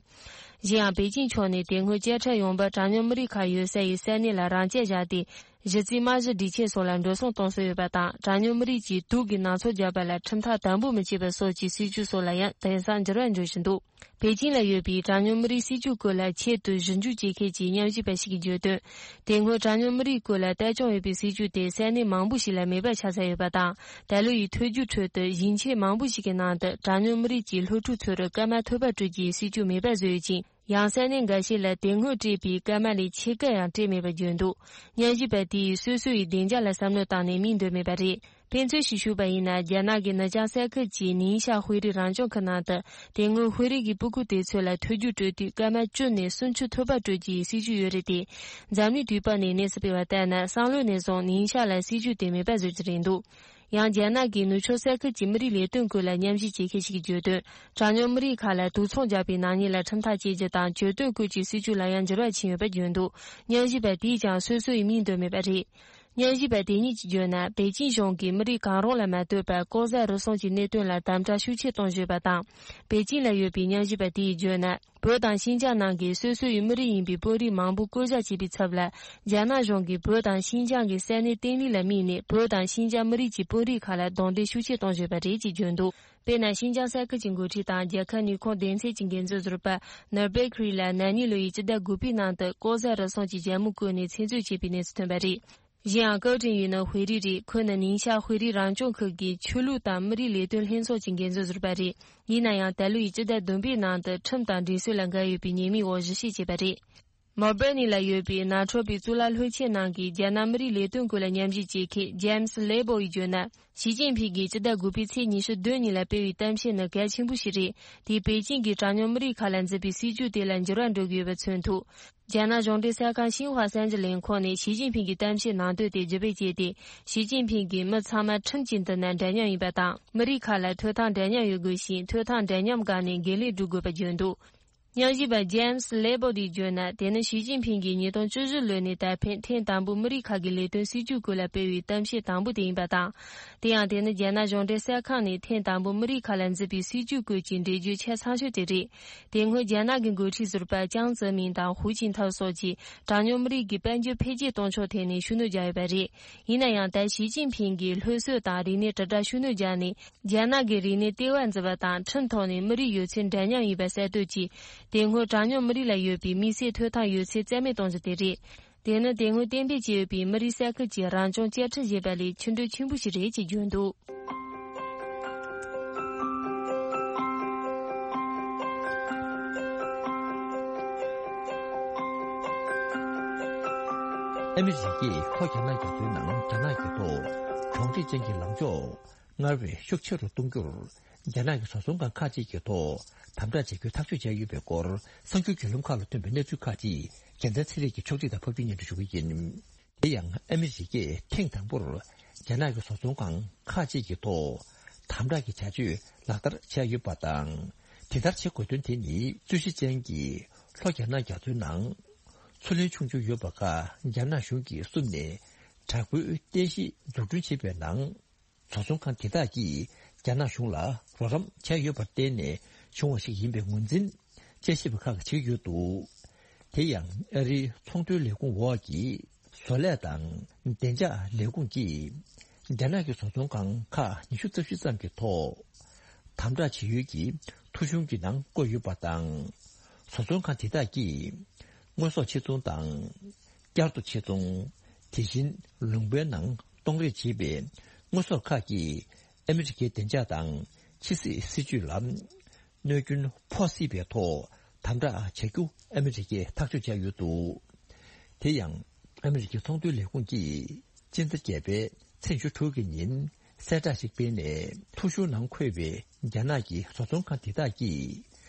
གཞན་ཡང་། པེ་ཅིང་ཕྱོགས་ནས་དེ་སྔོན་བཅད་ཁྲ་ཡོང་འབབ་གྲངས་ཉུང་མི་རིགས་ཁག་ཡོད་ས་ཡི་ས་གནས་ལ་རང་འཇགས་བཞག་སྟེ། གཞི་རྩའི་རྨང་གཞི་སྒྲིག་ཆས་སོགས་ལ་འགྲོ་སོང་གཏོང་སྲོལ་ཡོད་པ་དང་། གྲངས་ཉུང་མི་རིགས་ཀྱིས་དུག་གི་ནང་ཚོགས་བརྒྱབ་པ་ལ་ཁྲིམས་ཐག་དམ་པོ་མི་བཅད་པ་སོགས་ཀྱི་སྲིད་ཇུས་སོགས་ལ་ཡང་དེང་སང་འགྱུར་བ་འགྲོ་བཞིན་འདུག་པེ་ཅིང་ལ་ཡོད་པའི་གྲངས་ཉུང་མི་རིགས་སྲིད་ཇུས་སྐོར་ལ་ཆེད་དུ་ཞིབ་འཇུག་བྱེད་མཁན་གྱི་ཉམས་ཞིབ་པ་ཞིག་གིས་བརྗོད་དོན། དེ་སྔོན་གྲངས་ཉུང་མི་རིགས་སྐོར་ལ་ལྟ་སྐྱོང་ཡོད་པའི་སྲིད་ཇུས་དེ་ས་གནས་མང་པོ་ཞིག་ལ་མེད་པ་ཆགས་ཚར་ཡོད་པ་དང་། ད་ལོ་ཡི་ཐོས་རྒྱུགས་ཁྲོད་དུ་ཞིང་ཆེན་མང་པོ་ཞིག་གི་ནང་དུ་གྲངས་ཉུང་མི་རིགས་ཀྱི་སློབ་ཕྲུག་ཚོར་སྐར་མ་ཐོལ་པར་སྤྲོད་རྒྱུའི་སྲིད་ཇུས་མེད་པ་བཟོས་ཡོད་ཅིང་། ཡང་ས་གནས་འགའ་ཤས་ལ་དེ་སྔོན་སྤྲད་པའི་སྐར་མ་ལས་ཕྱེད་ཀ་ཡང་སྤྲད་མེད་པར་བརྗོད་འདུག་ཉམས་ཞིབ་པ་དེས་སོ་སོ་ཡི་བདེ་འཇགས་ལ་བསམ་བློ་བཏང་ནས་མིག་འདོན་མེད་པ་རེད། དཔེ་མཚོན་ཞིག་ཞུས་པ་ཡིན་ན། རྒྱ་ནག་གི་ནུབ་བྱང་ས་ཁུལ་གྱི་ནིང་ཤ་དཔོན་རིགས་རང་སྐྱོང་ཁུལ་ནང་དུ། དེ་སྔོན་དཔོན་རིགས་ཀྱི་སྤུ་གུ་དེ་ཚོ་ལ་ཐོས་རྒྱུགས་སྤྲོད་དུས་སྐར་མ་བཅུ་ནས་སུམ་ཅུ་ཐོལ་པ་སྤྲོད་རྒྱུའི་སྲིད་ཇུས་ཡོད་རེད་དེ། འཛམ་གླིང་དུས་བབ་ནས་གནས་ཚུལ་སྤེལ་བ་ལྟར་ན། སང་ལོ་ནས་བཟུང་ནིང་ཤ་ལ་སྲིད་ཇུས་དེ་མེད་པ་བཟོ་རྒྱུ་རེད་འདུག་ཡང་། རྒྱ་ནག་གི་ནུབ་ཕྱོགས་ས་ཁུལ་གྱི་མི་རིགས་ལས་དོན་སྐོར་ལ་ཉམས་ཞིབ་བྱེད་མཁན་ཞིག་གིས་བརྗོད་དོན། གྲངས་ཉུང་མི་རིགས་ཁག་ལ་དུག་ཚོང་རྒྱག་པའི་ནག་ཉེས་ལ་ཁྲིམས་ཐག་བཅད་རྒྱུ་དང་གྱོད་དོན་སྐོར་གྱི་སྲིད་ཇུས་ལ་ཡང་འགྱུར་བ་ཕྱིན་ཡོད་པར་བརྗོད་འདུག་ཉམས་ཞིབ་པ་དེས་ཀྱང་སོ་སོ་ཡི་མིང་འདོན་མེད་པ་རེད། ཉམས་ཞིབ་པ་དེ་གཉིས་ཀྱིས་བརྗོད་ན། པེ་ཅིང་གཞུང་གིས་མི་རིགས་གང་རུང་ལ་མ་ལྟོས་པར་ལྐོག་ཟ་རུལ་སུངས་ཀྱི་གནད་དོན་ལ་དམ་དྲག་ཤུགས་ཆེ་གཏོང་བཞིན་པ་དང་། པེ་ཅིང་ལ་ཡོད་པའི་ཉམས་ཞིབ་པ་དེས་བརྗོད་ན། བོད་དང་ཤིན་ཅང་ནང་གི་སོ་སོ་ཡི་མི་རིགས་ཡིན་པའི་དཔོན་རིགས་མང་པོ་བསྐོ་བཞག་བྱས་པའི་ཚབ་ལ། རྒྱ་ནག་གཞུང་གིས་བོད་དང་ཤིན་ཅང་གི་ས་གནས་བརྟན་ལྷིང་ལ་དམིགས་ནས། བོད་དང་ཤིན་ཅང་མི་རིགས་ཀྱི་དཔོན་རིགས་ཁག་ལ་རྡུང་རྡེག་ཤུགས་ཆེ་གཏོང་བཞིན་པ་རེད་ཅེས་བརྗོད་འདུག་དཔེར་ན། ཤིན་ཅང་ས་ཁུལ་གྱི་འགོ་ཁྲིད་དང་རྒྱལ་ཁབ་ནུས་ཁུངས་སྡེ་ཚན་གྱི་འགན་འཛིན་ཟུར་པ་ནོར་བེག་རི་ལ་ན་ནིང་ལོ་ཡི་སྤྱི་ཟླ་དགུ་པའི་ནང་དུ་ལྐོག་ཟ་རུལ་སུངས་ཀྱི་རྒྱལ་མོ་བཀོལ་ནས་ཚིག་མཛོད་བྱས་པའི་གནས་ཚུལ་ཐོན་པ་རེད། གཞན་ཡང་། ཀའོ་ཀྲིན་ཡུས་ནི་དཔོན་རིགས་རེད། ཁོ་ནི་ནིང་ཤ་དཔོན་རིགས་རང་སྐྱོང་ཁུལ་གྱི་ཆོས་ལུགས་དང་མི་རིགས་ལས་དོན་ལྷན་ཚོགས་ཀྱི་འགན་འཛིན་ཟུར་པ་རེད། ཡིན་ན་ཡང་། ད་ལོ་ཡི་སྤྱི་ཟླ་བདུན་པའི་ནང་དུ་ཁྲིམས་དང་འགྲིམ་སྲོལ་ལ་འགལ་ཡོད་པའི་ཉེས་མིང་འོག་གཞི་བྱས་བྱས་པ་རེད། མོལ་བྷར་ནི་ལ་ཡོད་པའི་ནང་ཆོས་པའི་གཙུག་ལག་སློབ་ཆེན་ནང་གི་རྒྱ་ནག་མི་རིགས་ལས་དོན་སྐོར་ལ་ཉམས་ཞིབ་བྱེད་མཁན་ཇེམ་སི་ལེ་བོ་ཡིས་བརྗོད་ན། ཞི་ཅིན་ཕིང་གིས་སྤྱི་ཟླ་དགུ་པའི་ཚེས་ཉི་ཤུ་བདུན་ཉིན་ལ་སྤེལ་བའི་གཏམ་བཤད་ནི་གལ་ཆེན་པོ་ཞིག་རེད། དེས་པེ་ཅིང་གིས་གྲངས་ཉུང་མི་རིགས་ཁག་ལ་འཛིན་པའི་སྲིད་ཇུས་དེ་ལ་འགྱུར་བ་འགྲོ་གི་ཡོད་པ་མཚོན་ཐུབ། རྒྱ་ནག་གཞུང་འབྲེལ་གསར་ཁང་ཤིན་ཧྭ་གསར་འགྱུར་ལས་ཁུངས་ནས་ཞི་ཅིན་ཕིང་གི་གཏམ་བཤད་ནང་དོན་དེ་བརྗོད་པ་བྱས་ཏེ། ཞི་ཅིན་ཕིང་གིས་མི་ཚང་མ་ཁྲིམས་ཀྱི་མདུན་ན་འདྲ་མཉམ་ཡིན་པ་དང་། མི་རིགས་ཁག་ལ་ཐོབ་ཐང་འདྲ་མཉམ་ཡོད་དགོས་ཤིང་། ཐོབ་ཐང་འདྲ་མཉམ་སྒང་ནས་འགན་ལེན་སྒྲུབ་དགོས་པ་བརྗོད་འདུག་ཉམས་ཞིབ་པ་ཇེམ་སི་ལེ་བོ་ཌིས་བརྗོད་ན། དེ་ནི་ཞི་ཅིན་ཕིང་གིས་ཉིས་སྟོང་བཅུ་བཞི་ལོ་ནས་ད་ཕན་ཐེངས་དང་པོ་མི་རིགས་ཁག་གི་ལས་དོན་སྲིད་ཇུས་སྐོར་ལ་སྤེལ་བའི་གཏམ་བཤད་དང་པོ་དེ་ཡིན་པ་དང་། དེ་ཡང་དེ་ནི་རྒྱ་ནག་གཞུང་འབྲེལ་གསར་ཁང་ནས་ཐེངས་དང་པོ་མི་རིགས་ཁག་ལ་མཛད་པའི་སྲིད་ཇུས་སྐོར་གྱི་འགྲེལ་བརྗོད་ཆ་ཚང་ཤོས་དེ་རེད། དེ་སྔོན་རྒྱ་ནག་གི་འགོ་ཁྲིད་ཟུར་པ་ཅང་ཙེ་མིན་དང་ཧུའུ་ཅིན་ཐའོ་སོགས་ཀྱིས་གྲངས་ཉུང་མི་རིགས་ཀྱི་དཔལ་འབྱོར་འཕེལ་རྒྱས་གཏོང་ཕྱོགས་ཐད་ནས་ཤུགས་སྣོན་བརྒྱབ་ཡོད་པ་རེད། ཡིན་ན་ཡང་ད་ཞི་ཅིན་ཕིང་གིས་སློབ་གསོ་དང་རིག་གནས་དྲིལ་བསྒྲགས་ཤུགས་སྣོན་བརྒྱབ་ནས། རྒྱ་ནག་གི་རིག་གནས་ལྟེ་བ་འཛུགས་པ་དང་ཁྲིམས་ཐོག་ནས་མི་རིགས་ཡོད་ཚད་འདྲ་མཉམ་ཡིན་པ་གསལ་གཏོད་ཀྱིས། དེ་སྔོན་གྲངས་ཉུང་མི་རིགས་ལ་ཡོད་པའི་དམིགས་བསལ་ཐོབ་ཐང་ཡོད་ཚད་རྩ་མེད་གཏོང་རྒྱུ་དེ་རེད། དེ་ནི་དེ་སྔོན་གཏན་འབེབས་བྱས་ཡོད་པའི་མི་རིགས་ས་ཁུལ་གྱི་རང་སྐྱོང་བཅའ་ཁྲིམས་ཞེས་པ་ལས་ཆེས་འགྲོས་ཆེན་པོ་ཞིག་རེད་ཅེས་བརྗོད་འདུག། ཨ་མི་རི་ཀས་ལྷོ་རྒྱ་ནག་རྒྱ་མཚོའི་ནང་རྒྱ་ནག་གི་ཐོག་གྲོང་སྡེ་ཅན་གྱི་ལངས་ཕྱོགས། སྔར་བས་ཤུགས་ཆེ་རུ་གཏོང་རྒྱུར། རྒྱ་ནག་གི་བཟོ་ཚོང་ཁང་ཁག་ཅིག་གི་ཐོག་དམ་དྲག་བྱེད་རྒྱུའི་ཐག་གཅོད་བྱས་ཡོད་པའི་སྐོར། གསར་འགྱུར་བརྒྱུད་ལམ་ཁག་ལ་ཐོན་པའི་གནས་ཚུལ་ཁག་ཅིག་རྒྱལ་མཚན་ཚེ་རིང་གིས་ཕྱོགས་སྒྲིག་དང་ཕབ་སྒྱུར་སྙན་སྒྲོན་ཞུ་གི་ཡིན། དེ་ཡང་ཨ་མི་རི་ཀས་ཐེངས་དང་པོར་རྒྱ་ནག་གི་བཟོ་ཚོང་ཁང་ཁག་ཅིག་གི་ཐོག་དམ་དྲག་གི་བྱ་སྤྱོད་ལག་བསྟར་བྱས་ཡོད་པ་དང་། དེ་ལྟར་བྱེད་དགོས་དོན་དེ་ནི། རྩོད་གཞི་ཅན་གྱི་ལྷོ་རྒྱ་ནག་རྒྱ་མཚོའི་ནང་མཚོ་གླིང་ཆུང་ཆུང་ཡོད་པ་ཁག་རྒྱ་ནག་གཞུང་གིས་བསུབས་ནས། དྲག་པོའི་རྟེན་གཞི་འཛུགས་སྐྲུན་བྱེད་པའི་ནང་། བཟོ་ཚོང་ཁང་དེ་དག་གིས་རྒྱ་ནག་གཞུང་ལ་རོགས་རམ་བྱས་ཡོད་པར་བརྟེན་ནས་བྱུང་བ་ཞིག་ཡིན་པའི་ངོས་འཛིན་དཔྱད་ཞིབ་པ་ཁག་གིས་བྱེད་ཀྱི་ཡོད་འདུག། དེ་ཡང་ཨ་རིའི་ཚོང་དོན་ལས་ཁུངས་འོག་གི་བཟོ་ལས་དང་བདེ་འཇགས་ལས་ཁུངས་ཀྱིས། རྒྱ་ནག་གི་བཟོ་ཚོང་ཁང་ཁག་ཉི་ཤུ་རྩ་བཞི་ཙམ་གྱི་ཐོག་དམ་དྲག་བྱེད་ཡུལ་གྱི་ཐོ་གཞུང་གི་ནང་བཀོད་ཡོད་པ་དང་། བཟོ་ཚོང་ཁང་དེ་དག་གིས་དངོས་ཟོག་ཕྱིར་ཚོང་དང་། བསྐྱར་དུ་ཕྱིར་ཚོང་། དེ་བཞིན་ལུང་པའི་ནང་གཏོང་རེས་བྱེད་པའི་དངོས་ཟོག་ཁག་གིས་ཨ་མི་རི་ཀའི་བདེ་འཇགས་དང་ཕྱི་སྲིད་སྲིད་ཇུས་ལ་གནོད་སྐྱོན་ཕོག་སྲིད་པའི་ཐོག་དམ་དྲག་བྱ་རྒྱུ་ཨ་མི་རི་ཀས་ཐག་གཅོད་བྱས་ཡོད་འདུག། དེ་ཡང་ཨ་མི་རི་ཀའི་ཚོང་དོན་ལས་ཁུངས་ཀྱིས་སྤྱི་ཟླ་བརྒྱད་པའི་ཚེས་བཅུ་དྲུག་གི་ཉིན་གསལ་བསྒྲགས་ཤིག་སྤེལ་ནས། ཐོ་གཞུང་ནང་འཁོད་པའི་རྒྱ་ནག་གི་བཟོ་ཚོང་ཁང་དེ་དག་གིས་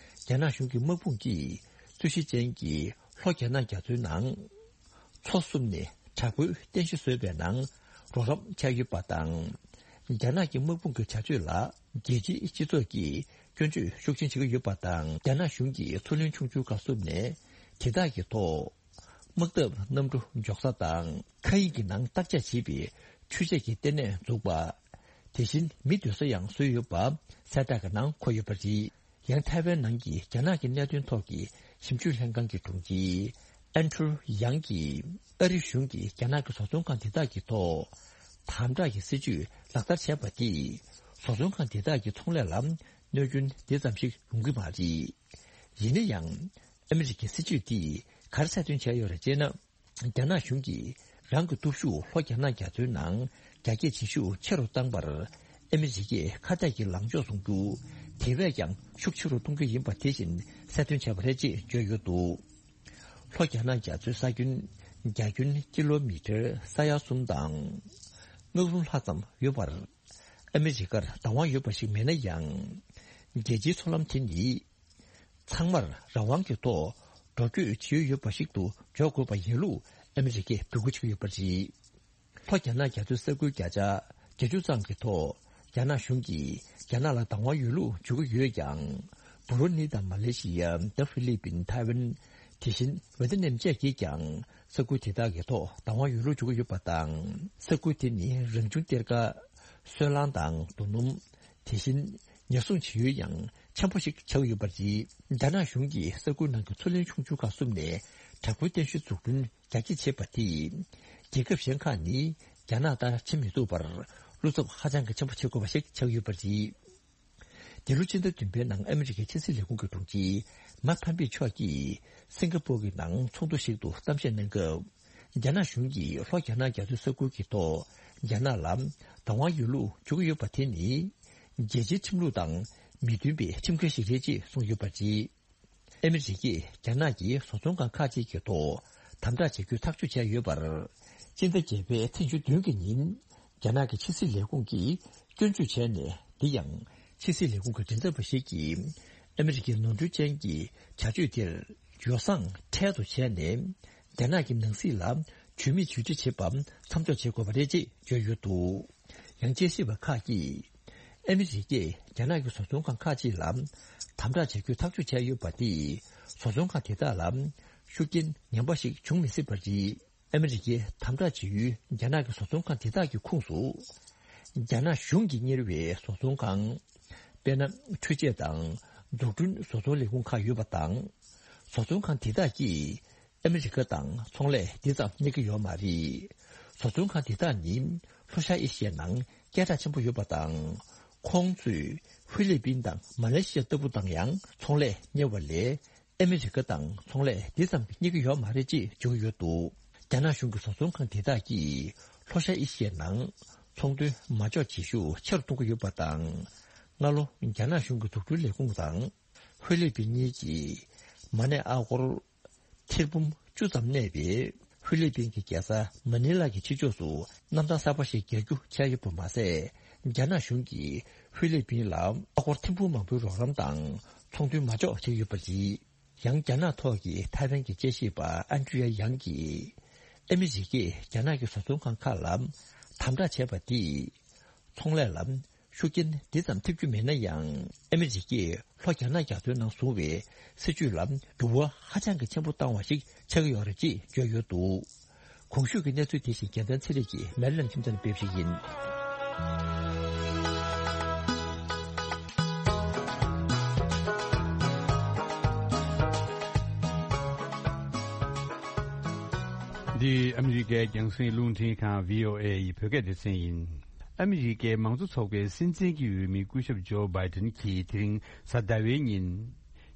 རྒྱ་ནག་གཞུང་གི་དམག་དཔུང་གིས་རྩོད་གཞི་ཅན་གྱི་ལྷོ་རྒྱ་ནག་རྒྱ་མཚོའི་ནང་མཚོ་བསུབས་ནས་དྲག་པོའི་རྟེན་གཞི་བཟོས་པའི་ནང་རོགས་རམ་བྱས་ཡོད་པ་དང་། རྒྱ་ནག་གི་དམག་དཔུང་གི་བྱ་སྤྱོད་ལ་རྒྱལ་སྤྱིའི་སྤྱི་ཚོགས་ཀྱིས་སྐྱོན་བརྗོད་ཤུགས་ཆེན་བྱེད་ཀྱི་ཡོད་པ་དང་། རྒྱ་ནག་གཞུང་གིས་མཚོ་གླིང་ཆུང་ཆུང་ཁག་བསུབས་ནས་དེ་དག་གི་ཐོག་དམག་འཐབ་གནམ་གྲུ་འཇོག་ས་དང་། མཁའ་དབྱིངས་ཀྱི་ནང་བརྟག་དཔྱད་བྱེད་པའི་འཕྲུལ་ཆས་ཀྱི་ལྟེ་གནས་འཛུགས་པ། དེ་བཞིན་མི་སྡོད་ས་ཡང་བཟོས་ཡོད་པ་གསལ་བསྒྲགས་ཀྱི་ནང་འཁོད་ཡོད་པ་རེད། ཡང་ཐའེ་ཝན་ནང་གི་རྒྱ་ནག་གི་གནད་དོན་ཐོག་གི་ཞིབ་འཇུག་ལྷན་ཁང་གི་དྲུང་ཆེ་ཨན་ཁྲུ་ཡང་གིས་ཨ་རི་གཞུང་གིས་རྒྱ་ནག་གི་བཟོ་ཚོང་ཁང་དེ་དག་གི་ཐོག་དམ་དྲག་གི་སྲིད་ཇུས་ལག་བསྟར་བྱས་པ་དེས་བཟོ་ཚོང་ཁང་དེ་དག་གི་ཚོང་ལས་ལ་གནོད་སྐྱོན་དེ་ཙམ་ཞིག་ཡོང་གི་མ་རེད། ཡིན་ན་ཡང་། ཨ་མི་རི་ཀའི་སྲིད་ཇུས་དེས་ག་རེ་གསལ་སྟོན་བྱས་ཡོད་རེད་ཅེ་ན། རྒྱ་ནག་གཞུང་གིས་རང་གི་སྟོབས་ཤུགས་ལྷོ་རྒྱ་ནག་རྒྱ་མཚོའི་ནང་རྒྱ་སྐྱེད་བྱེད་ཤུགས་ཆེ་རུ་བཏང་བར། ཨ་མི་རི་ཀས་ཁ་གཏད་ཀྱི་ལངས་ཕྱོགས་བཟུང་རྒྱུ། དེ་བས་ཀྱང་ཤུགས་ཆེ་རུ་གཏོང་རྒྱུ་ཡིན་པ་དེ་བཞིན་གསལ་སྟོན་བྱས་པ་རེད་ཅེས་བརྗོད་ཡོད་འདུག། ལྷོ་རྒྱ་ནག་རྒྱ་མཚོའི་ས་ཁྱོན་རྒྱ་ཁྱོན་ཀི་ལོ་མི་ཊར་ས་ཡ་གསུམ་དང་། ལྔ་གསུམ་ལྷག་ཙམ་ཡོད་པར། ཨ་མི་རི་ཀར་བདག་དབང་ཡོད་པ་ཞིག་མིན་ན་ཡང་། རྒྱལ་སྤྱིའི་མཚོ་ལམ་དེ་ནི། ཚང་མར་རང་དབང་གི་ཐོག་འགྲོ་སྐྱོད་བྱེད་ཡུལ་ཡོད་པ་ཞིག་ཏུ་འཇོག་དགོས་པ་ཡིན་ལུགས་ཨ་མི་རི་ཀས་འབོད་སྐུལ་བྱེད་ཀྱི་ཡོད་པ་རེད། ལྷོ་རྒྱ་ནག་རྒྱ་མཚོའི་ས་ཁུལ་བརྒྱ་ཆ་བརྒྱད་ཅུ་ཙམ་གྱི་ཐོག་རྒྱ་ནག་གཞུང་གིས་རྒྱ་ནག་ལ་བདག་དབང་ཡོད་ལུགས་བརྗོད་ཀྱི་ཡོད་ཀྱང་། བྷུ་རུ་ནི་དང་མ་ལེ་ཤི་ཡ། ད་ཧྥི་ལི་པིན། ཐའེ་ཝན། དེ་བཞིན་ཝེ་ཏི་ནམ་བཅས་ཀྱིས་ཀྱང་ས་ཁུལ་དེ་དག་གི་ཐོག་བདག་དབང་ཡོད་ལུགས་བརྗོད་ཀྱི་ཡོད་པ་དང་། ས་ཁུལ་དེ་ནི་རང་བྱུང་གཏེར་ཁ། སོལ་རླངས་དང་རྡོ་སྣུམ། དེ་བཞིན་ཉེན་སྲུང་བྱེད་ཡུལ་ཡང་ཆེན་པོ་ཞིག་ཆགས་ཡོད་པ་རེད། རྒྱ་ནག་གཞུང་གིས་ས་ཁུལ་ནང་གི་མཚོ་གླིང་ཆུང་ཆུང་ཁག་བསུབས་ནས་དྲག་པོའི་རྟེན་གཞི་འཛུགས་སྐྲུན་རྒྱ་སྐྱེད་བྱས་པ་དེས། རྒྱལ་ཁབ་གཞན་ཁག་ནི་རྒྱ་ནག་ལྟར་བྱེད་མི་ཐུབ་པར་བློ་འཚབ་ཧ་ཅང་གི་ཆེན་པོ་བྱེད་དགོས་པ་ཞིག་ཆགས་ཡོད་པ་རེད། འདི་ལོ་སྤྱི་ཟླ་བདུན་པའི་ནང་ཨ་མི་རི་ཀའི་ཕྱི་སྲིད་ལས་ཁུངས་ཀྱི་དྲུང་ཆེ་མཱིག་ཕམ་པེ་མཆོག་གིས་སིང་ག་པོར་གྱི་ནང་ཚོགས་འདུ་ཞིག་ཏུ་གཏམ་བཤད་གནང་སྐབས། རྒྱ་ནག་གཞུང་གིས་ལྷོ་རྒྱ་ནག་རྒྱ་མཚོའི་ས་ཁུལ་གྱི་ཐོག་རྒྱ་ནག་ལ་བདག་དབང་ཡོད་ལུགས་བརྗོད་ཀྱི་ཡོད་པ་དེ་ནི། རྒྱལ་སྤྱིའི་ཁྲིམས་ལུགས་དང་མི་མཐུན་པའི་ཁྲིམས་འགལ་ཞིག་རེད་ཅེས་གསུངས་ཡོད་པ་རེད། ཨ་མི་རི་ཀས་རྒྱ་ནག་གི་བཟོ་ཚོང་ཁང་ཁག་ཅིག་གི་ཐོག་དམ་དྲག་བྱེད་རྒྱུའི་ཐག་གཅོད་བྱས་ཡོད་པར། སྤྱི་ཟླ་བརྒྱད་པའི་ཚེས་བཅུ་བདུན་གྱི་ཉིན། རྒྱ་ནག་གི་ཕྱི་སྲིད་ལས་ཁུངས་ཀྱིས་སྐྱོན་བརྗོད་བྱས་ནས། འདི་ཡང་ཕྱི་སྲིད་ལས་ཁུངས་ཀྱི་མགྲིན་ཚབ་པ་ཞིག་གིས་ཨ་མི་རི་ཀའི་ནོར་འཁྲུལ་ཅན་གྱི་བྱ་སྤྱོད་དེར་ཡོ་བསྲང་འཕྲལ་དུ་བྱས་ནས། རྒྱ་ནག་གི་ནང་སྲིད་ལ་ཇུས་མེད་ཇུས་འབྲས་བྱེད་པ་མཚམས་འཇོག་བྱེད་དགོས་པ་རེད་ཅེས་བརྗོད་ཡོད་འདུག། ཡང་དཔྱད་ཞིབ་པ་ཁག་གིས། ཨ་མི་རི་ཀས་རྒྱ་ནག་གི་བཟོ་ཚོང་ཁང་ཁག་ཅིག་ལ་དམ་དྲག་བྱ་རྒྱུའི་ཐག་གཅོད་བྱས་ཡོད་པ་དེས། བཟོ་ཚོང་ཁང་དེ་དག་ལ་ཤུགས་རྐྱེན་ངན་པ་ཞིག་འབྱུང་མི་སྲིད་པ་རེད། ཨ་མི་རི་ཀས་དམ་དྲག་བྱེད་ཡུལ་རྒྱ་ནག་གི་བཟོ་ཚོང་ཁང་དེ་དག་གི་ཁོངས་སུ། རྒྱ་ནག་གཞུང་གིས་གཉེར་བའི་བཟོ་ཚོང་ཁང་། དཔེར་ན། འཕྲུལ་ཆས་དང་འཛུགས་སྐྲུན་བཟོ་ཚོང་ལས་ཁུངས་ཁག་ཡོད་པ་དང་། བཟོ་ཚོང་ཁང་དེ་དག་གིས་ཨ་མི་རི་ཀ་དང་ཚོང་ལས་འདི་ཙམ་གཉེར་གྱི་ཡོད་མ་རེད། བཟོ་ཚོང་ཁང་དེ་དག་ནི་ལྷོ་ཤར་ཨེ་ཤི་ཡའི་ནང་སྐད་གྲགས་ཆེན་པོ་ཡོད་པ་དང་། ཁོང་ཚོས་ཧྥི་ལི་པིན་དང་མ་ལེ་ཤི་ཡ་ལྟ་བུ་དང་ཡང་ཚོང་ལས་གཉེར་བ་ལས། ཨ་མི་རི་ཀ་དང་ཚོང་ལས་འདི་ཙམ་གཉེར་གྱི་ཡོད་མ་རེད་ཅེས་བརྗོད་ཀྱི་ཡོད་འདུག་རྒྱ་ནག་གཞུང་གི་བཟོ་ཚོང་ཁང་དེ་དག་གིས་ལྷོ་ཤར་ཨེ་ཤི་ཡའི་ནང་ཚོང་དོན་མ་འཇོག་བྱེད་ཤུགས་ཆེ་རུ་གཏོང་གི་ཡོད་པ་དང་། སྔ་ལོ་རྒྱ་ནག་གཞུང་གི་འཛུགས་སྐྲུན་ལས་ཁུངས་དང་ཧྥི་ལི་པིན་གཉིས་ཀྱིས་མ་ཎི་ཨ་སྒོར་ཐེར་འབུམ་བཅུ་ཙམ་གནས་པའི་ཧྥི་ལི་པིན་གྱི་རྒྱལ་ས་མ་ནི་ལ་གི་ཕྱི་ཕྱོགས་སུ་གནམ་ཐང་གསར་པ་ཞིག་རྒྱག་རྒྱུ་འཆར་ཡོད་པ་མ་ཟད། རྒྱ་ནག་གཞུང་གིས་ཧྥི་ལི་པིན་ལ་ཨ་སྒོར་ཐེར་འབུམ་མང་པོའི་རོགས་རམ་དང་ཚོང་དོན་མ་འཇོག་བྱེད་ཀྱི་ཡོད་པ་རེད། ཡང་རྒྱ་ནག་ཐོག་གི་ཐའེ་ཝན་གྱི་དཔྱད་ཞིབ་པ་ཨན་ཌྲི་ཡ་ཡང་གིས། ཨ་མི་རི་ཀས་རྒྱ་ནག་གི་བཟོ་ཚོང་ཁང་ཁག་ལ་དམ་དྲག་བྱས་པ་འདིས། ཚོང་ལས་ལ་ཤུགས་རྐྱེན་འདི་ཙམ་ཐེབས་རྒྱུ་མེད་ན་ཡང་། ཨ་མི་རི་ཀས་ལྷོ་རྒྱ་ནག་རྒྱ་མཚོའི་ནང་བཟུང་བའི་སྲིད་ཇུས་ལ་འགྱུར་བ་ཧ་ཅང་གི་ཆེན་པོ་བཏང་བ་ཞིག་ཆགས་ཀྱི་ཡོད་རེད་ཅེས་བརྗོད་ཡོད་འདུག་གོང་ཞུས་ཀྱི་གནས་ཚུལ་དེ་བཞིན་རྒྱལ་མཚན་ཚེ་རིང་གིས་མེ་ལན་ཁྱིམ་ཚང་ནས་སྤེལ་བ་ཞིག་ཡིན། འདི་ཨ་མི་རི་ཀའི་རྒྱང་སྲིང་རླུང་འཕྲིན་ཁང་བྷི་ཨོ་ཨེ་ཡི་བོད་སྐད་སྡེ་ཚན་ཡིན། ཨ་མི་རི་ཀའི་མང་གཙོ་ཚོགས་པའི་སྲིད་འཛིན་གྱི་འོས་མི་སྐུ་ཞབས་ཇོ་བྷའི་ཏན་གྱིས་དེ་རིང་གཟའ་ཟླ་བའི་ཉིན།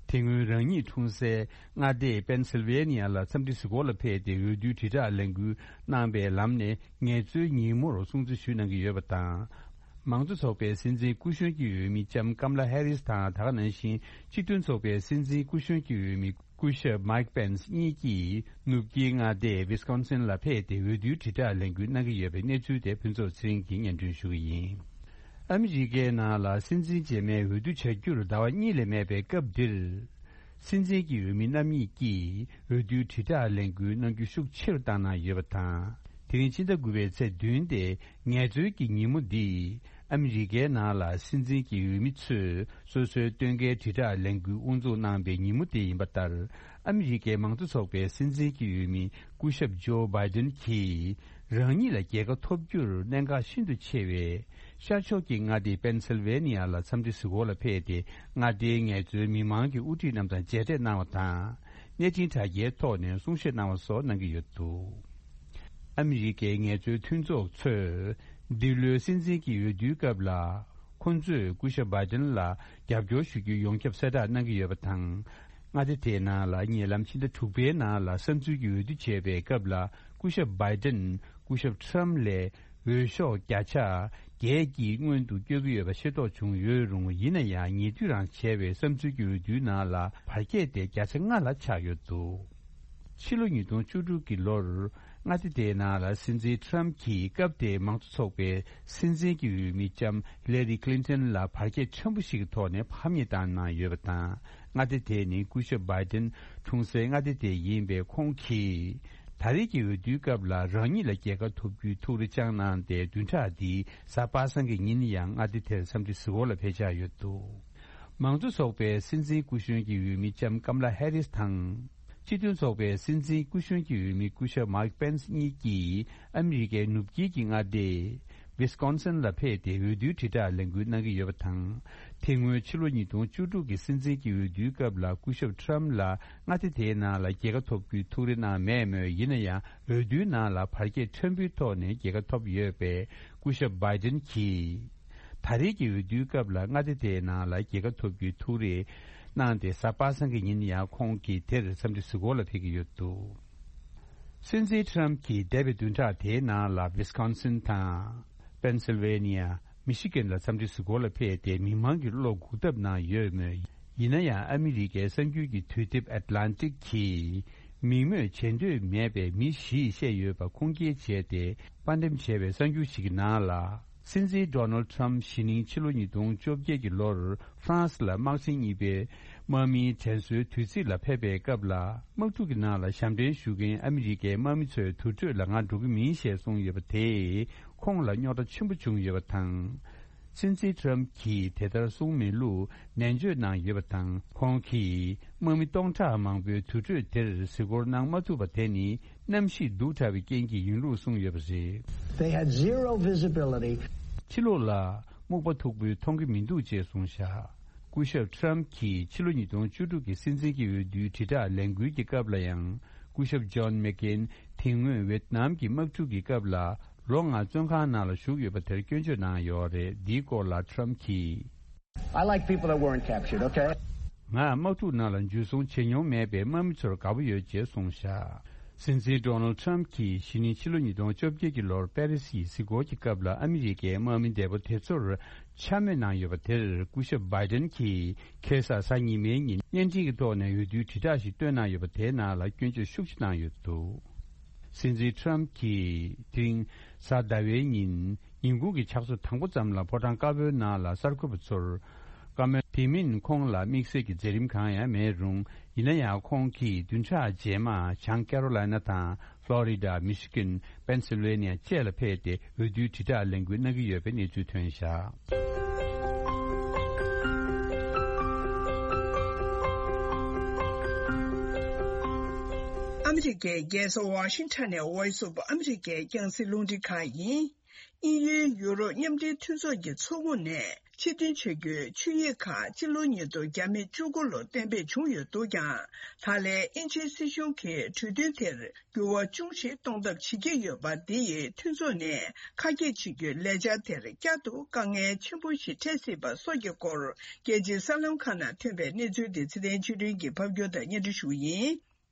དེ་སྔོན་རང་ཉིད་འཁྲུངས་སའི་མངའ་སྡེ་པེན་སིལ་ཝེ་ནི་ཡ་ལ་འཚམས་འདྲི་གཟིགས་སྐོར་ལ་ཕེབས་ཏེ་འོས་བསྡུའི་དྲིལ་བསྒྲགས་ལས་འགུལ་གནང་པའི་ལམ་ནས་ངལ་རྩོལ་ཉིན་མོར་སྲུང་བརྩི་ཞུས་གནང་གི་ཡོད་པ་དང་། མང་གཙོ་ཚོགས་པའི་སྲིད་འཛིན་སྐུ་གཞོན་གྱི་འོས་མི་ལྕམ་ཀམ་ལ་ཧེ་རིས་དང་། ད་ག་ནང་བཞིན་སྤྱི་མཐུན་ཚོགས་པའི་སྲིད་འཛིན་སྐུ་གཞོན་གྱི་འོས་མི་སྐུ་ཞབས་མའིག་པེན་སི་གཉིས་ཀྱིས་ནུབ་དཀྱིལ་མངའ་སྡེ་ཝི་སི་ཀོན་སིན་ལ་ཕེབས་ཏེ་འོས་བསྡུའི་དྲིལ་བསྒྲགས་ལས་འགུལ་གནང་གི་ཡོད་པའི་གནས་ཚུལ་དེ་ཕུན་ཚོགས་ཚེ་རིང་གིས་སྙན་སྒྲོན་ཞུ་གི་ཡིན། ཨ་མི་རི་ཀའི་ནང་ལ་སྲིད་འཛིན་རྗེས་མའི་འོས་བསྡུ་བྱ་རྒྱུར་ཟླ་བ་གཉིས་ལས་མེད་པའི་སྐབས་འདིར། སྲིད་འཛིན་གྱི་འོས་མི་རྣམ་གཉིས་ཀྱིས་འོས་བསྡུའི་དྲིལ་བསྒྲགས་ལས་འགུལ་གནང་རྒྱུ་ཤུགས་ཆེ་རུ་བཏང་གནང་ཡོད་པ་དང་། དེ་རིང་ཕྱི་ཟླ་དགུ་པའི་ཚེས་བདུན་སྟེ་ངལ་རྩོལ་གྱི་ཉིན་མོ་འདི། ཨ་མི་རི་ཀའི་ནང་ལ་སྲིད་འཛིན་གྱི་འོས་མི་ཚོས་སོ་སོའི་སྟོན་ཁའི་དྲིལ་བསྒྲགས་ལས་འགུལ་དབུ་འཛུགས་གནང་པའི་ཉིན་མོ་དེ་ཡིན་པ་ལྟར། ཨ་མི་རི་ཀའི་མང་གཙོ་ཚོགས་པའི་སྲིད་འཛིན་གྱི་འོས་མི་སྐུ་ཞབས་ཇོ་བྷའི་ཏན་གྱིས། རང་ཉིད་ལ་རྒྱལ་ཁ་ཐོབ་རྒྱུར་གནད་འགག་ཤིན་ཏུ་ཆེ་བའི་ཤར་ཕྱོགས་ཀྱི་མངའ་སྡེ་པེན་སིལ་ཝེ་ནི་ཡ་ལ་འཚམས་འདྲི་གཟིགས་སྐོར་ལ་ཕེབས་ཏེ། མངའ་སྡེའི་ངལ་རྩོལ་མི་མང་གི་དབུ་ཁྲིད་རྣམས་དང་མཇལ་འཕྲད་གནང་བ་དང་། གནས་འཕྲིན་དྲ་རྒྱའི་ཐོག་ནས་གསུང་བཤད་གནང་བ་སོགས་གནང་གི་ཡོད་འདུག་ཨ་མི་རི་ཀའི་ངལ་རྩོལ་མཐུན་ཚོགས་ཚོས་འདི་ལོའི་སྲིད་འཛིན་གྱི་འོས་བསྡུའི་སྐབས་ལ། ཁོ་ཚོས་སྐུ་ཞབས་བྷའི་ཏན་ལ་རྒྱབ་སྐྱོར་ཞུ་རྒྱུ་ཡོངས་ཁྱབ་གསལ་བསྒྲགས་གནང་གི་ཡོད་པ་དང་། མངའ་སྡེ་དེའི་ནང་ལ་ཉེ་ལམ་ཕྱི་ཟླ་དྲུག་པའི་ནང་ལ་བསམ་ཚུལ་གྱི་འོས་བསྡུ་བྱས་པའི་སྐབས་ལ། སྐུ་ཞབས་བྷའི་ཏན་སྐུ་ཞབས་ཁྲམ་ལས་འོས་ཤོག་བརྒྱ་ཆ་བརྒྱད་ཀྱིས་སྔོན་དུ་བསྐྱོད་ཀྱི་ཡོད་པ་ཤེས་རྟོགས་བྱུང་ཡོད་རུང་། ཡིན་ན་ཡང་ཉེ་དུས་རང་བྱས་པའི་བསམ་ཚུལ་གྱི་འོས་བསྡུའི་ནང་ལ་བར་ཁྱད་དེ་བརྒྱ་ཆ་ལྔ་ལ་ཆགས་ཡོད་འདུག་ཕྱི་ལོ་ཉིས་སྟོང་བཅུ་དྲུག་གི་ལོར་མངའ་སྡེ་དེའི་ནང་ལ་སྲིད་འཛིན་ཁྲམ་གྱིས་སྐབས་དེའི་མང་གཙོ་ཚོགས་པའི་སྲིད་འཛིན་གྱི་འོས་མི་ལྕམ་ལེ་རི་ཁི་ལིན་ཏན་ལ་བར་ཁྱད་ཆེན་པོ་ཞིག་གི་ཐོག་ནས་ཕམ་ཉེས་བཏང་གནང་ཡོད་པ་དང་། མངའ་སྡེ་དེ་ནི་སྐུ་ཞབས་བྷའི་ཏན་འཁྲུངས་སའི་མངའ་སྡེ་དེ་ཡིན་པས། ཁོང་གིས་ད་རེས་ཀྱི་འོས་བསྡུའི་སྐབས་ལ་རང་ཉིད་ལ་རྒྱལ་ཁ་ཐོབ་རྒྱུའི་ཐུགས་རེ་བཅངས་གནང་སྟེ། བདུན་ཕྲག་འདིའི་གཟའ་པ་སངས་ཀྱི་ཉིན་ཡང་མངའ་སྡེ་དེར་འཚམས་འདྲི་གཟིགས་སྐོར་ལ་ཕེབས་འཆར་ཡོད་འདུག་མང་གཙོ་ཚོགས་པའི་སྲིད་འཛིན་སྐུ་གཞོན་གྱི་འོས་མི་ལྕམ་ཀམ་ལ་ཧེ་རིས་དང་། སྤྱི་མཐུན་ཚོགས་པའི་སྲིད་འཛིན་སྐུ་གཞོན་གྱི་འོས་མི་སྐུ་ཞབས་མཱིག་པེན་སི་གཉིས་ཀྱིས་ཨ་མི་རི་ཀའི་ནུབ་དཀྱིལ་གྱི་མངའ་སྡེ་ཝི་སི་ཀོན་སིན་ལ་ཕེབས་ཏེ་འོས་བསྡུའི་དྲིལ་བསྒྲགས་ལས་འགུལ་གནང་གི་ཡོད་པ་དང་། དེ་སྔོན་ཕྱི་ལོ་ཉིས་སྟོང་བཅུ་དྲུག་གི་སྲིད་འཛིན་གྱི་འོས་བསྡུའི་སྐབས་ལ་སྐུ་ཞབས་ཁྲམ་ལ་མངའ་སྡེ་དེའི་ནང་ལ་རྒྱལ་ཁ་ཐོབ་རྒྱུའི་ཐུགས་རེ་གནང་མེད་མོད། ཡིན་ན་ཡང་འོས་བསྡུའི་ནང་ལ་བར་ཁྱད་ཕྲན་བུའི་ཐོག་ནས་རྒྱལ་ཁ་ཐོབ་ཡོད་པས། སྐུ་ཞབས་བྷའི་ཏན་གྱིས། ད་རེས་ཀྱི་འོས་བསྡུའི་སྐབས་ལ་མངའ་སྡེ་དེའི་ནང་ལ་རྒྱལ་ཁ་ཐོབ་རྒྱུའི་ཐུགས་རེ་གནང་སྟེ། གཟའ་པ་སངས་ཀྱི་ཉིན་ཡང་ཁོང་གིས་དེར་འཚམས་འདྲི་གཟིགས་སྐོར་ལ་ཕེབས་ཀྱི་ཡོད་འདུག་སྲིད་འཛིན་ཁྲམ་གྱིས་འདས་པའི་བདུན་ཕྲག་དེའི་ནང་ལ་ཝི་སི་ཀོན་སིན་དང་། པེན་སིལ་ཝེ་ནི་ཡ། མི་ཤི་གན་ལ་འཚམས་འདྲི་གཟིགས་སྐོར་ལ་ཕེབས་ཏེ། མི་མང་གི་བློ་འགུག་ཐབས་གནང་ཡོད་མོད། ཡིན་ན་ཡང་ཨ་མི་རི་ཀའི་གསར་འགྱུར་གྱི་དུས་དེབ་ཨེཊ་ལན་ཊིག་གིས། མིང་སྨོས་བྱེད་འདོད་མེད་པའི་མི་བཞིས་བཤད་ཡོད་པ་ཁུངས་སྐྱེལ་བྱས་ཏེ། དཔར་འགྲེམས་བྱས་པའི་གསར་འགྱུར་ཞིག་གི་ནང་ལ། སྲིད་འཛིན་ཌོ་ནལ་ཊམ་གཞི་ནིང་ཕྱི་ལོ་ཉིས་སྟོང་བཅོ་བརྒྱད་ཀྱི་ལོར་ཧྥ་རན་སི་ལ་དམག་ཆེན་གཉིས་པའི་དམག་མིའི་དྲན་གསོའི་དུས་ཚིགས་ལ་ཕེབས་པའི་སྐབས་ལ། དམག་འཁྲུག་གི་ནང་ལ་ཞབས་འདྲེན་ཞུ་མཁན་ཨ་མི་རི་ཀའི་དམག་མི་ཚོའི་དུར་ཁྲོད་ལ་ང་འགྲོ་གི་མིན་ཞེས་གསུངས་ཡོད་པ་དེས་ཁོང་ལ་རྙོག་དྲ་ཆེན་པོ་བྱུང་ཡོད་པ་དང་། སྲིད་འཛིན་ཊམ་གྱིས་དེ་ལྟར་གསུངས་མེད་ལུགས་ནན་བརྗོད་གནང་ཡོད་པ་དང་། ཁོང་གིས། དམག་མི་སྟོང་ཕྲག་མང་པོའི་དུར་ཁྲོད་དེར་གཟིགས་སྐོར་གནང་མ་ཐུབ་པ་དེ་ནི་གནམ་གཤིས་སྡུག་དྲགས་པའི་རྐྱེན་གྱིས་ཡིན་ལུགས་གསུངས་ཡོད་པ་རེད། They had zero visibility. ཕྱི་ལོགས་ལ་སྨུག་པ་མཐུག་པོས་མཐོང་གི་མི་འདུག་ཅེས་གསུངས་བཞག་སྐུ་ཞབས་ཊམ་གྱིས་ཕྱི་ལོ་ཉིས་སྟོང་བཅུ་དྲུག་གི་སྲིད་འཛིན་གྱི་འོས་བསྡུའི་དྲིལ་བསྒྲགས་ལས་འགུལ་གྱི་སྐབས་ལ་ཡང་། སྐུ་ཞབས་ཇོན་མེག་ཀེན་དེ་སྔོན་ཝེད་ནམ་གྱི་དམག་འཁྲུག་གི་སྐབས་ལ་ལོ་ལྔ་བཙོན་ཁང་ནང་ལ་བཞུགས་ཡོད་པ་དེར་སྐྱོན་བརྗོད་གནང་ཡོད་རེད། འདིའི་སྐོར་ལ་ཊམ་གྱིས། I like people that weren't captured, okay? ང་དམག་འཁྲུག་ནང་ལ་འཇུ་བཟུང་བྱེད་མྱོང་མེད་པའི་དམག་མི་ཚོར་དགའ་པོ་ཡོད་ཅེས་གསུངས་བཞག་སྲིད་འཛིན་ཌོ་ནལ་ཊམ་གྱིས་གཞེས་ནིང་ཕྱི་ལོ་ཉིས་སྟོང་བཅོ་བརྒྱད་ཀྱི་ལོར་པེ་རི་སིའི་གཟིགས་སྐོར་གྱི་སྐབས་ལ་ཨ་མི་རི་ཀའི་དམག་མི་འདས་པོ་དེ་ཚོར་འཕྱ་སྨོད་གནང་ཡོད་པ་དེར་སྐུ་ཞབས་བྷའི་ཏན་གྱིས་ཁ་སང་གཟའ་ཉི་མའི་ཉིན་བརྙན་འཕྲིན་གྱི་ཐོག་ནས་འོས་བསྡུའི་དྲིལ་བསྒྲགས་ཤིག་བཏོན་གནང་ཡོད་པ་དེའི་ནང་ལ་སྐྱོན་བརྗོད་ཤུགས་ཆེ་གནང་ཡོད་འདུག་སྲིད་འཛིན་ཊམ་གྱིས་དེ་རིང་གཟའ་ཟླ་བའི་ཉིན་ཉིན་གུང་གི་ཕྱག་ཚོད་དང་པོ་ཙམ་ལ་ཕོ་བྲང་དཀར་པོའི་ནང་ལ་གསར་འགོད་པ་ཚོར་བཀའ་མོལ། དེ་མིན་ཁོང་ལ་དམིགས་བསལ་གྱི་མཛད་རིམ་གང་ཡང་མེད་རུང་། ཡིན་ན་ཡང་ཁོང་གིས་བདུན་ཕྲག་རྗེས་མ་བྱང་ཀེ་རོ་ལའི་ན་དང་ཕློ་རི་ཌ། མི་ཤི་གན། པེན་སིལ་ཝེ་ནི་ཡ་བཅས་ལ་ཕེབས་ཏེ་འོས་བསྡུའི་དྲིལ་བསྒྲགས་ལས་འགུལ་གནང་གི་ཡོད་པའི་གནས་ཚུལ་ཐོན་བཞག་ཨ་མི་རི་ཀའི་རྒྱལ་ས་ཝ་ཤིང་ཊོན་ནས་Voice of America ཨ་མི་རི་ཀའི་རྒྱང་སྲིང་རླུང་འཕྲིན་ཁང་ཡིན། དབྱིན་ཡུལ་ཡུ་རོབ་མཉམ་འབྲེལ་མཐུན་ཚོགས་ཀྱི་ཚོགས་ཁོངས་ནས་ཕྱིར་འཐེན་བྱ་རྒྱུའི་ཆིངས་ཡིག་ཁག་སྤྱི་ལོ་ཉིས་སྟོང་བརྒྱ་མེད་བཅུ་དགུ་ལོར་གཏན་འབེབས་བྱུང་ཡོད་འདུག་ཀྱང་། ད་ལན་དབྱིན་ཇིའི་སྲིད་གཞུང་གིས་གྲོས་མཐུན་དེར་འགྱུར་བ་ཅུང་ཞིག་གཏོང་ཐབས་བྱེད་ཀྱི་ཡོད་པ་འདི་ཡིས་མཐུན་ཚོགས་ནས་ཁ་གྱེས་བྱེད་རྒྱུའི་ལས་འཆར་དེར་བསྐྱར་དུ་དཀའ་ངལ་ཆེན་པོ་ཞིག་འཕྲད་སྲིད་པ་སོགས་ཀྱི་སྐོར་རྒྱལ་སྤྱིའི་གསར་ལམ་ཁག་ནང་ཐོན་པའི་གནས་ཚུལ་དེ་ཚེ་བརྟན་ཆོས་སྒྲོན་གྱིས་ཕབ་སྒྱུར་དང་སྙན་སྒྲོན་ཞུ་བ་ཡིན།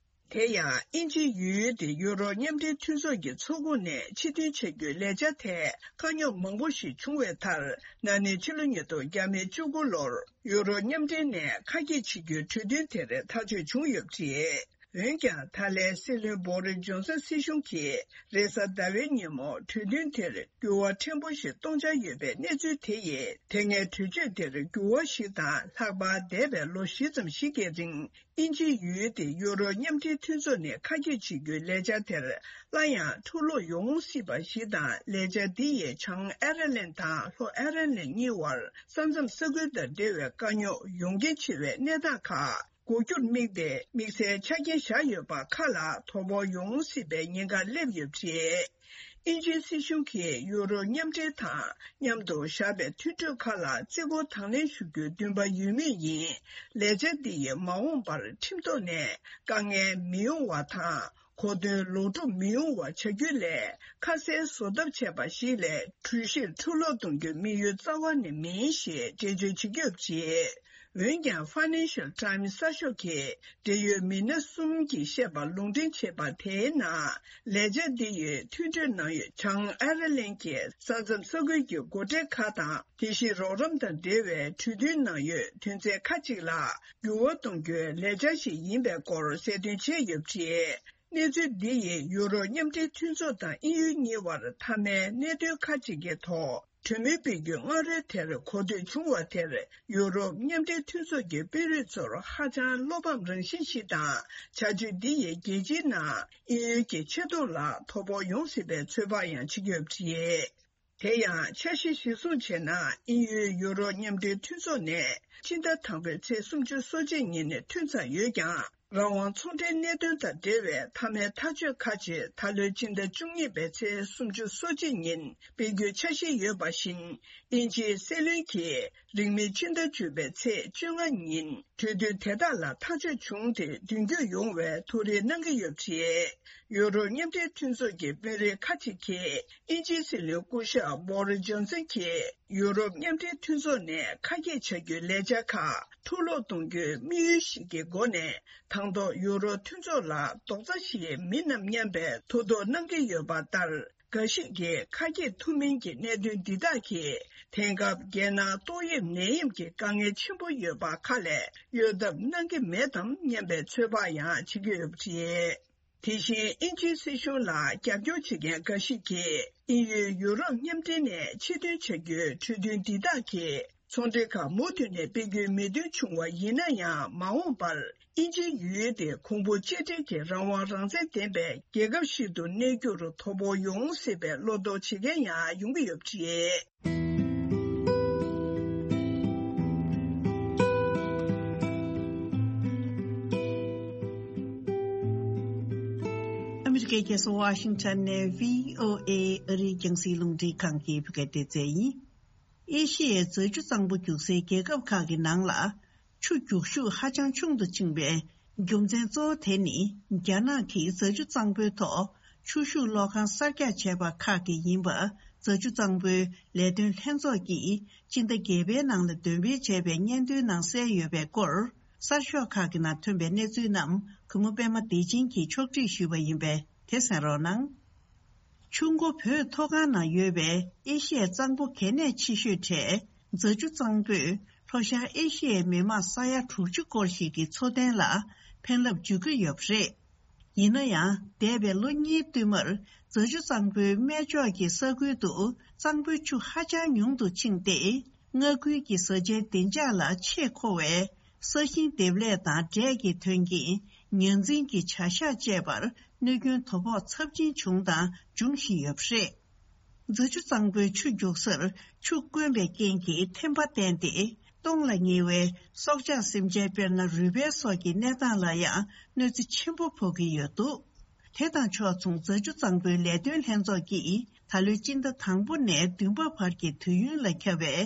དེ་ཡང་དབྱིན་ཇི་ཡུལ་དེ་ཡུ་རོབ་མཉམ་འབྲེལ་མཐུན་ཚོགས་ཀྱི་ཚོགས་ཁོངས་ནས་ཕྱིར་འཐེན་བྱ་རྒྱུའི་ལས་འཆར་ཐད་དཀའ་རྙོག་མང་པོ་ཞིག་བྱུང་བའི་མཐར། ན་ནིང་ཕྱི་ལོ་ཉིས་སྟོང་བརྒྱ་མེད་བཅུ་དགུ་ལོར་ཡུ་རོབ་མཉམ་འབྲེལ་ནས་ཁ་གྱེས་བྱེད་རྒྱུའི་གྲོས་མཐུན་དེར་ཐག་གཅོད་བྱུང་ཡོད་པ་རེད། འོན་ཀྱང་། ད་ལན་སྲིད་བློན་བོ་རི་ཇོན་སན་སྲིད་གཞུང་གིས་རེས་གཟའ་ཟླ་བའི་ཉིན་མོ་གྲོས་མཐུན་དེར་འགྱུར་བ་ཕྲན་བུ་ཞིག་གཏོང་འཆར་ཡོད་པའི་གནས་ཚུལ་དེ་ཡིས། དེ་སྔའི་གྲོས་ཆོད་དེར་འགྱུར་བ་ཞིག་དང་། ལྷག་པར་འདས་པའི་ལོ་བཞི་ཙམ་ཞིག་གི་རིང་། དབྱིན་ཇིའི་ཡུལ་དེ་ཡུ་རོབ་མཉམ་འབྲེལ་མཐུན་ཚོགས་ནས་ཁ་གྱེས་བྱེད་རྒྱུའི་ལས་འཆར་དེར་སླར་ཡང་འཁྲུག་ལོག་ཡོང་སྲིད་པ་ཞིག་དང་། ལས་འཆར་འདི་ཡིས་བྱང་ཨེར་ལན་དང་ལྷོ་ཨེར་ལན་གཉིས་བར་ས་མཚམས་ས་ཁུལ་དང་འབྲེལ་བའི་དཀའ་རྙོག་ཡོང་རྐྱེན་ཆེ་བའི་གནས་སྟངས་ཁག་འགོག་རྒྱུར་དམིགས་ཏེ་དམིགས་བསལ་ཆ་རྐྱེན་བཞག་ཡོད་པ་ཁག་ལ་དོ་ཕོག་ཡོང་སྲིད་པའི་ཉེན་ཁ་སླེབས་ཡོད་པ་རེད། དབྱིན་ཇིའི་སྲིད་གཞུང་གིས་ཡུ་རོབ་མཉམ་འབྲེལ་དང་མཉམ་དུ་བཞག་པའི་མཐུན་གྲོས་ཁག་ལ་བརྩི་བཀུར་དང་ལེན་ཞུ་རྒྱུའི་འདུན་པ་ཡོད་མུས་ཡིན། ལས་འཆར་འདི་ཡིས་མ་འོངས་པར་ཁྲིམས་ཐོག་ནས་དཀའ་ངལ་མི་ཡོང་བ་དང་། གོ་དོན་ལོག་སྒྲུབ་མི་ཡོང་བ་བྱ་རྒྱུ་ལས། ཁ་གསལ་བཟོ་ཐབས་བྱས་པ་ཞིག་ལས། གྲོས་གཞིར་འཁྲུག་ལོག་གཏོང་རྒྱུའི་དམིགས་ཡུལ་རྩ་བ་ནས་མིན་ཞེས་འགྲེལ་བརྗོད་བྱེད་ཀྱི་ཡོད་པ་རེད། འོན་ཀྱང་། Financial Times་གསར་ཤོག་གིས་འབྲེལ་ཡོད་མི་སྣ་གསུམ་གྱིས་བཤད་པར་ལུང་འདྲེན་བྱས་པ་དེའི་ནང་། ལས་འཆར་འདི་ཡིས་མཐུན་གྲོས་ནང་ཡོད་བྱང་ཨེར་ལན་གྱི་ས་མཚམས་ས་ཁུལ་གྱི་སྒོ་ཁྲལ་ཁག་དང་། དེ་བཞིན་རོགས་རམ་དང་འབྲེལ་བའི་གྲོས་མཐུན་ནང་ཡོད་དོན་ཚན་ཁག་ཅིག་ལ་འགྱུར་བ་གཏོང་རྒྱུའི་ལས་འཆར་ཞིག་ཡིན་པའི་སྐོར་གསལ་སྟོན་བྱས་ཡོད་པ་རེད། གནས་ཚུལ་འདི་ཡིས་ཡུ་རོབ་མཉམ་འབྲེལ་མཐུན་ཚོགས་དང་དབྱིན་ཡུལ་གཉིས་བར་མཐའ་མའི་གནད་དོན་ཁག་ཅིག་གི་ཐོག་གྲོས་མོལ་སྤེལ་རྒྱུའི་སྔ་རོལ་དེར་གོ་ཐོས་བྱུང་བ་དེར། ཡུ་རོབ་མཉམ་འབྲེལ་མཐུན་ཚོགས་ཀྱི་དཔོན་རིགས་ཚོར་ཧ་ཅང་བློ་ཕམ་རང་བཞིན་ཞིག་དང་། བྱ་སྤྱོད་འདི་ཡིས་རྒྱལ་སྤྱིའི་ནང་དབྱིན་ཡུལ་གྱི་ཆེ་མཐོང་ལ་དོ་ཕོག་ཡོང་སྲིད་པའི་ཚོད་དཔག་ཡང་བྱེད་ཀྱི་ཡོད་པ་རེད། དེ་ཡང་། འཆར་གཞི་གཞིར་བཟུང་བྱས་ན། དབྱིན་ཡུལ་ཡུ་རོབ་མཉམ་འབྲེལ་མཐུན་ཚོགས་ནས་སྤྱི་ཟླ་དང་པོའི་ཚེས་སུམ་ཅུ་སོ་གཅིག་ཉིན་ནས་ཐོན་ཚར་ཡོད་ཀྱང་། རང་དབང་ཚོང་འབྲེལ་གནད་དོན་དང་འབྲེལ་བའི་མཐའ་མའི་ཐག་གཅོད་ཁག་ཅིག་ད་ལོའི་སྤྱི་ཟླ་བཅུ་གཉིས་པའི་ཚེས་སུམ་ཅུ་སོ་གཅིག་ཉིན་སྤེལ་རྒྱུའི་འཆར་གཞི་ཡོད་པ་བཞིན། དབྱིན་ཇིའི་སྲིད་བློན་གྱིས་རིང་མིན་ཕྱི་ཟླ་བཅུ་པའི་ཚེས་བཅོ་ལྔ་ཉིན་གྲོས་མཐུན་དེ་དག་ལ་ཐག་གཅོད་བྱུང་སྟེ་མདུན་སྐྱོད་ཡོང་བའི་ཐུགས་རེ་གནང་གི་ཡོད་པ་རེད། ཡུ་རོབ་མཉམ་འབྲེལ་མཐུན་ཚོགས་ཀྱི་དཔོན་རིགས་ཁག་ཅིག་གིས་དབྱིན་ཇིའི་སྲིད་བློན་སྐུ་ཞབས་བྷོ་རི་ཇོན་སན་གྱིས་ཡུ་རོབ་མཉམ་འབྲེལ་མཐུན་ཚོགས་ནས་ཁ་གྱེས་བྱ་རྒྱུའི་ལས་འཆར་ཁག་འཁྲུག་ལོག་གཏོང་རྒྱུའི་དམིགས་ཡུལ་ཞིག་གི་སྒོ་ནས། དང་ཐོག་ཡུ་རོབ་མཐུན་ཚོགས་ལ་རྡོག་རྩ་ཞིག་མིན་ནམ་སྙམ་པའི་ཐུགས་དོགས་གནང་གི་ཡོད་པ་ལྟར། འགའ་ཞིག་གིས་ཁ་གྱེས་ཐུབ་མིན་གྱི་གནད་དོན་འདི་དག་གིས། དེང་སྐབས་རྒྱལ་ནང་ཏོག་དབྱིབས་ནད་ཡམས་ཀྱི་དཀའ་ངལ་ཆེན་པོ་ཡོད་པ་ཁག་ལས་གཡོལ་ཐབས་གནང་གི་མེད་དམ་སྙམ་པའི་ཚོད་དཔག་ཡང་བྱེད་ཀྱི་ཡོད་པ་རེད། དེ་བཞིན་དབྱིན་ཇིའི་སྲིད་གཞུང་ལ་རྒྱབ་སྐྱོར་བྱེད་མཁན་འགའ་ཞིག་གིས། དབྱིན་ཡུལ་ཡུ་རོབ་མཉམ་འབྲེལ་ནས་ཕྱིར་ཐོན་བྱ་རྒྱུའི་གྲོས་མཐུན་འདི་དག་གིས། ཚོང་འབྲེལ་ཁག་མུ་མཐུད་ནས་སྤེལ་རྒྱུའི་མོས་མཐུན་བྱུང་བ་ཡིན་ན་ཡང་། མ་འོངས་པར་དབྱིན་ཇིའི་ཡུལ་དེ་གོང་བུ་གཅིག་སྒྲིལ་གྱི་རང་དབང་རང་བཙན་ལྡན་པའི་རྒྱལ་ཁབ་ཞིག་ཏུ་གནས་རྒྱུར་དོ་ཕོག་ཡོང་སྲིད་པའི་བློ་དོགས་བྱེད་མཁན་ཡང་ཡོང་གི་ཡོད་པ་རེད། ཕྱི་རྒྱལ་ཁ་སང་ཝ་ཤིང་ཊོན་ནས་བྷི་ཨོ་ཨེ་ཨ་རིའི་རྒྱང་སྲིང་རླུང་འཕྲིན་ཁང་གི་བོད་སྐད་སྡེ་ཚན་ཡིན། ཨེ་ཤི་ཡའི་རྫ་ཆུ་གཙང་པོ་རྒྱུག་སའི་རྒྱལ་ཁབ་ཁག་གི་ནང་ལ། ཆུ་རྒྱུག་ཤུགས་ཧ་ཅང་ཆུང་དུ་ཕྱིན་པའི་རྒྱུ་མཚན་གཙོ་བོ་དེ་ནི། རྒྱ་ནག་གིས་རྫ་ཆུ་གཙང་པོའི་ཐོག་ཆུ་ཤུགས་གློག་ཁང་གསར་རྒྱག་བྱས་པ་ཁག་གིས་ཡིན་པ། རྫ་ཆུ་གཙང་པོའི་ལས་དོན་ལྷན་ཚོགས་ཀྱིས་སྤྱི་ཟླ་བརྒྱད་པའི་ནང་ལ་འདོན་སྤེལ་བྱས་པའི་སྙན་ཐོའི་ནང་གསལ་ཡོད་པའི་སྐོར། གསར་ཤོག་ཁག་གི་ནང་ཐོན་པའི་གནས་ཚུལ་རྣམས་གུས་མོ་པད་མ་བདེ་ཆེན་གྱིས་ཕྱོགས་སྒྲིག་ཞུས་པ་ཡིན་པས་དེ་གསན་རོགས་གནང་། ཆུ་མགོ་བོད་མཐོ་སྒང་ན་ཡོད་པའི་ཨེ་ཤི་ཡའི་གཙང་པོ་གལ་གནད་ཆེ་ཤོས་གྲས་རྫ་ཆུ་གཙང་པོས་ལྷོ་ཤར་ཨེ་ཤི་ཡའི་མི་མང་ས་ཡ་དྲུག་ཅུ་སྐོར་ཞིག་གི་འཚོ་རྟེན་ལ་ཕན་རླབས་འཇུག་གི་ཡོད་པ་རེད། ཡིན་ན་ཡང་། འདས་པའི་ལོ་གཉིས་བསྟུད་མར་རྫ་ཆུ་གཙང་པོའི་སྨད་ཕྱོགས་ཀྱི་ས་ཁུལ་དུ་གཙང་པོའི་ཆུ་ཧ་ཅང་ཉུང་དུ་ཕྱིན་ཏེ། མངའ་ཁུལ་གྱི་བཟའ་བཅའི་བདེ་འཇགས་ལ་ཆེས་མཁོ་བའི་ས་ཞིང་འདེབས་ལས་དང་འབྲས་ཀྱི་ཐོན་སྐྱེད། ཉ་འཛིན་གྱི་བྱ་གཞག་བཅས་པར་གནོད་སྐྱོན་དོ་ཕོག་ཚབས་ཆེན་བྱུང་དང་འབྱུང་བཞིན་ཡོད་པ་རེད། རྫ་ཆུ་གཙང་པོའི་ཆུ་རྒྱུག་སར་ཆུ་དཀོན་པའི་རྐྱེན་གྱིས་ཐན་པ་བསྟན་ཏེ། སྟོངས་ལ་ཉེ་བའི་སྲོག་ཆགས་སེམས་ཅན་དཔེར་ན་རུས་སྦལ་སོགས་ཀྱི་གནས་སྟངས་ལ་ཡང་གནོད་འཚེ་ཆེན་པོ་ཕོག་གི་ཡོད་འདུག་དེ་དང་ཕྱོགས་མཚུངས་རྫ་ཆུ་གཙང་པོའི་ལས་དོན་ལྷན་ཚོགས་ཀྱིས་ད་ལོའི་སྤྱི་ཟླ་དང་པོ་ནས་བདུན་པ་བར་གྱི་དུས་ཡུན་ལ་ཁྱབ་པའི་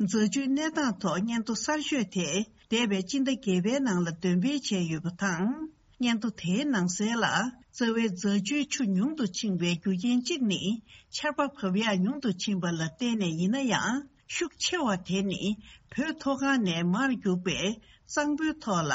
རྫ་ཆུའི་གནས་སྟངས་ཐོག་སྙན་ཐོ་གསར་ཤོས་དེ་འདས་པའི་སྤྱི་ཟླ་བརྒྱད་པའི་ནང་ལ་འདོན་སྤེལ་བྱས་ཡོད་པ་དང་། སྙན་ཐོ་དེའི་ནང་གསལ་ལ། རྩ་བའི་རྫ་ཆུའི་ཆུ་ཉུང་དུ་ཕྱིན་པའི་རྒྱུ་རྐྱེན་གཅིག་ནི་ཆར་པ་བབས་ཡག་ཉུང་དུ་ཕྱིན་པ་ལ་བརྟེན་ནས་ཡིན་ན་ཡང་། ཤུགས་ཆེ་བ་དེ་ནི་བོད་མཐོ་སྒང་ནས་མར་རྒྱུག་པའི་གཙང་པོའི་ཐོག་ལ།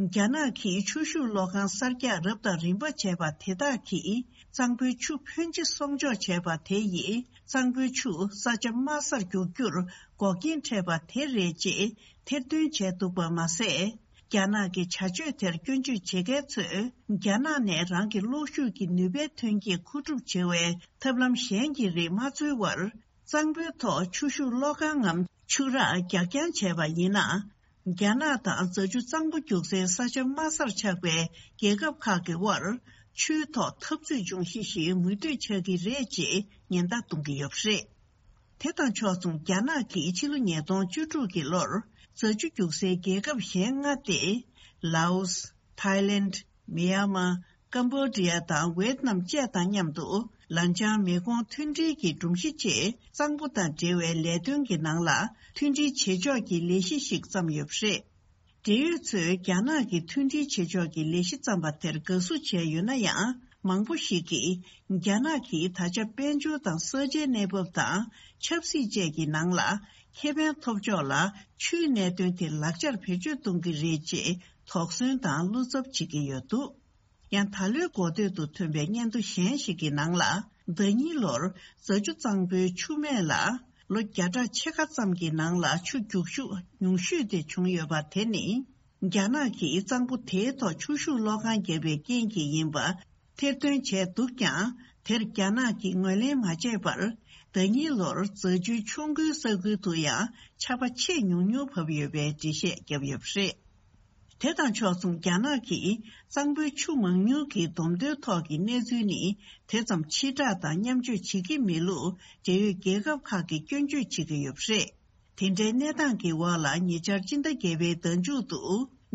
རྒྱ་ནག་གིས་ཆུ་ཤུགས་གློག་ཁང་གསར་རྒྱག་རབ་དང་རིམ་པ་བྱས་པ་དེ་དག་གིས་གཙང་པོའི་ཆུ་ཕོན་ཆེ་གསོག་འཇོག་བྱས་པ་དེ་ཡིས་གཙང་པོའི་ཆུ་ས་ཆ་དམའ་སར་རྒྱུག་རྒྱུར་འགོག་རྐྱེན་འཕྲད་པ་དེ་རེད་ཅེས་ཐེར་འདོན་བྱས་འདུག་པ་མ་ཟད། རྒྱ་ནག་གི་བྱ་སྤྱོད་དེར་སྐྱོན་བརྗོད་བྱེད་མཁན་ཚོས་རྒྱ་ནག་ནས་རང་གི་གློག་ཤུགས་ཀྱི་ནུས་པའི་ཐོན་སྐྱེད་མཁོ་སྒྲུབ་བྱེད་པའི་ཐབས་ལམ་གཞན་གྱི་རིགས་མ་འཚོལ་བར། གཙང་པོའི་ཐོག་ཆུ་ཤུགས་གློག་ཁང་ངམ་ཆུ་རགས་རྒྱག་རྐྱང་བྱས་པ་ཡིན་ན། རྒྱ་ནག་དང་རྫ་ཆུ་གཙང་པོ་རྒྱུག་སའི་ས་ཆ་དམའ་སར་ཆགས་པའི་རྒྱལ་ཁབ་ཁག་གི་དབར་ཆུའི་ཐོག་འཐབ་རྩོད་འབྱུང་གཞི་ཞིག་མུ་མཐུད་ཆགས་ཀྱི་རེད་ཅེས་ཉེན་བརྡ་གཏོང་གི་ཡོད་པ་རེད། དེ་དང་ཕྱོགས་མཚུངས་རྒྱ་ནག་གིས་ཕྱི་ལོ་ཉིས་སྟོང་བཅུ་དྲུག་གི་ལོར་རྫ་ཆུ་རྒྱུག་སའི་རྒྱལ་ཁབ་གཞན་ལྔ་སྟེ། ལའོ་སི། ཐའི་ལེནྜ། མི་ཡན་མར། ཀམ་བོ་ཌི་ཡ་དང་ཝེད་ནམ་བཅས་དང་མཉམ་དུ་ལན་ཆང་མེ་གོང་མཐུད་སྒྲིལ་གྱི་སྒྲོམ་གཞི་ཆེད་གཙང་པོ་དང་འབྲེལ་བའི་ལས་དོན་གྱི་ནང་ལ་མཐུད་སྒྲིལ་བྱེད་ཕྱོགས་ཀྱི་ལས་གཞི་ཞིག་བརྩམས་ཡོད་པ་རེད། འབྲེལ་ཡོད་ཚོས་རྒྱ་ནག་གིས་མཐུད་སྒྲིལ་བྱེད་ཕྱོགས་ཀྱི་ལས་གཞི་བརྩམས་པ་དེར་དགའ་བསུ་བྱས་ཡོད་ན་ཡང་། མང་པོ་ཞིག་གིས་རྒྱ་ནག་གིས་ད་ཆ་དཔལ་འབྱོར་དང་ས་ཆའི་གནས་བབ་དང་ཆབ་སྲིད་བཅས་ཀྱི་ནང་ལ་ཁེ་ཕན་ཐོབ་ཕྱོགས་ལ་ཆུའི་གནད་དོན་དེ་ལག་ཆར་བེད་སྤྱོད་གཏོང་གི་རེད་ཅེས་དོགས་ཟོན་དང་བློ་འཚབ་བྱེད་ཀྱི་ཡོད་འདུག་ཡང་ད་ལོའི་འགོ་སྟོད་དུ་ཐོན་པའི་སྙན་ཐོ་གཞན་ཞིག་གི་ནང་ལ། ཟླ་ཉིན་ལོར་རྫ་ཆུ་གཙང་པོའི་ཆུ་སྨད་ལ་ལོ་བརྒྱ་ཕྲག་ཕྱེད་ཀ་ཙམ་གྱི་ནང་ལ་ཆུ་རྒྱུག་ཤུགས་ཉུང་ཤོས་དེ་བྱུང་ཡོད་པ་དེ་ནི། རྒྱ་ནག་གིས་གཙང་པོ་དེའི་ཐོག་ཆུ་ཤུགས་གློག་ཁང་བརྒྱབ་པའི་རྐྱེན་གྱིས་ཡིན་པ་ཐེར་འདོན་བྱས་འདུག་ཀྱང་། དེར་རྒྱ་ནག་གིས་ངོས་ལེན་མ་བྱས་པར། ཟླ་ཉིན་ལོར་རྫ་ཆུའི་ཆུ་མགོའི་ས་ཁུལ་དུ་ཡང་ཆར་པ་ཆེས་ཉུང་ཉུང་བབས་ཡོད་པའི་འགྲེལ་བཤད་བརྒྱབ་ཡོད་པ་རེད། དེ་དང་ཕྱོགས་མཚུངས་རྒྱ་ནག་གིས་གཙང་པོའི་ཆུ་མང་ཉུང་གི་བསྡོམས་ཐོའི་ཐོག་གི་གནས་ཚུལ་ནི་དེ་ཙམ་ཕྱིར་བསྒྲགས་དང་མཉམ་སྤྱོད་བྱེད་ཀྱི་མེད་ལུགས་འབྲེལ་ཡོད་རྒྱལ་ཁབ་ཁག་གིས་སྐྱོན་བརྗོད་བྱེད་ཀྱི་ཡོད་པ་རེད། དེ་འདྲའི་གནས་སྟངས་ཀྱི་འོག་ལ་ཉེ་ཆར་སྤྱི་ཟླ་བརྒྱད་པའི་ཟླ་མཇུག་ཏུ་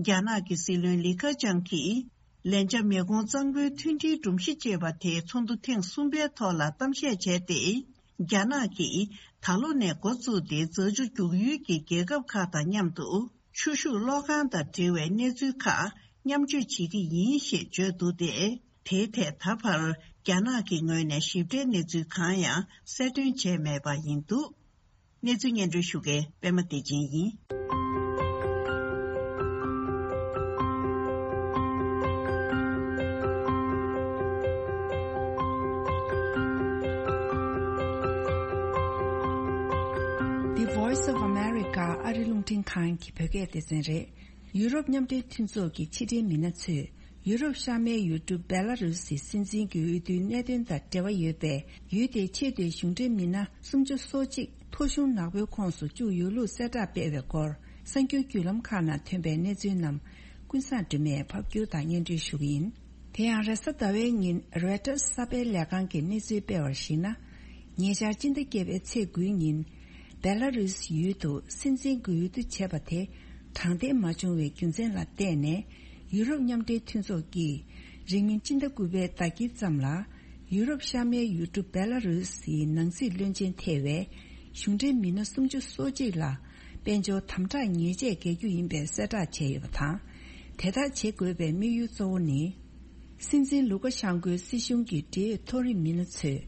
རྒྱ་ནག་གི་སྲིད་བློན་ལི་ཁེ་ཆང་གིས་ལན་ཆ་མེ་གོང་གཙང་པོའི་མཐུན་སྒྲིལ་སྒྲོམ་གཞི་ཅེས་པ་དེའི་ཚོགས་འདུ་ཐེངས་གསུམ་པའི་ཐོག་ལ་གཏམ་བཤད་བྱས་ཏེ། རྒྱ་ནག་གིས་ད་ལོ་ནས་འགོ་བཙུགས་ཏེ་རྫ་ཆུ་རྒྱུག་ཡུལ་གྱི་རྒྱལ་ཁབ་ཁག་དང་མཉམ་དུ་ཆུ་ཤུགས་གློག་ཁང་དང་འབྲེལ་བའི་གནས་ཚུལ་ཁག་མཉམ་སྤྱོད་བྱེད་ཀྱི་ཡིན་ཞེས་བརྗོད་འདུག་སྟེ། དེའི་ཐད་ད་བར་རྒྱ་ནག་གི་ངོས་ནས་ཞིབ་ཕྲའི་གནས་ཚུལ་གང་ཡང་གསལ་སྟོན་བྱས་མེད་པ་ཡིན་འདུག་གནས་ཚུལ་སྙན་སྒྲོན་ཞུ་མཁན་པད་མ་བདེ་ཆེན་ཡིན། The Voice of America ཨ་རི་རླུང་འཕྲིན་ཁང་གི་བོད་སྐད་སྡེ་ཚན་རེད། ཡུ་རོབ་མཉམ་འབྲེལ་མཐུན་ཚོགས་ཀྱི་ཕྱི་འབྲེལ་མི་སྣ་ཚོས། ཡུ་རོབ་ཤར་མའི་ཡུལ་གྲུ་བེ་ལ་རུ་སིའི་སྲིད་འཛིན་གྱི་འོས་བསྡུའི་གནད་དོན་དང་འབྲེལ་བ་ཡོད་པའི་ཡུལ་དེའི་ཆེས་མཐོའི་གཞུང་འབྲེལ་མི་སྣ་སུམ་ཅུ་སོ་གཅིག་ཐོ་གཞུང་ནག་པོའི་ཁོངས་སུ་བཅུག་ཡོད་ལུགས་གསལ་བསྒྲགས་སྤེལ་བའི་སྐོར། གསར་འགྱུར་བརྒྱུད་ལམ་ཁག་ནང་ཐོན་པའི་གནས་ཚུལ་རྣམས་ཀུན་བཟང་སྒྲོལ་མས་ཕབ་སྒྱུར་དང་སྙན་སྒྲོན་ཞུ་གི་ཡིན། དེ་ཡང་རེས་གཟའ་ཟླ་བའི་ཉིན་རོའི་ཊར་གསར་སྤེལ་ལས་ཁང་གིས་གནས་ཚུལ་སྤེལ་བར་གཞིགས་ན། ཉེ་ཆར་སྤྱི་ཟླ་བརྒྱད་པའི་ཚེས་དགུའི་ཉིན། བེ་ལ་རུས་ཡུལ་དུ་སྲིད་འཛིན་གྱི་འོས་བསྡུ་བྱས་པ་དེ་དྲང་བདེན་མ་བྱུང་བའི་རྒྱུ་མཚན་ལ་བརྟེན་ནས། ཡུ་རོབ་མཉམ་འབྲེལ་མཐུན་ཚོགས་ཀྱིས་ རིང་མིན་སྤྱི་ཟླ་དགུ་པའི་ཟླ་དཀྱིལ་ཙམ་ལ། ཡུ་རོབ་ཤར་མའི་ཡུལ་གྲུ་བེ་ལ་རུ་སིའི་ནང་སྲིད་བློན་ཆེན་ཐེ་བའི་གཞུང་འབྲེལ་མི་སྣ་སུམ་ཅུ་སོ་གཅིག་ལ་དཔལ་འབྱོར་དམ་དྲག་ཉེས་ཆད་འགེལ་རྒྱུ་ཡིན་པའི་གསལ་བསྒྲགས་བྱས་ཡོད་པ་དང་། དེ་ལྟར་བྱེད་དགོས་པའི་དམིགས་ཡུལ་གཙོ་བོ་ནི། སྲིད་འཛིན་ལུ་ཀ་ཤང་ཀོའི་སྲིད་གཞུང་གི་འབྲེལ་ཡོད་མཐོ་རིམ་མི་སྣ་ཚོས་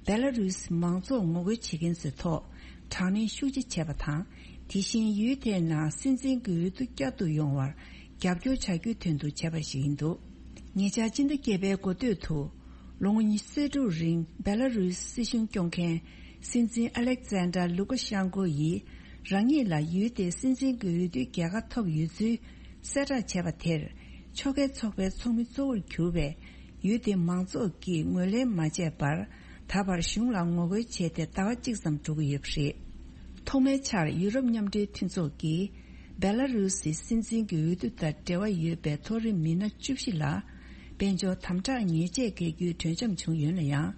བེ་ལ་རུ་སི་མང་ཚོགས་ངོ་རྒོལ་བྱེད་མཁན་ཚོའི་ཐོག་དྲག་གནོན་ཤུགས་ཆེ་བྱས་པ་དང་། དེ་བཞིན་ཡུལ་དེའི་ནང་སྲིད་འཛིན་གྱི་འོས་བསྡུ་བསྐྱར་དུ་ཡོང་བར་རྒྱབ་སྐྱོར་བྱ་རྒྱུའི་དོན་དུ་བྱས་པ་ཞིག་ཡིན་འདུག་ཉེ་ཆར་སྤྱི་ཟླ་བརྒྱད་པའི་འགོ་སྟོད་དུ། ལོ་ངོ་ཉི་ཤུ་རྩ་དྲུག་རིང་བེ་ལ་རུས་སྲིད་གཞུང་སྐྱོང་མཁན་སྲིད་འཛིན་ཨ་ལེག་ཛན་ཌར་ལུ་ཀ་ཤང་ཀོ་ཡིས་རང་ཉིད་ལ་ཡུལ་དེའི་སྲིད་འཛིན་གྱི་འོས་བསྡུའི་རྒྱལ་ཁ་ཐོབ་ཡོད་ཚུལ་གསལ་བསྒྲགས་བྱས་པ་དེར། ཕྱོགས་འགལ་ཚོགས་པའི་ཚོགས་མི་གཙོ་བོར་གྱུར་བའི་ཡུལ་དེའི་མང་ཚོགས་ཀྱིས་ངོས་ལེན་མ་བྱས་པར། ད་བར་གཞུང་ལ་ངོ་རྒོལ་བྱས་ཏེ་ཟླ་བ་གཅིག་ཙམ་འགྲོ་གི་ཡོད་པ་རེད། ཐོག་མའི་ཆར་ཡུ་རོབ་མཉམ་འབྲེལ་མཐུན་ཚོགས་ཀྱིས། བེ་ལ་རུ་སིའི་སྲིད་འཛིན་གྱི་འོས་བསྡུ་དང་འབྲེལ་བ་ཡོད་པའི་མཐོ་རིམ་མི་སྣ་བཅུ་བཞི་ལ་དཔལ་འབྱོར་དམ་དྲག་ཉེས་ཆད་འགེལ་རྒྱུའི་གྲོས་འཆམ་བྱུང་ཡོད་ན་ཡང་།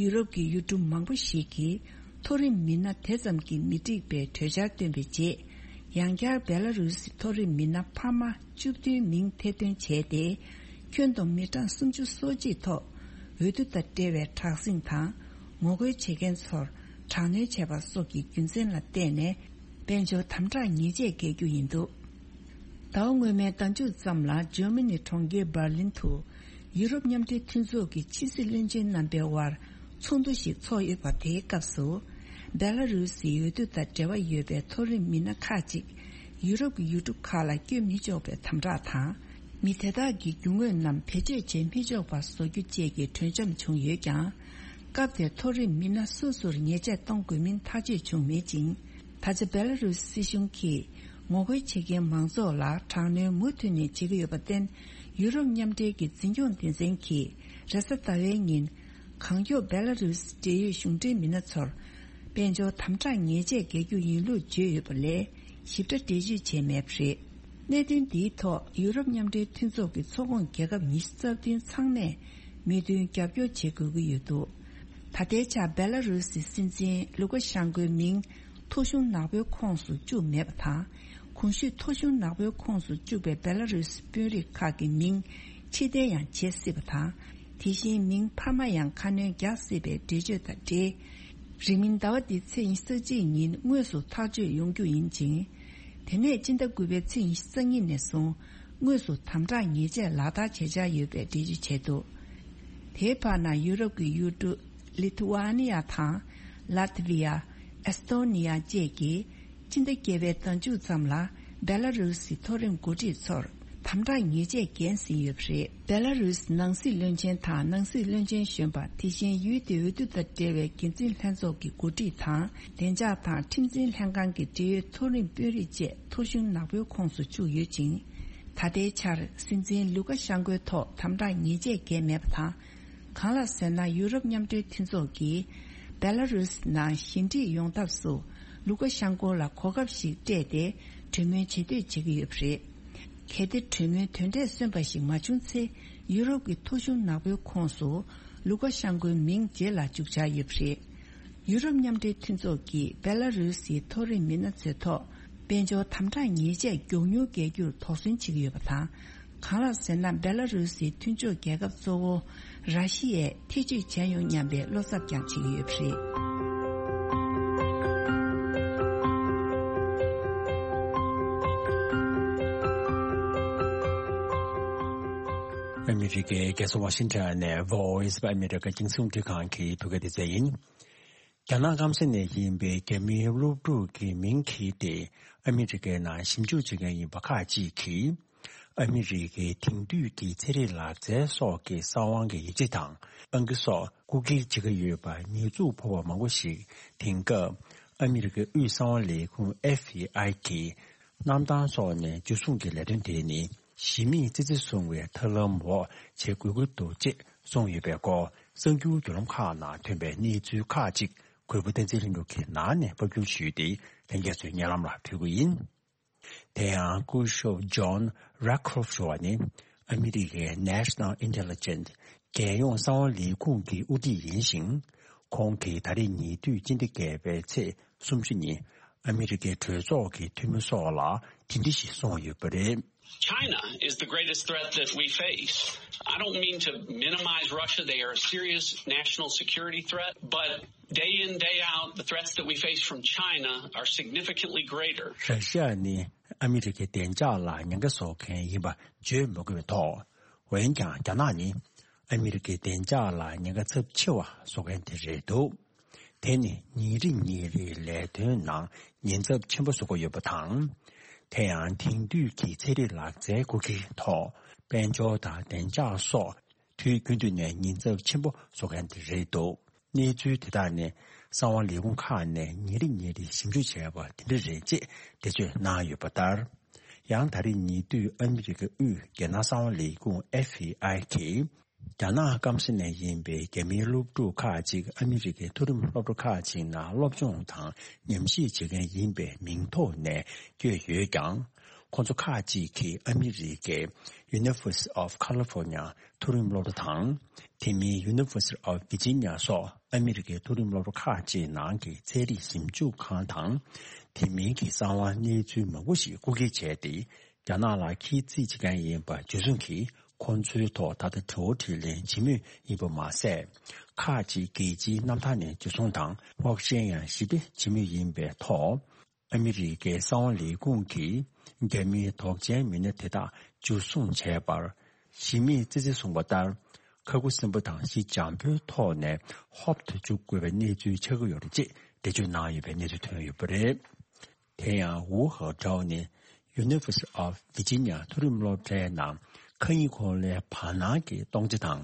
ཡུ་རོབ་ཀྱི་ཡུལ་གྲུ་མང་པོ་ཞིག་གིས་མཐོ་རིམ་མི་སྣ་དེ་ཙམ་གྱིས་མི་འགྲིག་པའི་གྲོས་འཆར་བཏོན་པའི་རྗེས། ཡང་བསྐྱར་བེ་ལ་རུ་སིའི་མཐོ་རིམ་མི་སྣ་འཕར་མ་བཅུ་བདུན་མིང་ཐེར་འདོན་བྱས་ཏེ། ཁྱོན་བསྡོམས་མི་གྲངས་སུམ་ཅུ་སོ་གཅིག་ཐོག་འོས་བསྡུ་དང་འབྲེལ་བའི་དྲག་ཟིང་དང་ངོ་རྒོལ་བྱེད་མཁན་ཚོར་དྲག་གནོན་བྱས་པ་སོགས་ཀྱི་རྒྱུ་མཚན་ལ་བརྟེན་ནས། དཔལ་འབྱོར་དམ་དྲག་ཉེས་ཆད་འགེལ་རྒྱུ་ཡིན་འདུག་ཟླ་བ་སྔོན་མའི་ཟླ་མཇུག་ཙམ་ལ་འཇར་མ་ནི་གྲོང་ཁྱེར་འབར་ལིན་དུ་ཡུ་རོབ་མཉམ་འབྲེལ་མཐུན་ཚོགས་ཀྱི་ཕྱི་སྲིད་བློན་ཆེན་རྣམ་པའི་དབར་ཚོགས་འདུ་ཞིག་ཚོགས་ཡོད་པ། དེའི་སྐབས་སུ་བེ་ལ་རུ་སིའི་འོས་བསྡུ་དང་འབྲེལ་བ་ཡོད་པའི་མཐོ་རིམ་མི་སྣ་ཁག་ཅིག་ཡུ་རོབ་ཀྱི་ཡུལ་གྲུ་ཁག་ལ་བསྐྱོད་མི་ཆོག་པའི་དམ་དྲག་དང་། མི་དེ་དག་གི་རྒྱུ་དངོས་རྣམས་བེད་སྤྱོད་བྱེད་མི་ཆོག་པ་བཟོ་རྒྱུ་བཅས་ཀྱི་གྲོས་འཆམ་བྱུང་ཡོད་ཀྱང་། སྐབས་དེར་མཐོ་རིམ་མི་སྣ་སོ་སོར་ཉེས་ཆད་གཏོང་དགོས་མིན་ཐག་གཅོད་བྱུང་མེད་ཅིང་། ད་ཆ་བེ་ལ་རུས་སྲིད་གཞུང་གིས་ངོ་རྒོལ་བྱེད་མཁན་མང་ཚོགས་ལ་དྲག་གནོན་མུ་མཐུད་ནས་བྱེད་ཀྱི་ཡོད་པར་བརྟེན། ཡུ་རོབ་མཉམ་འབྲེལ་གྱི་འཛིན་སྐྱོང་སྡེ་ཚན་གྱིས་རེས་གཟའ་ཟླ་བའི་ཉིན། གང་མགྱོགས་བེ་ལ་རུས་འབྲེལ་ཡོད་གཞུང་འབྲེལ་མི་སྣ་ཚོར་དཔལ་འབྱོར་དམ་དྲག་ཉེས་ཆད་འགེལ་རྒྱུ་ཡིན་ལུགས་བརྗོད་ཡོད་པ་ལས། ཞིབ་ཕྲ་འགྲེལ་བརྗོད་བྱས་མེད་པ་རེད། གནད་དོན་འདིའི་ཐོག་ཡུ་རོབ་མཉམ་འབྲེལ་མཐུན་ཚོགས་ཀྱི་ཚོགས་ཁོངས་རྒྱལ་ཁབ་ཉི་ཤུ་རྩ་བདུན་ཚང་མས་མོས་མཐུན་རྒྱབ་སྐྱོར་བྱེད་དགོས་ཀྱི་ཡོད་འདུག་ད་ལྟའི་ཆར་བེ་ལ་རུ་སིའི་སྲིད་འཛིན་ལུ་ཀ་ཤང་ཀོའི་མིང་ཐོ་གཞུང་ནག་པོའི་ཁོངས་སུ་བཅུག་མེད་པ་དང་། གོང་ཞུས་ཐོ་གཞུང་ནག་པོའི་ཁོངས་སུ་བཅུག་པའི་བེ་ལ་རུ་སི་དཔོན་རིགས་ཁག་གི་མིང་ཕྱིར་འཐེན་ཡང་བྱེད་སྲིད་པ་དང་། དེ་བཞིན་མིང་འཕར་མ་ཡང་ཁ་སྣོན་རྒྱག་སྲིད་པའི་འགྲེལ་བརྗོད་དང་འབྲེལ། རིང་མིན་ཟླ་བ་འདིའི་ཚེས་ཉི་ཤུ་རྩ་གཅིག་ཉིན་དངོས་སུ་ཐག་གཅོད་ཡོང་རྒྱུ་ཡིན་ཅིང་། དེ་ནས་སྤྱི་ཟླ་དགུ་པའི་ཚེས་ཉི་ཤུ་རྩ་གཉིས་ནས་བཟུང་དངོས་སུ་དམ་དྲག་ཉེས་ཆད་ལག་བསྟར་བྱེད་འཆར་ཡོད་པའི་འགྲེལ་བརྗོད་བྱས་འདུག་དེའི་བར་ན་ཡུ་རོབ་ཀྱི་ཡུལ་གྲུ་ལི་ཐུ་ཝ་ནི་ཡ་དང་། ལ་ཐི་བི་ཡ། ཨེ་སི་ཐོ་ནི་ཡ་བཅས་ཀྱིས་སྤྱི་ཟླ་བརྒྱད་པའི་ཟླ་མཇུག་ཙམ་ལ་བེ་ལ་རུ་སིའི་མཐོ་རིམ་འགོ་ཁྲིད་ཚོར་དམ་དྲག་ཉེས་ཆད་འགེལ་ཟིན་ཡོད་པ་རེད། བེ་ལ་རུ་སིའི་ནང་སྲིད་བློན་ཆེན་དང་ནང་སྲིད་བློན་ཆེན་གཞོན་པ། དེ་བཞིན་ཡུལ་དེའི་འོས་བསྡུ་དང་འབྲེལ་བའི་འགན་འཛིན་ལྷན་ཚོགས་ཀྱི་འགོ་ཁྲིད་དང་། བདེ་འཇགས་དང་ཁྲིམས་འཛིན་ལྷན་ཁང་གི་འབྲེལ་ཡོད་མཐོ་རིམ་དཔོན་རིགས་བཅས་ཐོ་གཞུང་ནག་པོའི་ཁོངས་སུ་བཅུག་ཡོད་ཅིང་། ད་ལྟའི་ཆར་སྲིད་འཛིན་ལུ་ཀ་ཤང་ཀོའི་ཐོག་དམ་དྲག་ཉེས་ཆད་འགེལ་མེད་པ་དང་། གང་ལགས་ཟེར་ན། ཡུ་རོབ་མཉམ་འབྲེལ་མཐུན་ཚོགས་ཀྱིས་བེ་ལ་རུས་ནང་ཞི་འགྲིག་ཡོང་ཐབས་སུ་ལུ་ཀ་ཤང་ཀོ་ལ་གོ་སྐབས་ཤིག་སྤྲད་དེ་གྲོས་མོལ་བྱེད་འདོད་བྱེད་ཀྱི་ཡོད་པ་རེད། གལ་ཏེ་གྲོས་མོལ་དོན་འབྲས་སོན་པ་ཞིག་མ་བྱུང་ཚེ། ཡུ་རོབ་ཀྱི་ཐོ་གཞུང་ནག་པོའི་ཁོངས་སུ་ལུ་ཀ་ཤང་ཀོའི་མིང་རྗེས་ལ་འཇུག་འཆར་ཡོད་པ་རེད། ཡུ་རོབ་མཉམ་འབྲེལ་མཐུན་ཚོགས་ཀྱིས་བེ་ལ་རུས་སིའི་མཐོ་རིམ་མི་སྣ་ཚོའི་ཐོག་དཔལ་འབྱོར་དམ་དྲག་ཉེས་ཆད་མགྱོགས་མྱུར་འགེལ་རྒྱུར་དོགས་ཟོན་བྱེད་ཀྱི་ཡོད་པ་དང་། གང་ལགས་ཟེར་ན། བེ་ལ་རུ་སིའི་མཐུན་ཕྱོགས་རྒྱལ་ཁབ་གཙོ་བོ་ར་ཤི་ཡས་ཐེ་བྱུས་བྱས་ཡོང་སྙམ་པའི་བློ་འཚབ་ཀྱང་བྱེད་ཀྱི་ཡོད་པ་རེད། ཨ་མི་རི་ཀའི་རྒྱལ་ས་ཝ་ཤིང་ཊོན་ནས་Voice of America་རྒྱང་སྲིང་རླུང་འཕྲིན་ཁང་གི་བོད་སྐད་སྡེ་ཚན་ཡིན། རྒྱ་ནག་སྐམ་ས་ནས་ཡིན་པའི་རྒྱ་མིའི་སློབ་ཕྲུག་གི་མིང་འཁྱེར་ཏེ་ཨ་མི་རི་ཀའི་ནང་ཞིབ་འཇུག་བྱེད་མཁན་ཡིན་པ་ཁག་ཅིག་གིས། ཨ་མི་རི་ཀའི་དེང་དུས་ཀྱི་ཚན་རིག་ལག་རྩལ་སོགས་ཀྱི་གསང་བའི་ཡིག་ཆ་དང་། ཨང་ཀི་སོགས་རྐུ་འཁྱེར་བྱེད་ཀྱི་ཡོད་པར་ཉེས་འཛུགས་ཕོག་པ་མང་པོ་ཞིག་དེང་སྐབས་ཨ་མི་རི་ཀའི་དབུས་གསང་བ་ལས་ཁུངས་ཨེཕ་བི་ཨའི་གིས་གནམ་ཐང་སོགས་ནས་འཇུ་བཟུང་གི་ལས་དོན་དེ་ནི་གཞི་མེད་ཙི་ཙི་བཟུང་བའི་ཐབས་ལམ་འོག་བྱེད་དགོས་ཀྱི་འདུག་ཅེས་གསུངས་ཡོད་པའི་སྐོར། གསར་འགྱུར་བརྒྱུད་ལམ་ཁག་ནང་ཐོན་པའི་གནས་ཚུལ་ཁག་ཅིག་གུས་པ་བསྟན་འཛིན་ལྷུན་གྲུབ་ཀྱིས་ནང་ནས་ཕབ་སྒྱུར་ཞུས་ཏེ་ལྷན་རྒྱས་ཚོའི་སྙན་ལམ་ལ་ཕུལ་གྱི་ཡིན། དེ་ཡང་སྐུ་ཞབས་John Ratcliffe་ཞུ་བ་ནི་ཨ་མི་རི་ཀའི་National Intelligence་རྒྱལ་ཡོངས་གསང་བ་ལས་ཁུངས་ཀྱི་དབུ་ཁྲིད་ཡིན་ཞིང་། ཁོང་གིས་ད་རེས་ཉེ་དུས་སྤྱི་ཟླ་བརྒྱད་པའི་ཚེས་སུམ་ཅུ་ཉིན་ཨ་མི་རི་ཀའི་གྲོས་ཚོགས་ཀྱི་འཐུས་མི་སོགས་ལ་དེ་འདྲ་ཞིག་གསུངས་ཡོད་པ་རེད། China is the greatest threat that we face. I don't mean to minimize Russia. They are a serious national security threat, but day in, day out, the threats that we face from China are significantly greater. ར་ཤི་ཡ་ནི་ཨ་མི་རི་ཀའི་བདེ་འཇགས་ལ་ཉེན་ཁ་བཟོ་མཁན་ཡིན་པ་བརྗོད་མི་དགོས་པའི་ཐོག་འོན་ཀྱང་རྒྱ་ནག་ནི་ཨ་མི་རི་ཀའི་བདེ་འཇགས་ལ་ཉེན་ཁ་ཚབས་ཆེ་བ་བཟོ་མཁན་དེ་རེད་འདུག་དེ་ནི་ཉིན་རེ་ཉིན་རེའི་ལས་དོན་ནང་ཉེན་ཚབས་ཆེན་པོ་བཟོ་གི་ཡོད་པ་དང་། དེ་ཡང་དེང་དུས་ཀྱི་ཚན་རིག་ལག་རྩལ་སྐུལ་མཁན་ཐོག་དཔལ་འབྱོར་དང་བདེ་འཇགས་སོགས་དུས་རྒྱུན་དུ་ནས་ཉེན་ཚབས་ཆེན་པོ་བཟོ་མཁན་དེ་རེད་འདུག་གནས་ཚུལ་དེ་དག་ནི་གསང་བ་ལས་ཁུངས་ཁག་ནས་ཉིན་རེ་ཉིན་རེ་ཞིབ་འཇུག་བྱས་པ་དེ་འདྲ་རེད་ཅེས་འགྲེལ་བརྗོད་གནང་ཡོད་པ་ལྟར། ཡང་ད་རེས་ཉེ་དུས་ཨ་མི་རི་ཀའི་དབུས་རྒྱལ་ནང་གསང་བ་ལས་ཁུངས་ཨེཕ་བི་ཨའི་གིས། རྒྱ་ནག་སྐམ་ས་ནས་ཡིན་པའི་རྒྱ་མིའི་སློབ་ཕྲུག་ཁག་ཅིག་ཨ་མི་རི་ཀའི་མཐོ་རིམ་སློབ་གྲྭ་ཁག་ཅིག་ནང་སློབ་སྦྱོང་དང་ཉམས་ཞིབ་བྱེད་མཁན་ཡིན་པའི་མིང་ཐོག་ནས་བསྐྱོད་ཡོད་ཀྱང་། ཁོང་ཚོ་ཁག་ཅིག་གིས་ཨ་མི་རི་ཀའི་University of California མཐོ་རིམ་སློབ་གྲྭ་དང་། དེ་མིན་University of Virginia སོགས་ཨ་མི་རི་ཀའི་མཐོ་རིམ་སློབ་གྲྭ་ཁག་ཅིག་ནང་གི་ཚན་རིག་ཞིབ་འཇུག་ཁང་དང་། དེ་མིན་གྱི་གསང་བ་གནས་ཚུལ་མང་པོ་ཞིག་རྐུ་འཁྱེར་བྱས་ཏེ། རྒྱ་ནག་ལ་ཁྱད་གསོད་བྱེད་མཁན་ཡིན་པ་འཇུ་བཟུང་གིས་ཁོང་ཚོའི་ཐོག་ད་ལྟ་དྲི་བ་དྲིས་ལན་བྱེད་མུས་ཡིན་པ་མ་ཟད། ཁག་ཅིག་རྒྱལ་སྤྱིའི་གནམ་ཐང་ནས་འཇུ་བཟུང་དང་སྔོག་བཤེར་ཡང་ཞི་བདེ་བྱེད་མུས་ཡིན་པའི་ཐོག་ཨ་མི་རི་ཀའི་གསང་བ་ལས་ཁུངས་ཀྱིས་རྒྱ་མིའི་དོགས་ཅན་མི་སྣ་དེ་དག་འཇུ་བཟུང་བྱས་པར། གཞི་མེད་ཙི་ཙི་གསུངས་པ་ལྟར། ཁ་ཁུ་སིམ་པོ་དང་ཞི་འཇམ་པོའི་ཐོག་ནས་ཧོབ་ཏེ་འཇུག་དགོས་པའི་གནས་ཚུལ་ཆགས་ཀྱི་ཡོད་རེད་ཅེས་འགྲེལ་བརྗོད་གནང་ཡོད་པའི་གནས་ཚུལ་ཐོན་ཡོད་པ་རེད། དེ་ཡང་ཝུ་ཧའོ་ཀྲའོ་ནི་University of Virginia མཐོ་རིམ་སློབ་གྲྭའི་ནང་ཁ་ཉིན་གོང་ལའི་བར་སྣང་གི་སྟོང་ཆ་དང་།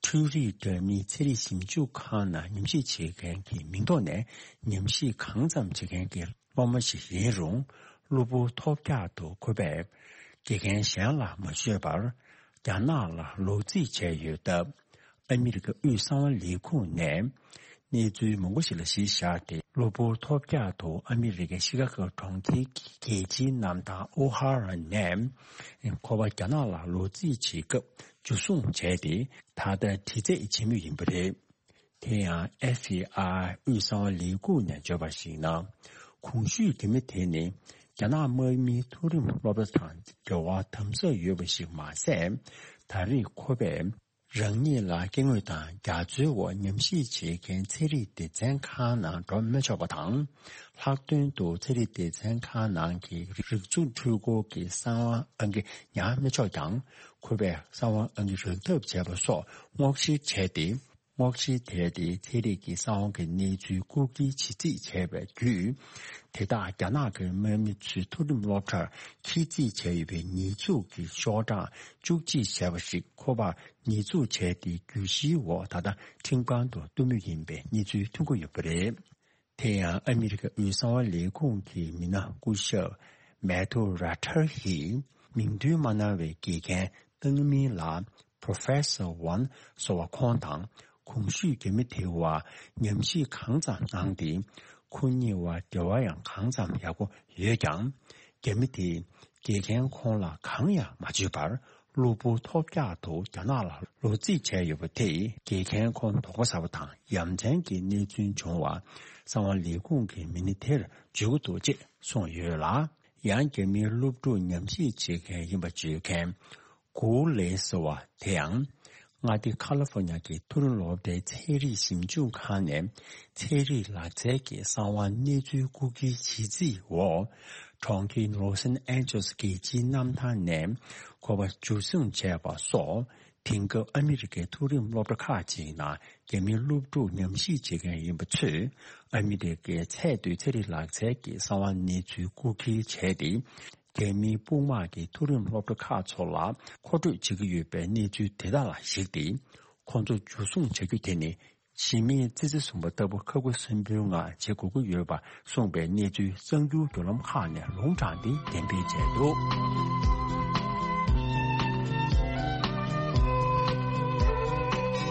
འཕྲུལ་རིག་འདྲ་མིན་ཚན་རིག་ཞིབ་འཇུག་ཁང་ནང་ཉམས་ཞིབ་བྱེད་མཁན་གྱི་མིང་ཐོག་ནས་ཉམས་ཞིབ་གང་ཙམ་བྱེད་མཁན་གྱི་སློབ་མ་ཞིག་ཡིན་རུང་། གློ་བུར་ཐོལ་རྒྱག་ཏུ་ཁོ་པས་དགེ་རྒན་གཞན་ལ་མ་ཤོད་པར། རྒྱ་ནག་ལ་ལོག་རྩིས་བྱས་ཡོད་སྟབས། ཨ་མི་རི་ཀ་དབུས་གསང་བ་ལས་ཁུངས་ནས་གནས་ཚུལ་མང་པོ་ཞིག་ལ་གཞི་བཞག་སྟེ། གློ་བུར་ཐོལ་རྒྱག་ཏུ་ཨ་མི་རི་ཀའི་ཤི་ཀ་གོ་གྲོང་ཁྱེར་གྱི་རྒྱལ་སྤྱིའི་གནམ་ཐང་ཨོ་ཧ་ར་ནས་ཁོ་པ་རྒྱ་ནག་ལ་ལོག་རྩིས་བྱེད་སྐབས་འཇུ་བཟུང་བྱས་ཏེ། ད་ལྟ་དྲི་རྩད་བྱེད་མུས་ཡིན་པ་རེད། དེ་ཡང་ཨེཕ་བི་ཨའི་དབུས་གསང་བ་ལས་ཁུངས་ནས་བརྗོད་པར་གཞིགས་ན། གོང་ཞུས་རྒྱ་མི་དེ་ནི་རྒྱ་ནག་དམག་མིའི་མཐོ་རིམ་སློབ་གྲྭ་དང་འབྲེལ་བ་དམ་ཟབ་ཡོད་པ་ཞིག་མ་ཟད། ད་རེས་ཁོ་པས་རང་ཉིད་ལ་སྐྱེ་དངོས་དང་རྒྱ་མཚོའི་འོག་ཉམས་ཞིབ་བྱེད་མཁན་ཚན་རིག་སྡེ་ཚན་ཁག་ནང་འགྲོ་མི་ཆོག་པ་དང་། ལྷག་དོན་དུ་ཚན་རིག་སྡེ་ཚན་ཁག་ནང་གི་རིག་མཛོད་འཕྲུལ་འཁོར་གྱི་གསང་བ་ཨང་ཀི་ཉར་མི་ཆོག་ཀྱང་། ཁོ་པས་གསང་བ་ཨང་ཀི་རག་ཐབས་བྱས་པ་སོགས་སྔོག་བཤེར་བྱས་ཏེ། སྔོག་བཤེར་དེ་དེ་ཚན་རིག་གི་གསང་བ་གི་གནས་ཚུལ་རྐུ་འཁྱེར་བྱེད་རྩིས་བྱས་པའི་བརྒྱུད། དེ་དག་རྒྱ་ནག་གི་དམག་མི་ཚོའི་མཐོ་རིམ་སློབ་གྲྭར་འཁྱེར་རྩིས་བྱས་ཡོད་པའི་ཉེས་འཛུགས་ཀྱི་ཤོག་གྲངས་བཅུ་གཅིག་བྱས་པ་ཞིག་ཁོ་པར་ཉེས་འཛུགས་བྱས་ཏེ་གྱོད་གཞིའི་འོག་ད་ལྟ་ཁྲིམས་ཁང་དུ་གཏུག་མུས་ཡིན་པའི་གནས་ཚུལ་ཐོན་གྱི་ཡོད་པ་རེད། དེ་ཡང་ཨ་མི་རི་ཀ་དབུས་གསང་བ་ལས་ཁུངས་ཀྱི་མི་སྣ་སྐུ་ཞབས་མེ་ཐུ་ར་ཐར་ཡིས་མིང་འདོན་མ་གནང་བའི་དགེ་རྒན་བཏང་མིན་ལ། Professor Wang ཟེར་བ་ཁོང་དང་གོང་ཞུས་རྒྱ་མི་དེ་བ་ཉམས་ཞིབ་གང་ཙམ་གནང་སྟེ། ཁོ་གཉིས་བར་འབྲེལ་བ་ཡང་གང་ཙམ་ཡག་པོ་ཡོད་ཀྱང་། རྒྱ་མི་དེས་དགེ་རྒན་ཁོང་ལ་གང་ཡང་མ་བརྗོད་པར། གློ་བུར་ཐོལ་རྒྱག་ཏུ་རྒྱ་ནག་ལ་ལོག་རྩིས་བྱས་ཡོད་པ་དེས་དགེ་རྒན་ཁོང་དོགས་པ་ཟ་བ་དང་ཡ་མཚན་གྱི་གནས་ཚུལ་བྱུང་བ། གསང་བ་ལས་ཁུངས་ཀྱི་མི་སྣ་དེར་བརྗོད་ཀྱི་འདུག་ཅེས་གསུངས་ཡོད་ལ། ཡང་རྒྱ་མིའི་སློབ་ཕྲུག་ཉམས་ཞིབ་བྱེད་མཁན་ཡིན་པ་བརྗོད་མཁན་གུའུ་ལེ་ཟེར་བ་དེ་ཡང་། མངའ་སྡེ་ཁ་ལ་ཧྥོ་ཉ་གི་མཐོ་རིམ་སློབ་གྲྭའི་ཚན་རིག་ཞིབ་འཇུག་ཁང་ནས་ཚན་རིག་ལག་རྩལ་གྱི་གསང་བ་གནས་ཚུལ་རྐུ་འཁྱེར་བྱེད་རྩིས་འོག་གྲོང་ཁྱེར་ལོ་སན་ཨན་ཇེ་ལེ་སི་རྒྱལ་སྤྱིའི་གནམ་ཐང་ནས་ཁོ་པ་འཇུ་བཟུང་བྱས་པ་སོགས། དེང་སྐབས་ཨ་མི་རི་ཀའི་མཐོ་རིམ་སློབ་གྲྭ་ཁག་ཅིག་ནང་རྒྱ་མིའི་སློབ་ཕྲུག་ཉམས་ཞིབ་བྱེད་མཁན་ཡིན་པ་ཚོས་ཨ་མི་རི་ཀའི་ཚད་མཐོའི་ཚན་རིག་ལག་རྩལ་གྱི་གསང་བ་གནས་ཚུལ་རྐུ་འཁྱེར་བྱས་ཏེ། རྒྱ་མིའི་དཔུང་དམག་གིས་མཐོ་རིམ་སློབ་གྲྭ་ཁག་ཚོ་ལ་མཁོ་སྤྲོད་བྱེད་ཀྱི་ཡོད་པའི་གནས་ཚུལ་དེ་དག་ལ་གཞིགས་ཏེ། ཁོང་ཚོ་འཇུ་བཟུང་བྱ་རྒྱུ་དེ་ནི། གཞི་མེད་ཙི་ཙི་བཟུང་བ་ལྟ་བུ་ཁ་ཁུ་སིམ་པོའི་ངང་བྱེད་དགོས་ཀྱི་ཡོད་པ་གསུངས་པའི་གནས་ཚུལ་གསར་འགྱུར་བརྒྱུད་ལམ་ཁག་ནས་ལུང་དྲངས་ཏེ་འགྲེམས་སྤེལ་བྱས་འདུག་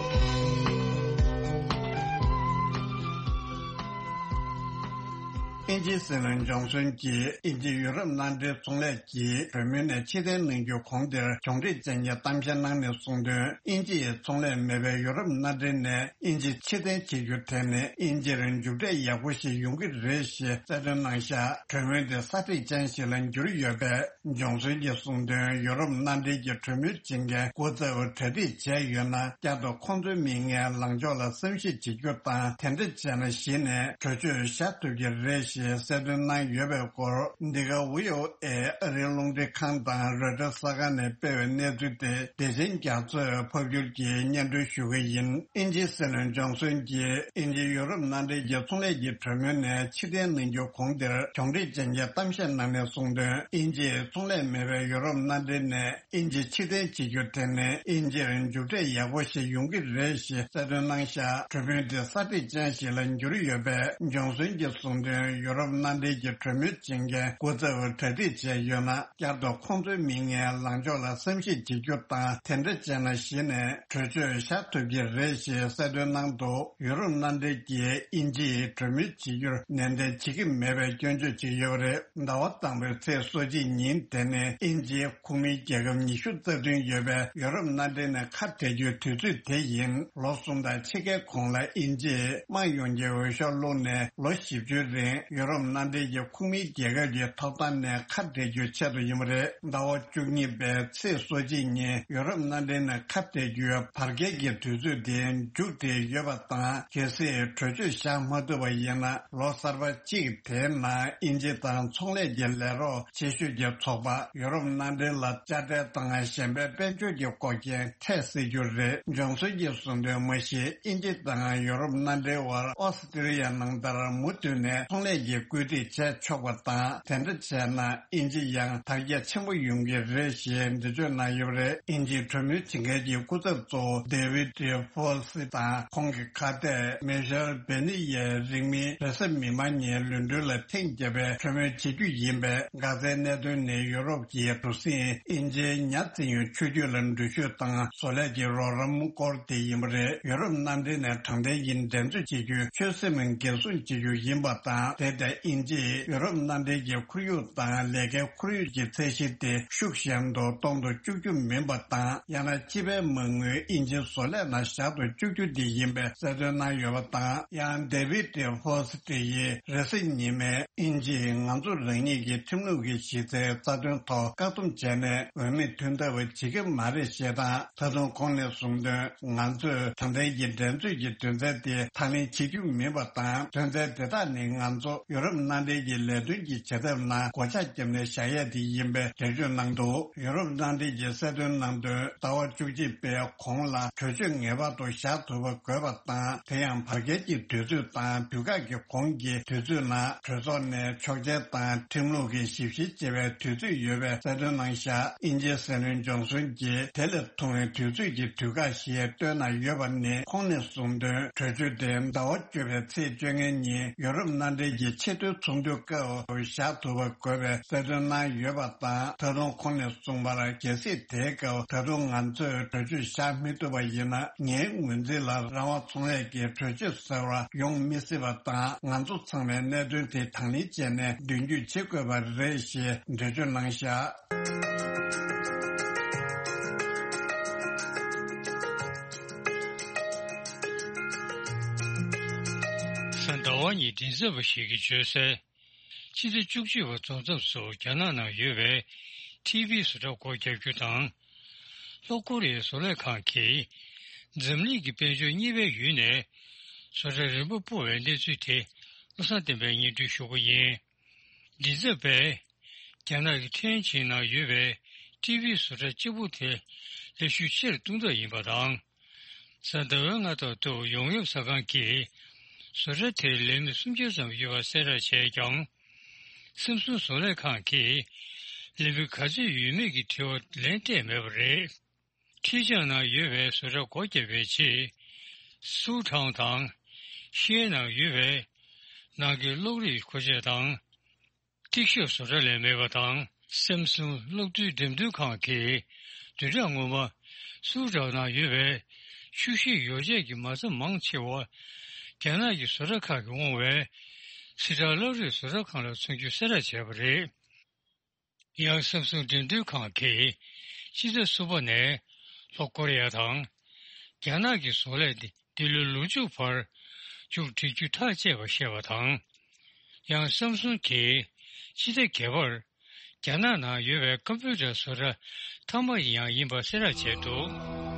དབྱིན་ཇིའི་སྲིད་བློན་ཇོན་སོན་གྱིས་དབྱིན་ཇི་ཡུ་རོབ་མནའ་འབྲེལ་ཚོང་ལས་ཀྱི་གྲོས་མོལ་ནས་ཕྱིར་འཐེན་གནང་རྒྱུ་གོང་དེར་གྱོང་ཁྲིད་ཅན་གྱི་གཏམ་བཤད་གནང་ནས་གསུངས་དོན། དབྱིན་ཇི་ཡི་ཚོང་ལས་མེད་པའི་ཡུ་རོབ་མནའ་འབྲེལ་ནས་དབྱིན་ཇི་ཕྱིར་འཐེན་བྱེད་རྒྱུ་དེ་ནི་དབྱིན་ཇིར་མཇུག་འབྲས་ཡག་པོ་ཞིག་ཡོང་གི་རེད་ཞེས་གསལ་སྟོན་གནང་བཞག་གྲོས་མོལ་དེ་གསར་ཁྲིད་ཅན་ཞིག་ལ་འགྱུར་ཡོད་པས། ཇོན་སོན་གྱིས་གསུངས་དོན། ཡུ་རོབ་མནའ་འབྲེལ་གྱི་གྲོས་མོལ་བྱེད་མཁན་སྐུ་ཚབ་གྲ་སྒྲིག་བྱས་ཡོད་ན། བསྐྱར་དུ་ཁོང་ཚོའི་མིང་ངན་ལངས་ཕྱོགས་ལ་བསམ་ཤེས་བྱེད་རྒྱུ་དང་། དེ་འདྲ་བྱས་ན་གཞི་ནས་གྲོས་ཆོད་བཞག་ཐུབ་ཀྱི་རེད་ཞེས་གསལ་སྟོན་གནང་ཡོད་པའི་སྐོར། འདི་ག་བྷི་ཨོ་ཨེ་ཨ་རིའི་རླུང་འཕྲིན་ཁང་དང་རོའི་ཊར་གསར་ཁང་ནས་སྤེལ་བའི་གནས་ཚུལ་དེ་བདེ་ཆེན་རྒྱ་མཚོས་ཕབ་སྒྱུར་གྱིས་སྙན་སྒྲོན་ཞུ་གི་ཡིན། དབྱིན་ཇིའི་སྲིད་བློན་ཇོན་སོན་གྱིས་དབྱིན་ཇི་ཡུ་རོབ་མནའ་འབྲེལ་གྱི་ཚོང་ལས་ཀྱི་གྲོས་མོལ་ནས་ཕྱིར་འཐེན་གནང་རྒྱུ་གོང་དེར་གྱོང་ཁྲིད་ཅན་གྱི་གཏམ་བཤད་གནང་ནས་གསུངས་དོན། དབྱིན་ཇིས་ཚོང་ལས་མེད་པའི་ཡུ་རོབ་མནའ་འབྲེལ་ནས་དབྱིན་ཇི་ཕྱིར་འཐེན་བྱེད་རྒྱུ་དེ་ནི་དབྱིན་ཇིར་མཇུག་འབྲས་ཡག་པོ་ཞིག་ཡོང་གི་རེད་ཞེས་གསལ་སྟོན་གནང་བཞག་གྲོས་མོལ་དེ་གསར་ཁྲིད་ཅན་ཞིག་ལ་འགྱུར་ཡོད་པས། ཇོན་སོན་གྱིས་གསུངས་དོན། ཡུ་རོབ་མནའ་འབྲེལ་གྱི་གྲོས་མོལ་བྱེད་མཁན་སྐུ་ཚབ་གྲ་སྒྲིག་བྱས་ཡོད་ན། བསྐྱར་དུ་ཁོང་ཚོའི་མིང་ངན་ལངས་ཕྱོགས་ལ་བསམ་ཤེས་བྱེད་རྒྱུ་དང་། དེ་འདྲ་བྱས་ན་གཞི་ནས་གྲོས་ཆོད་བཞག་ཐུབ་ཀྱི་རེད་ཞེས་གསལ་སྟོན་གནང་འདུག་ཡུ་རོབ་མནའ་འབྲེལ་གྱིས་དབྱིན་ཇིས་གྲོས་མོལ་བྱེད་རྒྱུར་ནན་ཏན་བྱེད་ཀྱི་མེད་པའི་སྐྱོན་བརྗོད་བྱེད་ཀྱི་ཡོད་པ་རེད། ཟླ་བ་དང་པོའི་ཚེས་སོ་གཅིག་ཉིན་དེ་ནི་དབྱིན་ཇིའི་ཁོངས་མིའི་རྒྱལ་ཁབ་ཉི་ཤུ་རྩ་བདུན་ཡོད་པའི་ཡུ་རོབ་མནའ་འབྲེལ་ནས་ཁ་བྲལ་རྒྱུའི་དུས་ཚོད་དེ་ཡིན། ལོ་གསུམ་དང་ཕྱེད་ཀའི་གོང་ལ་དབྱིན་ཇིས་དམངས་ཡོངས་ཀྱི་འོས་ཤོག་བླུགས་ནས་ལོ་བཞི་བཅུའི་རིང་ཡུ་རོབ་མནའ་འབྲེལ་གྱི་ཁོངས་མིའི་རྒྱལ་ཁབ་ཀྱི་ཐོབ་ཐང་ནས་ཁ་བྲལ་རྒྱུའི་ཆེད་དུ་ཡིན་པ་རེད། ཟླ་བ་བཅུ་གཉིས་པའི་ཚེས་སོ་གཅིག་ཉིན་ཡུ་རོབ་མནའ་འབྲེལ་ནས་ཁ་བྲལ་རྒྱུའི་བར་བརྒལ་གྱི་དུས་ཚོད་དེ་མཇུག་བསྒྲིལ་ཡོད་པ་དང་། གལ་སྲིད་གྲོས་ཆོད་བཞག་མ་ཐུབ་པ་ཡིན་ན། ལོ་གསར་པ་གཅིག་དེའི་ནང་དབྱིན་ཇི་དང་ཚོང་ལས་ཀྱི་ལས་རོགས་ཆེ་ཤོས་ཀྱི་ཚོགས་པ་ཡུ་རོབ་མནའ་འབྲེལ་ལ་དཔྱ་ཁྲལ་དང་གཞན་པའི་དཔལ་འབྱོར་གྱི་འགོག་རྐྱེན་འཕྲད་སྲིད་རྒྱུ་རེད། ཇོན་སོན་གྱིས་གསུངས་དོན། མ་གཞི་དབྱིན་ཇི་དང་ཡུ་རོབ་མནའ་འབྲེལ་བར་ཨོ་སི་ཀྲི་ཡ་ནང་ལྟར་མུ་མཐུད་ནས་ཚོང་ལས་ཀྱི་བཀོད་སྒྲིག་བྱས་ཆོག་པ་དང་། དེ་འདྲ་བྱས་ན་དབྱིན་ཇི་ཡང་དར་རྒྱས་ཆེན་པོ་ཡོང་གི་རེད་ཞེས་འགྲེལ་བརྗོད་གནང་ཡོད་པ་རེད། དབྱིན་ཇིའི་གྲོས་མོལ་བྱེད་མཁན་གྱི་སྐུ་ཚབ་གཙོ་བོ་ཌེ་ཝིད་ཧྥོ་སི་དང་ཁོང་གི་ཁ་གཏད་མེ་ཤེལ་བེ་ནི་ཡའི་རིང་མིན་རེས་གཟའ་མིག་དམར་ཉིན་ལོན་ཌོན་ལ་ཐེངས་བརྒྱད་པའི་གྲོས་མོལ་བྱེད་རྒྱུ་ཡིན་པས། འགག་རྩའི་གནད་དོན་ནི་ཡུ་རོབ་ཀྱི་གྲུ་གཟིངས་དབྱིན་ཇིའི་ཉ་བཙིར་ཡུལ་ཆུ་རྒྱུད་ལ་འགྲུལ་བཞུད་དང་བཟོ་ལས་ཀྱི་རོགས་རམ་སྐོར་དེ་ཡིན་པ་རེད། ཡུ་རོབ་མནའ་འབྲེལ་ནས་དྲང་བདེན་གྱི་འགྲན་རྩོད་བྱེད་རྒྱུའི་ཆོད་སེམས་འགན་སྲུང་བྱེད་རྒྱུ་ཡིན་པ་དང་། དེ་ལྟར་དབྱིན་ཇིས་ཡུ་རོབ་མནའ་འབྲེལ་གྱི་ཁོར་ཡུག་དང་ལས་ཀའི་ཁོར་ཡུག་གི་ཚད་གཞི་དེ་ཤུགས་ཞན་དུ་གཏོང་དུ་བཅུག་རྒྱུ་མིན་པ་དང་། ཡང་ན་སྤྱི་པའི་མ་དངུལ་དབྱིན་ཇིའི་བཟོ་ལས་ནང་བཞག་ཏུ་བཅུག་རྒྱུ་དེ་ཡིན་པའི་གསལ་སྟོན་གནང་ཡོད་པ་དང་། ཡང་ཌེ་ཝིད་ཧྥོ་སི་ཏི་ཡིས་རེས་གཟའ་ཉི་མའི་དབྱིན་ཇིས་ང་ཚོ་རང་ཉིད་ཀྱི་ཁྲིམས་ལུགས་ཀྱི་གཞི་རྩའི་རྩ་དོན་ཐོག་བཀག་སྡོམ་བྱས་ནས་འོས་མི་ཐོན་ཐབས་བྱེད་ཀྱི་མ་རེད་ཞེས་དང་། ད་དུང་ཁོང་ནས་གསུངས་དོན། ང་ཚོས་དྲང་བདེན་གྱི་འགྲན་རྩོད་ཀྱི་དོན་ཚན་དེ་དང་ལེན་བྱེད་རྒྱུ་མིན་པ་དང་། དོན་ཚན་དེ་དག་ནི་ང་ཚོ་ཡུ་རོབ་མནའ་འབྲེལ་གྱི་ལས་དོན་གྱི་བྱེད་ཐབས་ནང་སྒོ་ལྕགས་བརྒྱབ་ནས་བཞག་ཡས་དེ་ཡིན་པའི་འགྲེལ་བརྗོད་གནང་འདུག་ཡུ་རོབ་མནའ་འབྲེལ་གྱིས་གསལ་སྟོན་གནང་དོན། ཟླ་བ་བཅུ་གཅིག་པའི་གོང་ལ་གྲོས་ཆོད་ངེས་པར་དུ་བཞག་ཐུབ་པ་དགོས་པ་དང་། དེ་ཡང་བར་བརྒལ་གྱི་དུས་ཚོད་དང་དུས་བཀག་གི་གོང་གི་དུས་ཚོད་ནང་གྲོས་ཚོགས་ནས་ཆོག་མཆན་དང་ཁྲིམས་ལུགས་ཀྱི་ཞིབ་བཤེར་བྱེད་པའི་དུས་ཚོད་ཡོད་པའི་གསལ་སྟོན་གནང་བཞག་དབྱིན་ཇིའི་སྲིད་བློན་ཇོན་སོན་གྱིས་དེ་ལས་ཐུང་བའི་དུས་ཚོད་ཀྱི་དུས་བཀག་ཞིག་བཏོན་གནང་ཡོད་པ་ནི། ཁོང་ནས་གསུངས་དོན། གྲོས་ཆོད་དེ་ཟླ་བ་བཅུ་པའི་ཚེས་བཅོ་ལྔ་ཉིན་ཡུ་རོབ་མནའ་འབྲེལ་གྱི་ཆེས་མཐོའི་ཚོགས་འདུའི་སྐབས་བཞག་ཐུབ་པ་དགོས་པའི་གསལ་སྟོན་གནང་ཡོད་པ་དང་། ད་དུང་ཁོང་ནས་གསུངས་པར། གལ་སྲིད་དེའི་སྐབས་ད་དུང་ང་ཚོས་གྲོས་ཆོད་བཞག་མི་ཐུབ་པ་ཡིན་ན། ངའི་ངོས་འཛིན་ལ་རང་དབང་ཚོང་ལས་ཀྱི་གྲོས་ཆོད་ཟེར་བ་ཡོང་མི་སྲིད་པ་དང་། ང་ཚོ་ཚང་མས་གནད་དོན་དེ་དང་ལེན་བྱས་ནས་མདུན་སྐྱོད་བྱེད་དགོས་པ་རེད་ཞེས་འགྲེལ་བརྗོད་གནང་བཞག་གཟའ་ཟླ་བ་ཉིན་མགྲིན་ཚབ་པ་ཞིག་གིས་བརྗོད་གསལ། ཕྱི་ཟླ་བཅུ་གཅིག་པ་རྫོགས་མཚམས་སུ་རྒྱ་ནག་ནང་ཡོད་པའི་ཊི་ཝི་བཟོ་གྲྭ་སྒོ་བརྒྱབ་རྒྱུ་དང་། ལྷོ་ཀོ་རི་ཡའི་བཟོ་ལས་ཁང་གིས་འཛམ་གླིང་གི་དཔལ་འབྱོར་གཉིས་པའི་ཡུལ་ནས་བཟོ་གྲྭ་རིམ་པ་སྤོ་བའི་གནས་ཚུལ་དེ་བློ་བཟང་བསྟན་པས་སྙན་སྒྲོན་ཞུ་གི་ཡིན། མགྲིན་ཚབ་པས། རྒྱ་ནག་གི་ཁྲེན་ཆིང་ནང་ཡོད་པའི་ཊི་ཝི་བཟོ་གྲྭ་གཅིག་པུ་དེ་ལས་ཤུགས་ཆེར་གཏོང་ཐབས་ཡིན་པ་དང་། གཟའ་ཟླ་བའི་སྔ་ཐོག་ཏུ་ཡོང་འབབ་ཟ་ཁང་གིས་བཟོ་གྲྭ་དེར་ལས་མི་སུམ་བརྒྱ་ཙམ་ཡོད་པ་གསལ་བསྒྲགས་བྱས་ཀྱང་། སེམ་སུང་བཟོ་ལས་ཁང་གིས་ལས་མི་ག་ཚོད་ཡོད་མེད་ཀྱི་དྲི་བ་ལན་སྤྲད་མེད་པ་རེད། ཁྲི་ཅང་ནང་ཡོད་པའི་བཟོ་གྲྭ་སྒོ་བརྒྱབ་པའི་རྗེས། སུའུ་ཁྲང་དང་། ཤེ་ནང་ཡོད་པའི་ནང་གི་གློག་རིག་མཁོ་ཆས་དང་། ཏིག་ཤོབ་བཟོ་གྲྭ་ལས་མེད་པ་དང་། སེམ་སུང་གློག་རྡུལ་འགྲེམས་སྟོན་ཁང་གིས་བདུན་ཕྲག་སྔོན་མ་སུའུ་ཁྲང་ནང་ཡོད་པའི་ཆུ་ཤེལ་ཡོ་བྱད་ཀྱི་མ་རྩ་མང་ཆེ་བ་རྒྱ་ནག་གི་བཟོ་གྲྭ་ཁག་གིས་དབང་བའི་ སི་ཁྲོན་བླ་རི་བཟོ་གྲྭ་ཁང་ལ་ཚོང་རྒྱུ་གསལ་བསྒྲགས་བྱས་པ་རེད། ཡང་སམ་སུང་འགྲེམས་སྟོན་ཁང་གིས་ཕྱི་ཟླ་གསུམ་པ་ནས་ལྷོ་ཀོ་རི་ཡ་དང་རྒྱ་ནག་གི་བཟོ་ལས་འདི་ལོའི་ལོ་མཇུག་བར་མཇུག་སྒྲིལ་རྒྱུ་ཐག་བཅད་པ་བཤད་པ་དང་། ཡང་སམ་སུང་གིས་ཕྱི་ཟླ་བརྒྱད་པར་རྒྱ་ནག་ནང་ཡོད་པའི་ཀམ་པུ་ཊར་བཟོ་གྲྭ་མཐའ་མ་ཡང་ཡིན་པ་གསལ་བསྒྲགས་བྱས་འདུག།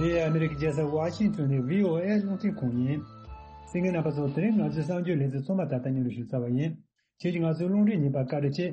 འདི་ཨ་མི་རི་ཀའི་རྒྱལ་ས་ཝ་ཤིང་ཊོན་ནས་བྷི་ཨོ་ཨེ་རླུང་འཕྲིན་ཁང་ཡིན། གསན་མཁན་རྣམ་པ་ཚོ། དེ་རིང་ང་ཚོའི་གསར་འགྱུར་ལེ་ཚན་ཚང་མ་ད་ལྟ་སྙན་སྒྲོན་ཞུས་ཚར་བ་ཡིན། ཁྱེད་ཀྱིས་ང་ཚོའི་རླུང་འཕྲིན་ཉན་པར་བཀའ་དྲིན་ཆེ།